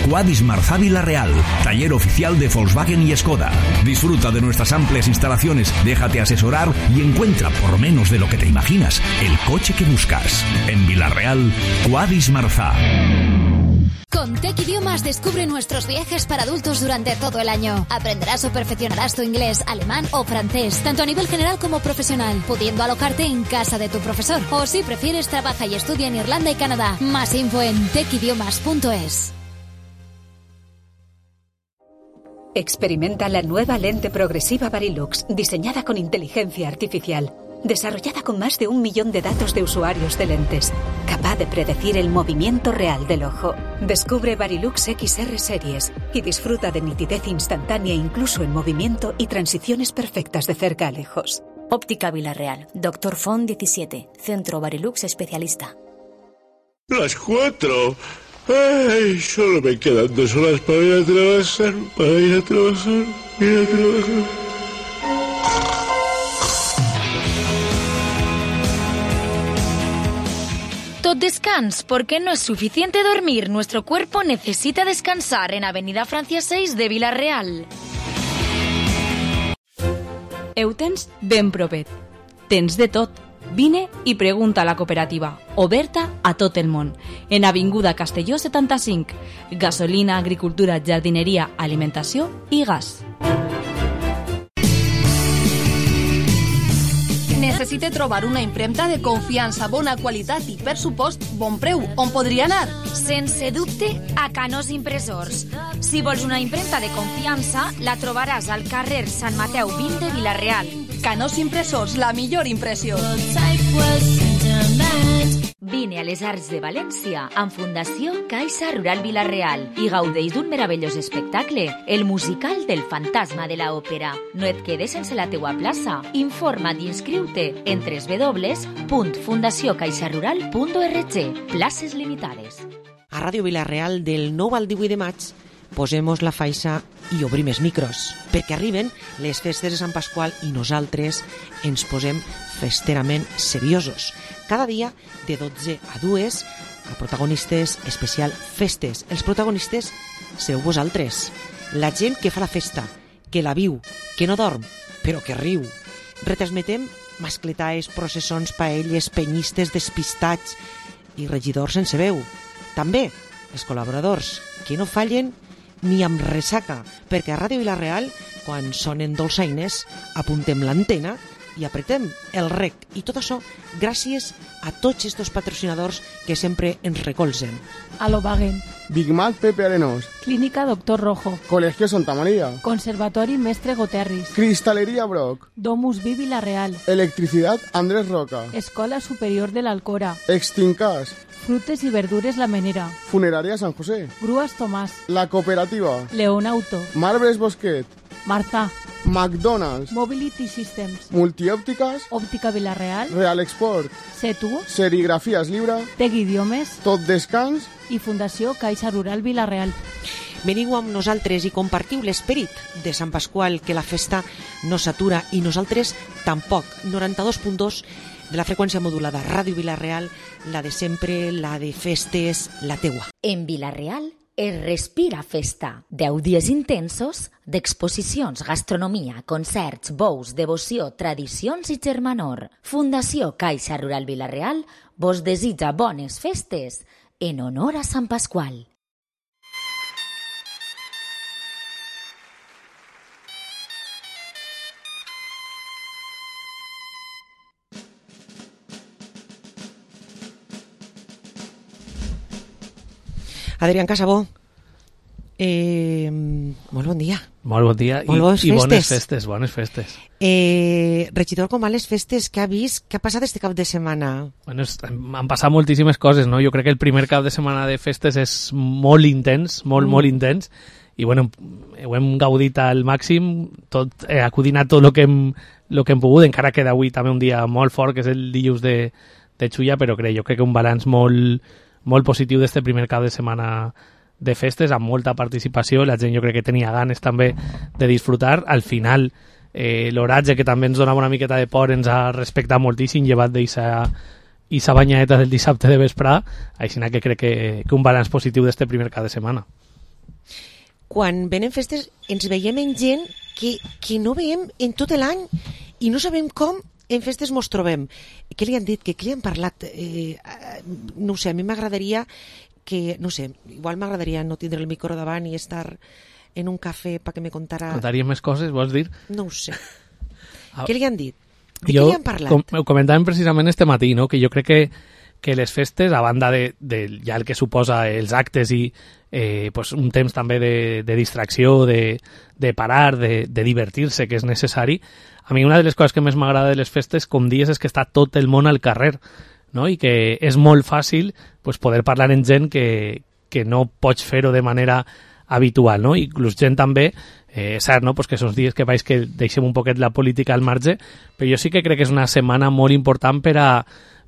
Quadis Marzá Villarreal, taller oficial de Volkswagen y Skoda. Disfruta de nuestras amplias instalaciones, déjate asesorar y encuentra, por menos de lo que te imaginas, el coche que buscas. En Villarreal, Quadis Marzá. Con Tech Idiomas descubre nuestros viajes para adultos durante todo el año. Aprenderás o perfeccionarás tu inglés, alemán o francés, tanto a nivel general como profesional, pudiendo alojarte en casa de tu profesor. O si prefieres, trabaja y estudia en Irlanda y Canadá. Más info en tech idiomas punto es. Experimenta la nueva lente progresiva Varilux, diseñada con inteligencia artificial. Desarrollada con más de un millón de datos de usuarios de lentes, capaz de predecir el movimiento real del ojo. Descubre Varilux X R Series y disfruta de nitidez instantánea incluso en movimiento y transiciones perfectas de cerca a lejos. Óptica Villarreal, Doctor Font diecisiete, Centro Varilux Especialista. Las cuatro. Ay, solo me quedan dos horas para ir a trabajar, para ir a trabajar, ir a trabajar. Tot descans, porque no es suficiente dormir. Nuestro cuerpo necesita descansar en Avenida Francia seis de Villarreal. Heu tens ben propet. Tens de tot. Vine i pregunta a la cooperativa, oberta a tot el món. En Avinguda Castelló setanta-cinc. Gasolina, agricultura, jardineria, alimentació i gas. Necessite trobar una impremta de confiança, bona qualitat i, per supost, bon preu. On podria anar? Sense dubte, a Canós Impressors. Si vols una impremta de confiança, la trobaràs al carrer Sant Mateu vint de Villarreal. Canós Impressors, la millor impressió. Vine a les Arts de València amb Fundació Caixa Rural Villarreal i gaudeix d'un meravellós espectacle, el musical del fantasma de la òpera. No et quedes sense la teua plaça. Informa't i inscriu-te en w w w punt fundació caixa rural punt org. Places limitades. A Ràdio Villarreal, del nou al divuit de maig, posemos la faixa i obrim els micros, perquè arriben les festes de Sant Pasqual i nosaltres ens posem festerament seriosos. Cada dia, de dotze a dues, a protagonistes especial festes. Els protagonistes sereu vosaltres, la gent que fa la festa, que la viu, que no dorm, però que riu. Retransmetem mascletaes, processons, paelles, penyistes, despistats i regidors sense veu. També els col·laboradors, que no fallen ni amb ressaca, perquè a Ràdio Villarreal, quan sonen dolçaines, apuntem l'antena i apretem el rec. I tot això gràcies a tots estos patrocinadors que sempre ens recolzen. Alobagen, Big Mac Pepe Arenós, Clínica Doctor Rojo, Colegio Santa María, Conservatori Mestre Goterris, Cristalería Brock, Domus Vi Villarreal, Electricidad Andrés Roca, Escola Superior de l'Alcora, Extincas, Frutes y verdures La Menera. Funeraria San José. Grúas Tomás. La Cooperativa. León Auto. Marbres Bosquet. Marza. McDonald's. Mobility Systems. Multiòptiques. Òptica Vilareal. Real Export. Setu. Serigrafies Llibre. Tec Idiomes. Tot Descans. I Fundació Caixa Rural Vilareal. Veniu amb nosaltres i compartiu l'esperit de Sant Pasqual, que la festa no s'atura i nosaltres tampoc. noranta-dos punt dos de la freqüència modulada, Ràdio Vilareal, la de sempre, la de festes, la teua. En Vilareal es respira festa. Deu dies intensos d'exposicions, gastronomia, concerts, bous, devoció, tradicions i germanor. Fundació Caixa Rural Vilareal vos desitja bones festes en honor a Sant Pasqual. Adrián Casabó, eh, molt bon dia. Molt bon dia i, molt i bones festes, bones festes. Eh, regidor, com van les festes? Què ha vist? Què ha passat este cap de setmana? Bueno, han passat moltíssimes coses, no? Jo crec que el primer cap de setmana de festes és molt intens, molt, mm. molt intens, i bueno, ho hem gaudit al màxim, tot, eh, acudint a tot el que, hem, lo que hem pogut, encara queda avui també un dia molt fort, que és el dilluns de, de Xulla, però crec, jo crec que un balanç molt molt positiu d'este primer cap de setmana de festes, amb molta participació, la gent jo crec que tenia ganes també de disfrutar. Al final, eh, l'oratge, que també ens donava una miqueta de por, ens ha respectat moltíssim, llevat d'eixa banyadeta del dissabte de vesprà, així que crec que, que un balanç positiu d'este primer cap de setmana. Quan venen festes ens veiem en gent que, que no veiem en tot l'any i no sabem com en festes mos trobem. Què li han dit? Què li han parlat? Eh, no sé, a mi m'agradaria que, no sé, igual m'agradaria no tindre el micro davant i estar en un cafè perquè me contara... Contaria més coses, vols dir? No ho sé. Ah, què li han dit? De jo, què li han parlat? Com, ho comentàvem precisament este matí, no? Que jo crec que, que les festes, a banda de, de ja el que suposa els actes i eh, pues un temps també de, de distracció, de, de parar, de, de divertir-se, que és necessari. A mi una de les coses que més m'agrada de les festes, com dies, és que està tot el món al carrer, no? I que és molt fàcil pues, poder parlar amb gent que, que no pots fer-ho de manera habitual, no? Inclús gent també, eh, és cert, no? Pues que són dies que vaig que deixem un poquet la política al marge, però jo sí que crec que és una setmana molt important per a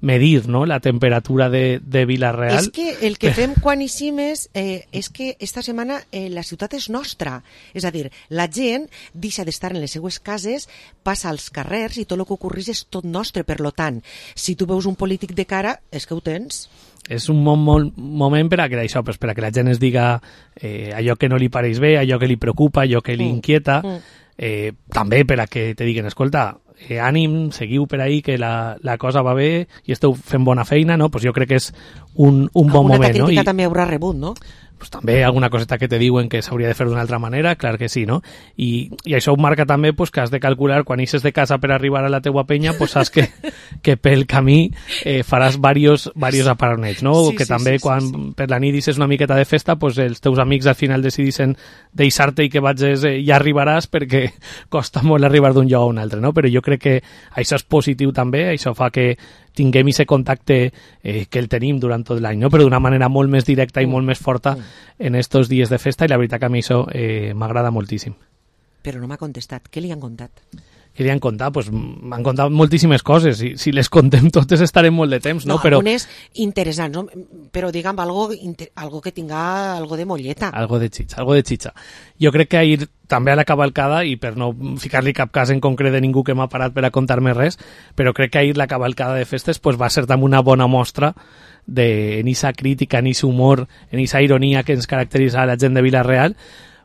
medir, no?, la temperatura de, de Vilareal. És que el que fem quan eixim és, eh, és que esta setmana eh, la ciutat és nostra. És a dir, la gent deixa d'estar en les seues cases, passa als carrers i tot el que ocorreix és tot nostre. Per lo tant, si tu veus un polític de cara, és que ho tens. És un bon, bon moment per a que això, pues, per a que la gent es diga eh, allò que no li pareix bé, allò que li preocupa, allò que li inquieta, mm. eh, també per a que te diguen, escolta, eh, ànim, seguiu per ahí, que la, la cosa va bé i esteu fent bona feina, no? Pues jo crec que és un, un bon Alguna moment. Alguna crítica no? I, també haurà rebut, no? Pues també alguna coseta que te diuen que s'hauria de fer d'una altra manera, clar que sí, no? I, i això ho marca també pues, que has de calcular, quan eixes de casa per arribar a la teua penya, pues saps que, que pel camí eh, faràs varios, varios aparonets, no? Sí, que sí, també sí, quan sí, sí. per la nit deixes una miqueta de festa, pues els teus amics al final decidissin deixar-te i que vagis, eh, ja arribaràs perquè costa molt arribar d'un lloc a un altre, no? Però jo crec que això és positiu també, això fa que tinguem aquest contacte eh, que el tenim durant tot l'any, no? Però d'una manera molt més directa i molt més forta en estos dies de festa, i la veritat que a mi això eh, m'agrada moltíssim. Però no m'ha contestat. Què li han contat? Què li han contat? Pues m'han contat moltíssimes coses, i si les contem totes estarem molt de temps, no? No, Però algunes interessants, no? Però diguem, algo, algo que tinga algo de molleta. Algo de xitxa, algo de xitxa. Jo crec que ahir també a la cavalcada, i per no ficar-li cap cas en concret de ningú que m'ha parat per a contar-me res, però crec que ahir la cavalcada de festes pues, va ser també una bona mostra de, en esa crítica, en ese humor, en esa ironia que ens caracteritza a la gent de Vilareal,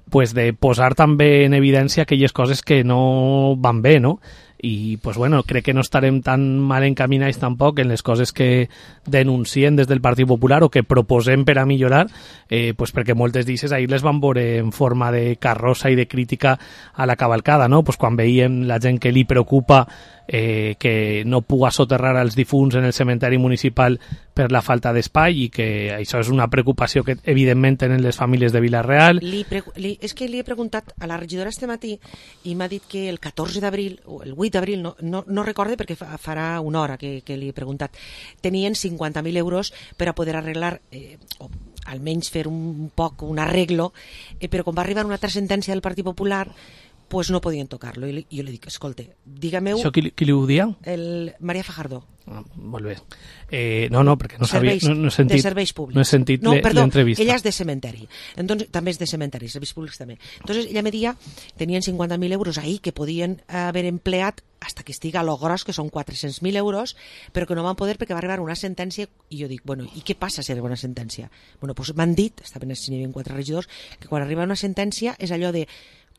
pues de posar també en evidència aquelles coses que no van bé, no? I, pues bueno, crec que no estarem tan mal encaminats tampoc en les coses que denuncien des del Partit Popular o que proposem per a millorar, eh, pues perquè moltes d'ixes ahir les van veure en forma de carrossa i de crítica a la cavalcada, no? Pues quan veiem la gent que li preocupa eh, que no puga soterrar els difunts en el cementeri municipal per la falta d'espai, i que això és una preocupació que evidentment tenen les famílies de Vilareal. Li li, és que li he preguntat a la regidora este matí i m'ha dit que el catorze d'abril o el vuit vuit d'abril, no, no, no recorde perquè fa, farà una hora que, que li he preguntat, tenien cinquanta mil euros per a poder arreglar, eh, o almenys fer un poc un arreglo, eh, però quan va arribar una altra sentència del Partit Popular, pues no podien tocar-lo. I jo li dic, escolta, dígame-ho... Això qui, qui li ho dia? El Maria Fajardo. Ah, molt bé. Eh, no, no, perquè no serveis, sabia... No, no he sentit, de serveis públics. No he sentit no, perdó, l'entrevista. Ella és de cementeri. Entonces, també és de cementeri, serveis públics també. Entonces, ella me dia, tenien cinquanta mil euros ahí que podien haver empleat hasta que estiga lo gros, que són quatre-cents mil euros, però que no van poder perquè va arribar una sentència, i jo dic, bueno, i què passa si arriba una sentència? Bueno, doncs m'han dit, estaven si n'hi havia quatre regidors, que quan arriba una sentència és allò de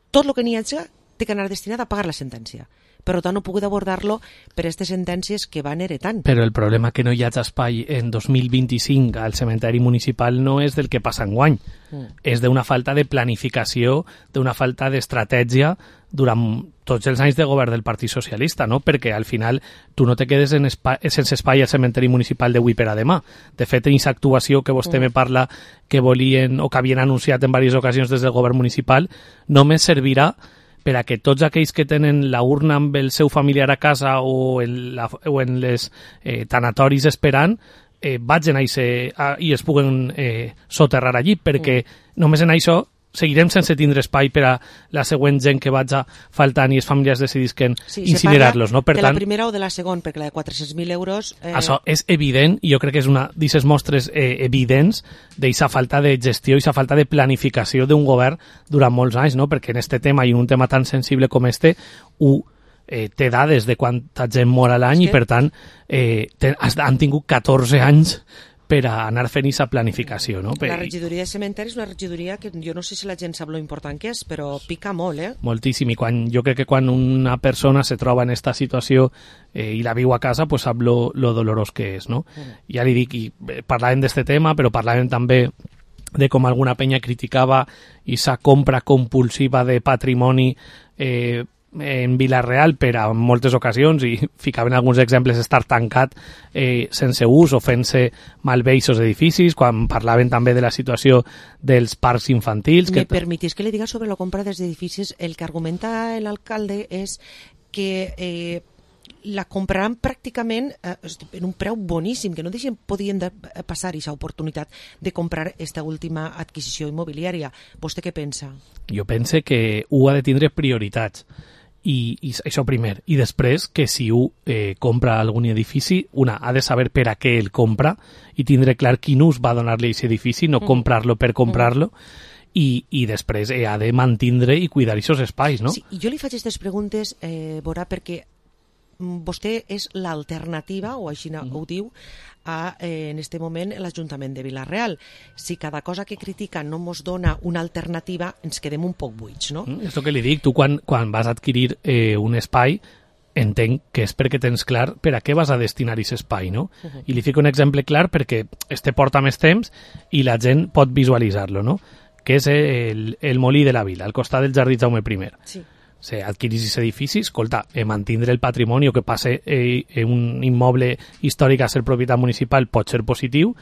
tot el que n'hi hagi té que anar destinat a pagar la sentència. Per tant, no he pogut abordar-lo per aquestes sentències que van heretant. Però el problema que no hi hagi espai en dos mil vint-i-cinc al cementeri municipal no és del que passa enguany. Mm. És d'una falta de planificació, d'una falta d'estratègia durant tots els anys de govern del Partit Socialista, no? Perquè al final tu no te quedes en espai, sense espai al cementeri municipal d'avui per a demà. De fet, en aquesta actuació que vostè mm. me parla que volien o que havien anunciat en diverses ocasions des del govern municipal, només servirà per a que tots aquells que tenen la urna amb el seu familiar a casa o en, la, o en les eh, tanatoris esperant, eh, vagin a ese, a, i es puguen eh, soterrar allí, perquè mm. només en això seguirem sense tindre espai per a la següent gent que vaig faltant i els familiars decidisquen sí, incinerar-los. No? Per de tant, la primera o de la segona, perquè la de quatre-cents mil euros... Eh... Això és evident, i jo crec que és una d'aquestes mostres eh, evidents d'aquesta falta de gestió i aquesta falta de planificació d'un govern durant molts anys, no? Perquè en este tema i en un tema tan sensible com este, ho eh, té dades de quanta gent mor a l'any sí. I per tant eh, ten, han tingut catorze anys per a anar fent aquesta planificació. No? La regidoria de cementeri és una regidoria que jo no sé si la gent sap lo important que és, però pica molt, eh? Moltíssim, i quan, jo crec que quan una persona se troba en aquesta situació eh, i la viu a casa, pues sap lo, lo dolorós que és, no? Mm. Ja li dic, i eh, parlàvem d'este tema, però parlàvem també de com alguna penya criticava aquesta compra compulsiva de patrimoni eh, en Vila-real per a moltes ocasions, i ficaven alguns exemples estar tancat eh, sense ús o fent-se malbé aquests edificis, quan parlaven també de la situació dels parcs infantils. Me que... permitís que le diga sobre la compra dels edificis. El que argumenta l'alcalde és que eh, la compraran pràcticament eh, en un preu boníssim, que no deixen, podien de passar aquesta oportunitat de comprar aquesta última adquisició immobiliària. Vostè què pensa? Jo pense que ho ha de tindre prioritats. I, i això primer, i després que si un eh, compra algun edifici, una ha de saber per a què el compra i tindre clar quin ús va donar-li a aquest edifici, no mm. comprar-lo per comprar-lo, mm. i, i després eh, ha de mantindre i cuidar aquests espais, no? Sí, i jo li faig aquestes preguntes, eh, Borà, perquè vostè és l'alternativa, o així mm. ho diu, a, eh, en este moment l'Ajuntament de Vila-real. Si cada cosa que critica no mos dona una alternativa, ens quedem un poc buits, no? Mm, és el que li dic. Tu quan, quan vas a adquirir eh, un espai, entenc que és perquè tens clar per a què vas a destinar aquest espai, no? Uh -huh. I li fico un exemple clar perquè este porta més temps i la gent pot visualitzar-lo, no? Que és el, el Molí de la Vila, al costat del Jardí Jaume primer. Sí. Se adquirís aquest edifici, escolta, eh, mantindre el patrimoni o que passe eh, un immoble històric a ser propietat municipal pot ser positiu,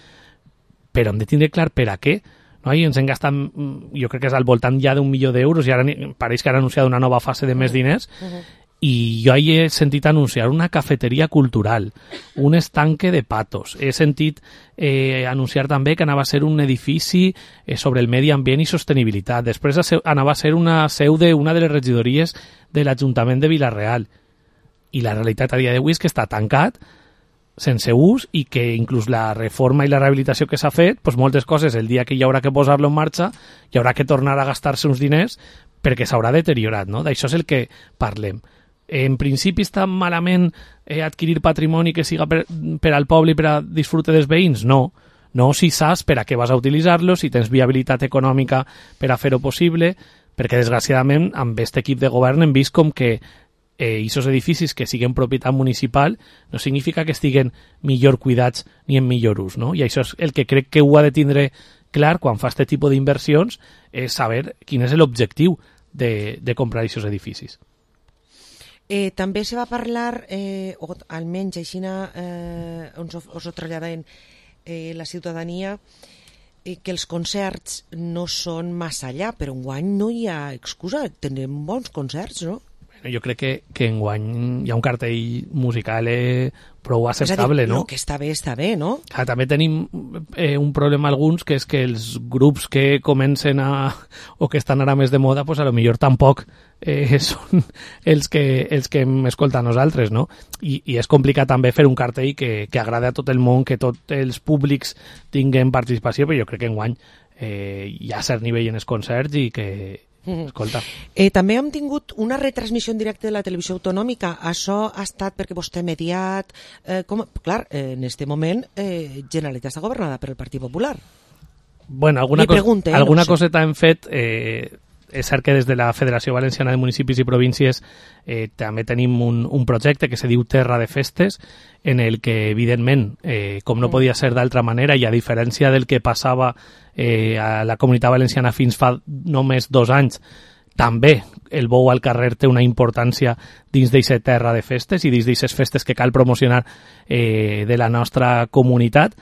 però hem de tindre clar per a què. No? I ens hem gastat, jo crec que és al voltant ja d'un milió d'euros, i ara pareix que han anunciat una nova fase de més diners, uh -huh. i jo hi he sentit anunciar una cafeteria cultural, un estanque de patos, he sentit eh, anunciar també que anava a ser un edifici eh, sobre el medi ambient i sostenibilitat, després anava a ser una seu d'una de les regidories de l'Ajuntament de Vila-real, i la realitat a dia d'avui és que està tancat, sense ús, i que inclús la reforma i la rehabilitació que s'ha fet, doncs moltes coses, el dia que hi haurà que posar-lo en marxa, hi haurà que tornar a gastar-se uns diners perquè s'haurà deteriorat, no? D'això és el que parlem. En principi està malament eh, adquirir patrimoni que siga per, per al poble i per a disfrute dels veïns? No. No si saps per a què vas a utilitzar-lo, si tens viabilitat econòmica per a fer-ho possible, perquè desgraciadament amb aquest equip de govern hem vist com que aquests eh, edificis que siguen propietat municipal no significa que estiguen millor cuidats ni en millor ús, no? I això és el que crec que ho ha de tindre clar quan fa aquest tipus d'inversions, és saber quin és l'objectiu de, de comprar aquests edificis. Eh, també se va parlar, eh, o almenys així eh, us, us ho traslladen eh, la ciutadania, eh, que els concerts no són massa allà, però enguany no hi ha excusa, tindrem bons concerts, no? Jo crec que, que enguany hi ha un cartell musical eh, prou acceptable, dir, no? El que està bé, està bé, no? Ah, també tenim eh, un problema alguns, que és que els grups que comencen a... o que estan ara més de moda, pues a lo millor tampoc eh, són els que, els que hem escoltat nosaltres, no? I, i és complicat també fer un cartell que, que agrada a tot el món, que tots els públics tinguen participació, però jo crec que enguany eh, hi ha cert nivell en els concerts i que... Escolta. Eh, també hem tingut una retransmissió en directe de la televisió autonòmica. Això ha estat perquè vostè ha mediat... Eh, com, clar, eh, en este moment eh, Generalitat està governada per el Partit Popular. Bueno, alguna, Li pregunte, cos, alguna no sé. coseta hem fet... Eh, és cert que des de la Federació Valenciana de Municipis i Províncies eh, també tenim un, un projecte que se diu Terra de Festes, en el que, evidentment, eh, com no podia ser d'altra manera, i a diferència del que passava eh, a la Comunitat Valenciana fins fa només dos anys, també el bou al carrer té una importància dins d'aquesta terra de festes i dins d'aquestes festes que cal promocionar eh, de la nostra comunitat,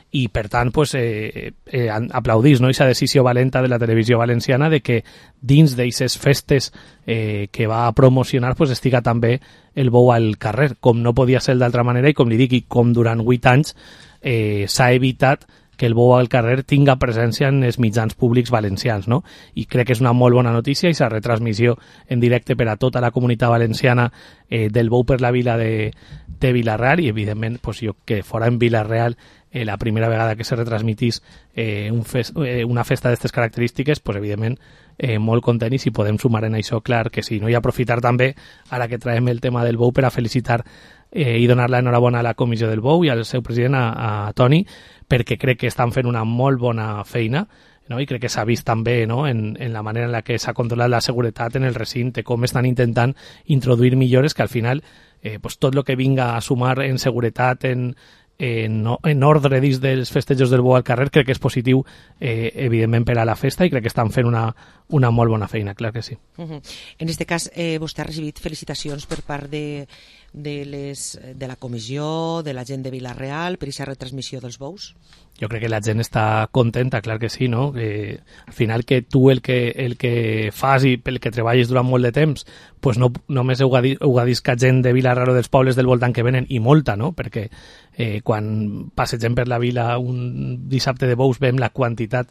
i per tant pues, eh, eh, aplaudís no? Aquesta decisió valenta de la televisió valenciana de que dins d'aquestes festes eh, que va a promocionar pues, estiga també el bou al carrer, com no podia ser d'altra manera, i com li dic, i com durant vuit anys eh, s'ha evitat que el bou al carrer tinga presència en els mitjans públics valencians, no? I crec que és una molt bona notícia, i la retransmissió en directe per a tota la comunitat valenciana eh, del bou per la vila de, de Vila-real, i evidentment pues, jo que fora en Vila-real eh, la primera vegada que se retransmitís eh, un fes, eh, una festa d'aquestes característiques, pues, evidentment eh, molt content, i si podem sumar en això, clar que sí, no? I aprofitar també, ara que traiem el tema del bou, per a felicitar eh, i donar la enhorabona a la comissió del bou i al seu president, a, a Toni, perquè crec que estan fent una molt bona feina, no? I crec que s'ha vist també no? en, en la manera en la que s'ha controlat la seguretat en el recinte, com estan intentant introduir millores que al final eh, pues tot el que vinga a sumar en seguretat, en, en, en ordre dins dels festejos del bou al carrer, crec que és positiu eh, evidentment per a la festa, i crec que estan fent una, una molt bona feina, clar que sí. Uh-huh. En aquest cas eh, vostè ha recibit felicitacions per part de, de, les, de la comissió, de la gent de Vila-real per aquesta retransmissió dels bous? Jo crec que la gent està contenta, clar que sí, no? Que al final que tu el que, el que fas i pel que treballes durant molt de temps, pues no només heu gadiscat gent de Vila-real o dels pobles del voltant que venen, i molta, no? Perquè eh, quan passegem per la vila un dissabte de bous veiem la quantitat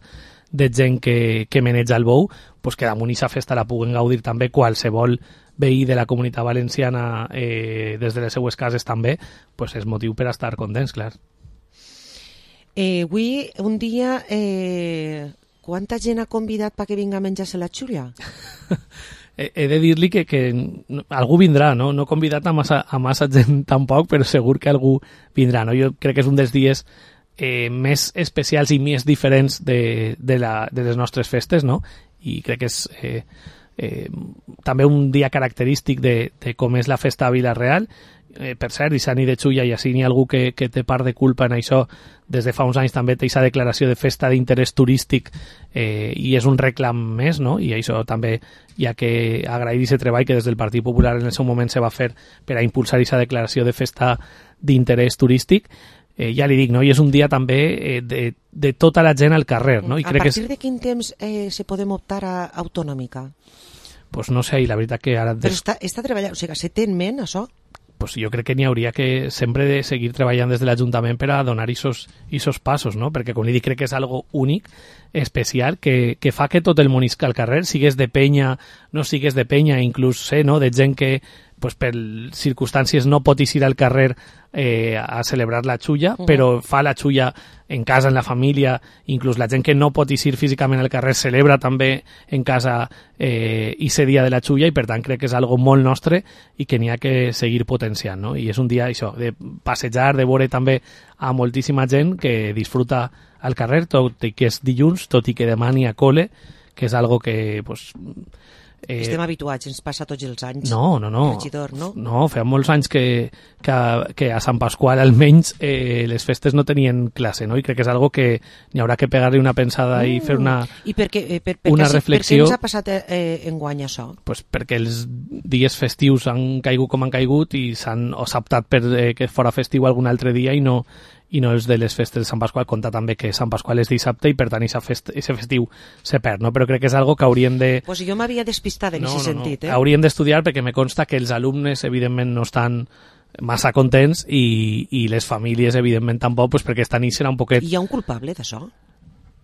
de gent que, que maneja el bou, pues que damunt aquesta festa la puguen gaudir també qualsevol veí de la comunitat valenciana eh, des de les seues cases també, pues és motiu per a estar contents, clar. Eh, avui, un dia, eh, quanta gent ha convidat perquè vinga a menjar-se la xúria? he, he de dir-li que, que algú vindrà, no? No he convidat a massa, a massa gent tampoc, però segur que algú vindrà, no? Jo crec que és un dels dies eh, més especials i més diferents de, de, la, de les nostres festes, no? I crec que és eh, eh, també un dia característic de, de com és la festa a Vila-real. Eh, per cert, i s'ani de xulla, i així n'hi ha algú que, que té part de culpa en això. Des de fa uns anys també té aquesta declaració de festa d'interès turístic eh, i és un reclam més, no? I això també hi ha que agrair aquest treball que des del Partit Popular en el seu moment se va fer per a impulsar aquesta declaració de festa d'interès turístic. Eh, ja li dic, no? I és un dia també eh, de, de tota la gent al carrer, no? I a crec partir que és... de quin temps eh, se podem optar a autonòmica? Pues no sé, i la veritat que ara... Però està, està treballant, o sigui, se té en ment això? Pues jo crec que n'hi hauria que sempre de seguir treballant des de l'Ajuntament per a donar aquests passos, no? Perquè, com li dic, crec que és algo únic, especial, que, que fa que tot el món isca al carrer, sigues de penya, no sigues de penya, inclús sé, no?, de gent que pues, per circumstàncies no pot ir al carrer eh, a celebrar la xulla, uh-huh. però fa la xulla en casa, en la família, inclús la gent que no pot ir físicament al carrer celebra també en casa eh, ese dia de la xulla, i per tant crec que és algo molt nostre i que n'hi ha que seguir potenciant, no? I és un dia això, de passejar, de veure també a moltíssima gent que disfruta al carrer, tot i que és dilluns, tot i que demà n'hi ha cole, que és algo que pues, Eh, Estem habituats, ens passa tots els anys. No, no, no. Regidor, no? No, feia molts anys que, que, que a Sant Pasqual almenys eh, les festes no tenien classe, no? I crec que és algo que n'hi haurà que pegar-li una pensada mm. i fer una, I per què, eh, per, per una què, reflexió. Per què ens ha passat eh, enguany això? Pues perquè els dies festius han caigut com han caigut i s'han optat per eh, que fora festiu algun altre dia i no, i no els de les festes de Sant Pasqual, compta també que Sant Pasqual és dissabte i per tant aquest fest, festiu se perd, no? Però crec que és algo que hauríem de... Pues jo m'havia despistat en no, aquest no, sentit. No. Eh? Hauríem d'estudiar perquè me consta que els alumnes evidentment no estan massa contents i, i les famílies evidentment tampoc, pues perquè estan serà un poquet... Hi ha un culpable d'això?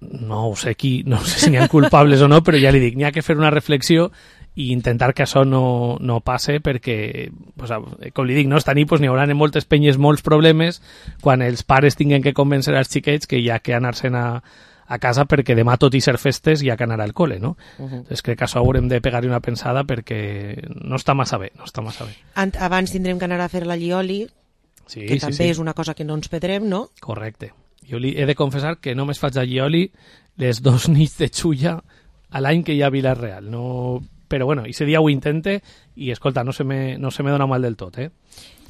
No ho sé qui, no sé si n'hi ha culpables o no, però ja li dic, n'hi ha que fer una reflexió i intentar que això no, no passe perquè, pues, com li dic, no, esta nit pues, n'hi haurà en moltes penyes molts problemes quan els pares tinguen que convèncer als xiquets que hi ha que anar-se'n a, a casa perquè demà tot i ser festes hi ha que anar al col·le, no? Uh -huh. Entonces crec que això haurem de pegar-hi una pensada perquè no està massa bé, no està massa bé. Abans tindrem que anar a fer la llioli, sí, que sí, també sí. és una cosa que no ens perdrem, no? Correcte. Jo li he de confessar que només faig a llioli les dos nits de xulla a l'any que hi ha a Vila-real, no... però bueno, ese dia ho intente i escolta, no se me, no se me dona mal del tot, eh?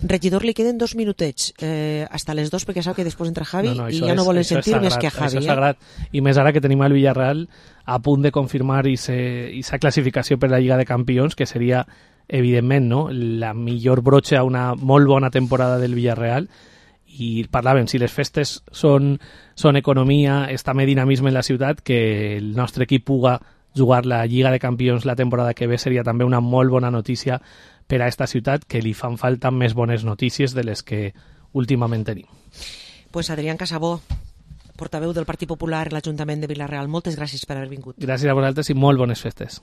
Regidor, li queden dos minutets eh, hasta les dos perquè sap que després entra Javi no, no, i ja és, no volen sentir sagrat, més que a Javi. Això és sagrat, eh? I més ara que tenim el Villarreal a punt de confirmar aquesta classificació per la Lliga de Campions, que seria evidentment no, la millor brocha a una molt bona temporada del Villarreal. I parlàvem, si les festes són, són economia, és també dinamisme en la ciutat, que el nostre equip puga jugar la Lliga de Campions la temporada que ve seria també una molt bona notícia per a esta ciutat, que li fan falta més bones notícies de les que últimament tenim. Pues Adrián Casabó, portaveu del Partit Popular a l'Ajuntament de Vila-real, moltes gràcies per haver vingut. Gràcies a vosaltres i molt bones festes.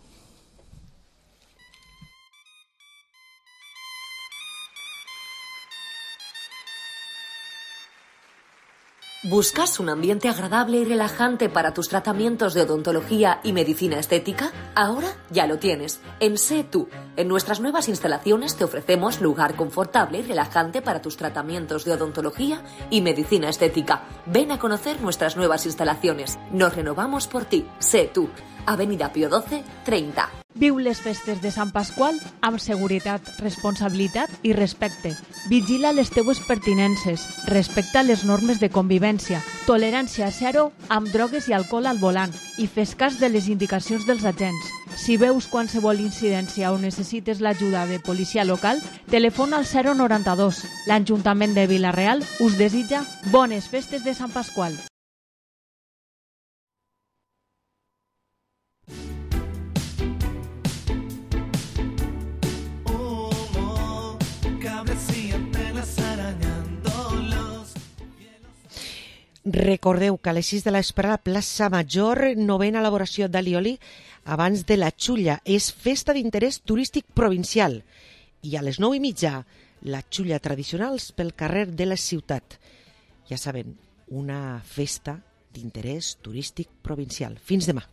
¿Buscas un ambiente agradable y relajante para tus tratamientos de odontología y medicina estética? Ahora ya lo tienes. En Sé Tú. En nuestras nuevas instalaciones te ofrecemos lugar confortable y relajante para tus tratamientos de odontología y medicina estética. Ven a conocer nuestras nuevas instalaciones. Nos renovamos por ti. Sé Tú. Avenida Pío doce, treinta. Viu les festes de Sant Pasqual amb seguretat, responsabilitat i respecte. Vigila les teues pertinences, respecta les normes de convivència, tolerància zero amb drogues i alcohol al volant i fes cas de les indicacions dels agents. Si veus qualsevol incidència o necessites l'ajuda de policia local, telefona al zero noranta-dos. L'Ajuntament de Vila-real us desitja bones festes de Sant Pasqual. Recordeu que a les sis de l'espre a la plaça Major, novena elaboració d'Alioli abans de la Xulla. És festa d'interès turístic provincial. I a les nou i mitja, la Xulla tradicionals pel carrer de la ciutat. Ja saben, una festa d'interès turístic provincial. Fins demà.